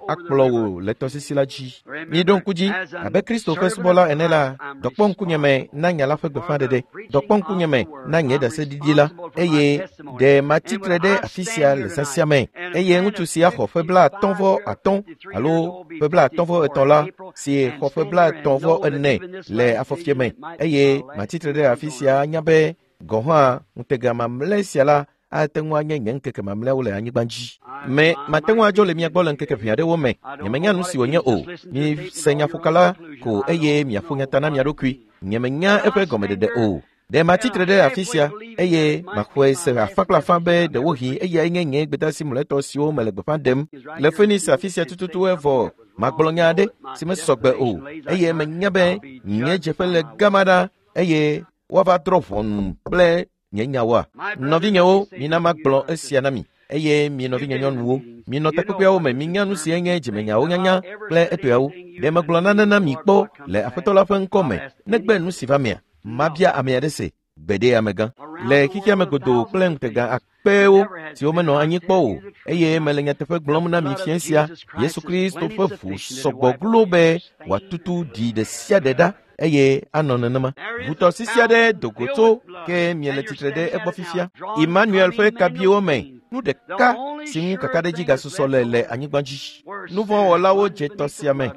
akplɔ wò le tɔsisi la dzi. Miɖo ŋku dzi abe Kristo ƒe subɔla ene la, dɔkpɔ ŋkunyeme na nya la ƒe gbeƒãɖeɖe, dɔkpɔ ŋkunyeme na nye ɖaseɖiɖi la, eye ɖe matsitre ɖe afi sia le zã sia me. Eye ŋutsu sia xɔ ƒe blaatɔ̃ vɔ atɔ̃ alo ƒe blaatɔ̃ vɔ etɔ̃ la, si xɔ ƒe blaetɔ̃ vɔ ene le afɔfie me, eye matsitre ɖe afi sia anya be gɔ̃ hã ŋutega mamlɛ sia la ate ŋu anye nye ŋkeke mamlɛawo le anyigba dzi. Me mate ŋu adzo le mia gbɔ le ŋkeke ʋɛ aɖewo me. Nyemenya nu si wònye o. Mise nyaƒokala ko eye miaƒo nya ta na mia ɖokui. Nyemenya eƒe gɔmeɖeɖe o. Ɖe matsitre ɖe afi sia eye maxɔe se afã kple afã be ɖewohĩ eyae nye nye gbedeasi mlɔetɔ siwo mele gbeƒã ɖem le Phoenix afi sia tututu evɔ magblɔ nya aɖe si mesɔgbe o eye menya be nye dzeƒe le gama ɖa eye woava drɔ̃ ʋɔnu kple nye nyawoa. Nɔvinyewo, mina magblɔ esia na mi. Eye mi nɔvinye nyɔnuwo, minɔ takpekpeawo me, minya nu si nye dzimenyawo nyanya kple etɔeawo. Ɖe megblɔ nane na mi kpɔ le Aƒetɔ la ƒe ŋkɔ me, negbe nu si va mea, mabia ame aɖe se, gbeɖe amegã. Le xexea me godoo kple ŋutega akpewo siwo menɔ anyi kpɔ o, eye mele nyateƒe gblɔm na mi fiẽ sia, Yesu Kristo ƒe ʋu sɔgbɔ glo be wòatutu ɖi ɖe sia ɖe ɖa eye anɔ nenema. Ʋutɔsisi aɖe do go tso ke miele tsitre ɖe egbɔ fifia. Emmanuel ƒe kabiwo me, nu ɖeka si ŋu kakaɖedzi gasusɔ le le anyigba dzi. Nuvɔ̃wɔlawo dze tɔ sia me,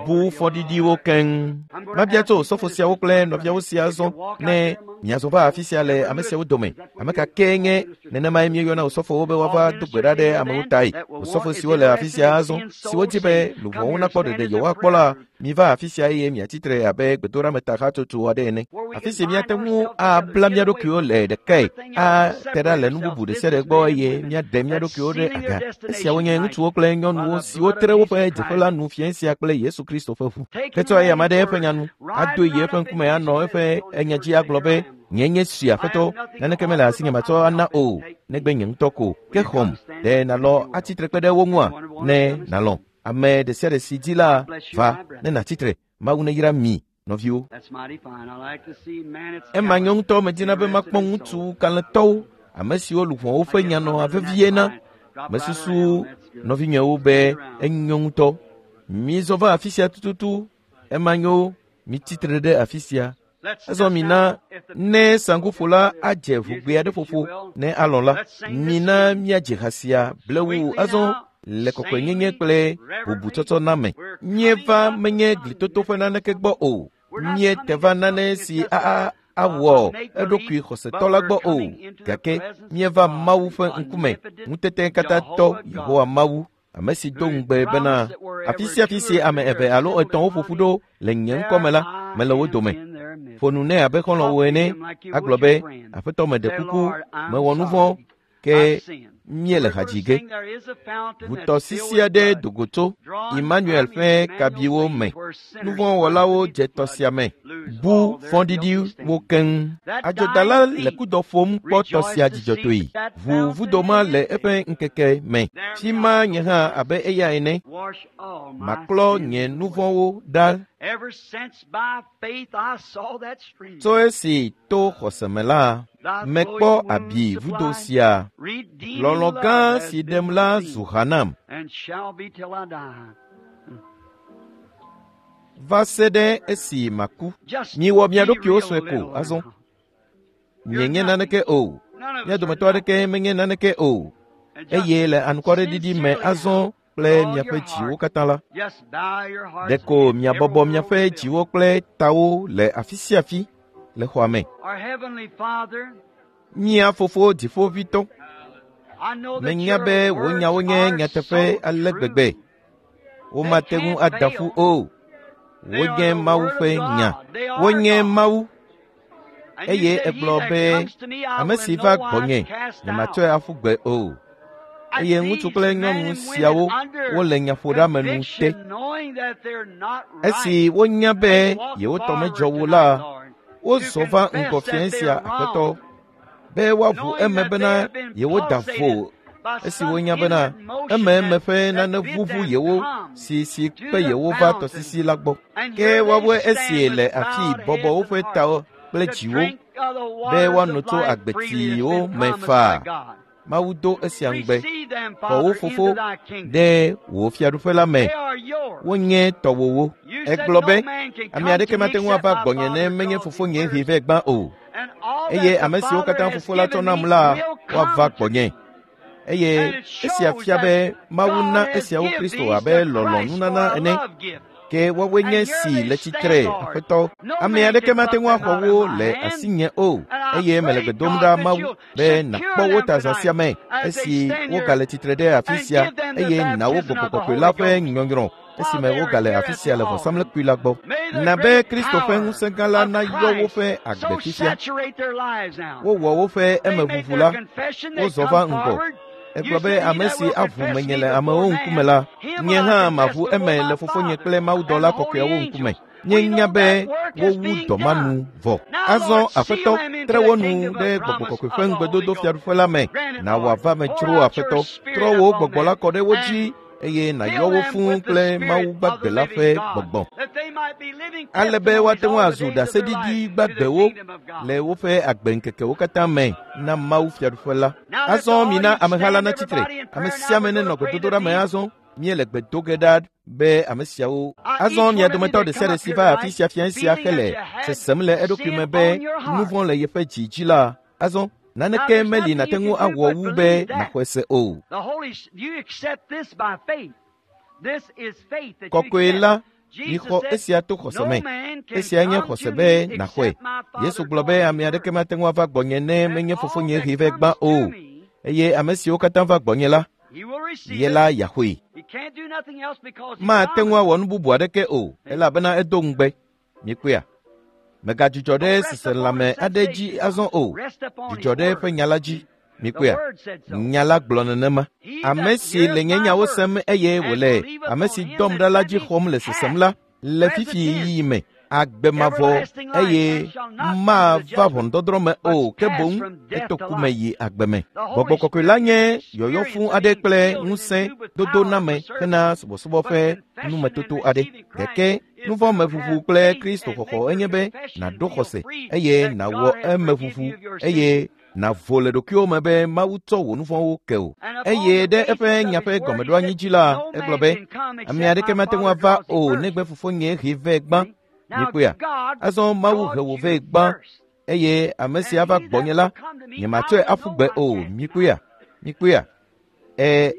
bu fɔɖiɖiwo keŋ. Mabia tso osɔfo siawo kple nɔviawo sia zɔ ne miazɔ va afi sia le ame siawo dome. Ame ka kee nye nenemae míeyɔna osɔfowo be woava do gbe ɖa ɖe amewo tae. Osɔfo siwo le afi sia azɔ, siwo di be luʋɔwo nakpɔ ɖeɖe yewoakpɔ la, miva afi sia eye miatsitre abe gbedoɖameta hatsotso aɖe ene. Afi si míate ŋu abla mía ɖokuiwo le ɖekae, ate ɖa le nu bubu ɖe sia ɖe gbɔ eye míaɖe mía ɖokuiwo ɖe aga. Esiawo nye ŋutsuwo kple nyɔnuwo siwo tre woƒe dzeƒe la nu fiẽ sia kple Yesu Kristo ƒe ʋu. Hetsɔ eya ma ɖe eƒe nya nu, ado yi eƒe ŋkume anɔ eƒe enya dzi agblɔ be, nye nye si aƒetɔ, naneke mele asinye matsɔ ana o, negbe nye ŋutɔ ko. Ke xɔm, ɖe nàlɔ atsitre kpe ɖe wo ŋua? Ne nàlɔ. Ame ɖe sia ɖe si dzi la, va ne nàtsitre. Mawu neyra mi, nɔviwo. Ema nye ŋutɔ medina be makpɔ ŋutsu kalẽtɔwo, ame siwo luʋɔwo ƒe nya nɔa vevie na. Mesusu nɔvinyewo be enyo ŋutɔ. Mizɔ va afi sia tututu. Ema nyo, mitsitre ɖe afi sia. Azɔ mina ne saŋkuƒola adze ʋugbe aɖe ƒoƒo ne alɔ la, mina míadze ha sia blewu azɔ le kɔkɔenyenye kple bubutsɔtsɔ na me. Míeva menye glitoto ƒe naneke gbɔ o. Míete va nane si a awɔ eɖokui xɔsetɔ la gbɔ o. Gake míeva Mawu ƒe ŋkume, ŋutete katãtɔ Yehowa Mawu, ame si do ŋugbe bena afi sia afi si ame eve alo etɔ̃wo ƒo ƒu ɖo le nye ŋkɔ me la, mele wo dome. Ƒo nu nɛ abe xɔlɔ̃wo ene, agblɔ be, Aƒetɔ meɖe kuku, mewɔ nu vɔ̃, ke míele ha dzi ge. Ʋutɔsisi aɖe do go tso Emmanuel ƒe kabiwo me. Nuvɔ̃wɔlawo dze tɔ sia me, bu fɔɖiɖiwo keŋ. Adzodala le kudɔ ƒom kpɔ tɔ sia dzidzɔtɔe. Ʋu vudo ma le eƒe ŋkeke me. Fi ma nye hã abe eya ene. Maklɔ nye nuvɔ̃wo ɖa. Tso esi to xɔse me la, mekpɔ abi vudo sia. Lɔlɔ̃ gã si ɖem la zu ha nam. Va se ɖe esi maku. Miwɔ mia ɖokuiwo sue ko azɔ. Mienye naneke o. Mia dometɔ aɖeke menye naneke o. Eye le anukwareɖiɖi me azɔ kple miaƒe dziwo katã la, ɖeko miabɔbɔ miaƒe dziwo kple tawo le afi sia afi le xɔa me. Mía fofo dziƒoʋĩtɔ, menya be wò nyawo nye nyateƒe ale gbegbe. Womate ŋu ada ƒu o. Wonye Mawu ƒe nya. Wonye Mawu. Eye egblɔ be, ame si va gbɔnye, nyematsɔe aƒu gbe o. Eye ŋutsu kple nyɔnu siawo wole nyaƒoɖeamenu te. Esi wonya be yewo tɔ medzɔ wo la, wozɔ va ŋgɔ fiẽ sia Aƒetɔ, be woaʋu eme bena yewoda vo. Esi wonya bena ememe ƒe nane ʋuʋu yewo si si kpe yewo va tɔsisi la gbɔ. Ke woawoe esi le afi bɔbɔ woƒe tawo kple dziwo be woano tso agbetsiwo me faa. Mawu do esia ŋugbe. Xɔ wo fofo ɖe wò fiaɖuƒe la me. Wonye tɔwòwo. Egblɔ be, ame aɖeke mate ŋu ava gbɔnye ne menye fofonye hee vɛ gbã o. Eye ame siwo katã fofo la tsɔ nam la, woava gbɔnye. Eye esia fia be Mawu na esiawo Kristo abe lɔlɔ̃nunana ene. Ke woawoe nye si le tsitre, Aƒetɔ. Ame aɖeke mate ŋu axɔ wo le asinye o. Eye mele gbe dom ɖa Mawu be nàkpɔ wo ta zã sia me esi wogale tsitre ɖe afi sia eye na wo Gbɔgbɔ Kɔkɔe la ƒe nyɔnyrɔ esime wogale afi sia le vɔsamlekpui la gbɔ. Na be Kristo ƒe ŋusẽ gã la nayɔ woƒe agbe fifia. Wowɔ woƒe emeʋuʋu la, wozɔ va ŋgɔ. Egblɔ be ame si aʋu menye le amewo ŋkume la, nye hã maʋu eme le fofonye kple mawudɔla kɔkɔeawo ŋkume. Nye nya be wowu dɔ ma nu vɔ. Azɔ Aƒetɔ, tre wo nu ɖe Gbɔgbɔ Kɔkɔe ƒe ŋugbedodo fiaɖuƒe la me. Na wòava me dzro Aƒetɔ. Trɔ wò gbɔgbɔ la kɔ ɖe wo dzi eye nàyɔ wo fũu kple Mawu gbagbe la ƒe gbɔgbɔ. Ale be woate ŋu azu ɖaseɖiɖi gbagbewo le woƒe agbeŋkekewo katã me na Mawu fiaɖuƒe la. Azɔ mina ameha la natsitre. Ame sia ame nenɔ gbedodoɖa me azɔ. Míele gbe do ge ɖa be ame siawo azɔ mia dometɔ ɖe sia ɖe si va afi sia fia sia hele sesem le eɖokui me be nu vɔ̃ le yeƒe dzi dzi la, azɔ naneke meli nàte ŋu awɔ wu be nàxɔe se o. Kɔkɔe la, mixɔ esia to xɔse me. Esia nye xɔse be nàxɔe. Yesu gblɔ be ame aɖeke mate ŋu ava gbɔnye ne menye fofonye hee vɛ gbã o. Eye ame siwo katã va gbɔnye la, ye la yaxɔe. Mate ŋu awɔ nu bubu aɖeke o, elabena edo ŋugbe. Mikpɔea? Megadzudzɔ ɖe seselãme aɖe dzi azɔ o. Dzudzɔ ɖe eƒe nya la dzi. Mikpɔea? Nya la gblɔ nenema. Ame si le nye nyawo sem eye wòle ame si dɔm ɖa la dzi xɔm le sesem la, le fifi ɣeyiɣi me, agbe mavɔ eye mava ʋɔnudɔdrɔ̃ me o, ke boŋ eto ku me yi agbe me. Gbɔgbɔ kɔkɔe la nye yɔyɔ fũ aɖe kple ŋusẽ dodoname hena subɔsubɔ ƒe numetoto aɖe. Gake nuvɔ̃meʋuʋu kple Kristo xɔxɔ enye be nàɖo xɔse eye nàwɔ emeʋuʋu eye nàvo le ɖokuiwò me be Mawu tsɔ wò nu vɔ̃wo ke o. Eye ɖe eƒe nya ƒe gɔmeɖoanyi dzi la, egblɔ be ame aɖeke mate ŋu ava o negbe fofonye hee vɛ gbã. Mikpɔea? Azɔ Mawu he wò vɛ gbã eye ame si ava gbɔnye la, nyematsɔe aƒu gbe o. Mikpɔea? Mikpɔea? Ɛ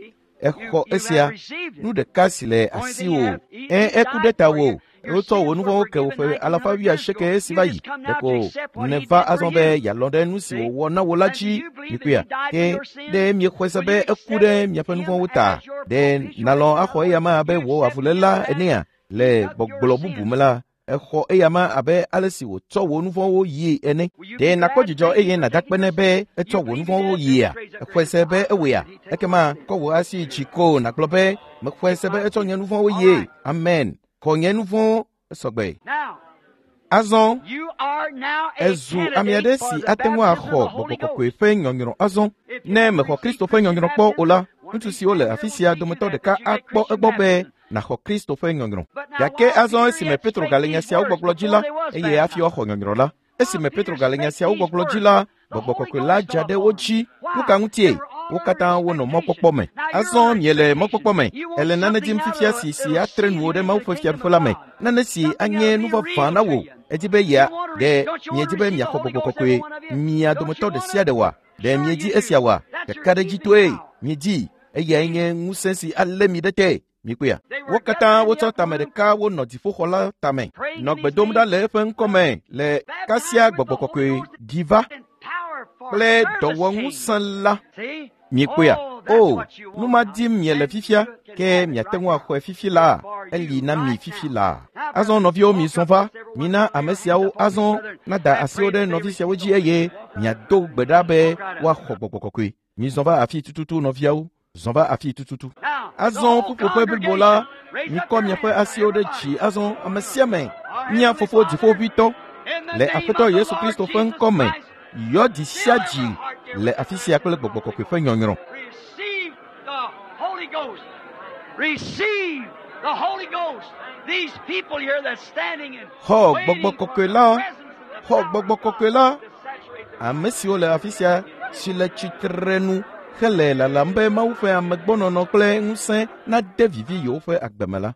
exɔ esia, nu ɖeka si le asiwò. Ɛ eku ɖe tawò. Wotsɔ wò nu vɔ̃wo ke wò ƒe alafa wuiasieke esi va yi. Ɖeko nèva azɔ be yealɔ̃ ɖe nu si wòwɔ na wò la dzi. Mikpɔea? Ke ɖe miexɔe se be eku ɖe miaƒe nu vɔ̃wo ta? Ɖe nàlɔ̃ axɔ eya ma abe wò avuléla enea? Le gbɔgblɔ bubu me la, exɔ eya ma abe ale si wòtsɔ wò nu vɔ̃wo yii ene. Ɖe nàkpɔ dzidzɔ eye nàda akpe nɛ be etsɔ wò nu vɔ̃wo yia? Exɔe se be ewɔea? Ekema kɔ wò asi dzi ko nàgblɔ be mexɔe se be etsɔ nye nu vɔ̃wo yie. Amen. Xɔ nye nu vɔ̃wo esɔgbe. Azɔ ezu ame aɖe si ate ŋu axɔ gbɔgbɔ kɔkɔe ƒe nyɔnyrɔ azɔ. Ne mexɔ Kristo ƒe nyɔnyrɔ kpɔ o la, ŋutsu siwo le afi sia dometɔ ɖeka akpɔ egbɔ be nàxɔ Kristo ƒe nyɔnyrɔ. Gake azɔ esime Petro gale nya siawo gbɔgblɔ dzi la, eye hafi woaxɔ nyɔnyrɔ la, esime Petro gale nya siawo gbɔgblɔ dzi la, gbɔgbɔ kɔkɔe la dza ɖe wo dzi. Nu ka ŋutie? Wo katã wonɔ mɔkpɔkpɔ me. Azɔ miele mɔkpɔkpɔ me. Ele nane dim fifia si si atre nuwo ɖe Mawu ƒe fiaɖuƒe la me. Nane si anye nu vavã na wò. Edi be yea ɖe miedi be miaxɔ gbɔgbɔ kɔkɔe mia dometɔ ɖe sia ɖe wa? Ɖe miedi esia wa? Ɖeka ɖe dzi toe miedi. Eyae nye ŋusẽ si alé mi ɖe te. Mikpɔea? Wo katã wotsɔ tame ɖeka wonɔ dziƒoxɔ la tame, nɔ gbe dom ɖa le eƒe ŋkɔme le kasia gbɔgbɔ kɔkɔe ɖi va kple dɔwɔŋusẽ la. Mikpɔea? O, nu ma dim miele fifia, ke miate ŋu axɔe fifi la, eli na mi fifi la. Azɔ nɔviwo mizɔ va, mina ame siawo azɔ nada asiwo ɖe nɔvi siawo dzi eye miado gbe ɖa be woaxɔ gbɔgbɔ kɔkɔe. Mizɔ va afi tututu nɔviawo. Zɔ va afi tututu. Azɔ ƒuƒoƒe blibo la, mikɔ miaƒe asiwo ɖe dzi azɔ ame sia ame, mía fofo dziƒoʋĩtɔ, le Aƒetɔ Yesu Kristo ƒe ŋkɔ me, yɔ dzi sia dzi le afi sia kple gbɔgbɔ kɔkɔe ƒe nyɔnyrɔ. Xɔ gbɔgbɔ kɔkɔe la, xɔ gbɔgbɔ kɔkɔe la, ame siwo le afi sia si le tsitre nu hele lalam be Mawu ƒe amegbɔnɔnɔ kple ŋusẽ nade vivi yewoƒe agbe me la.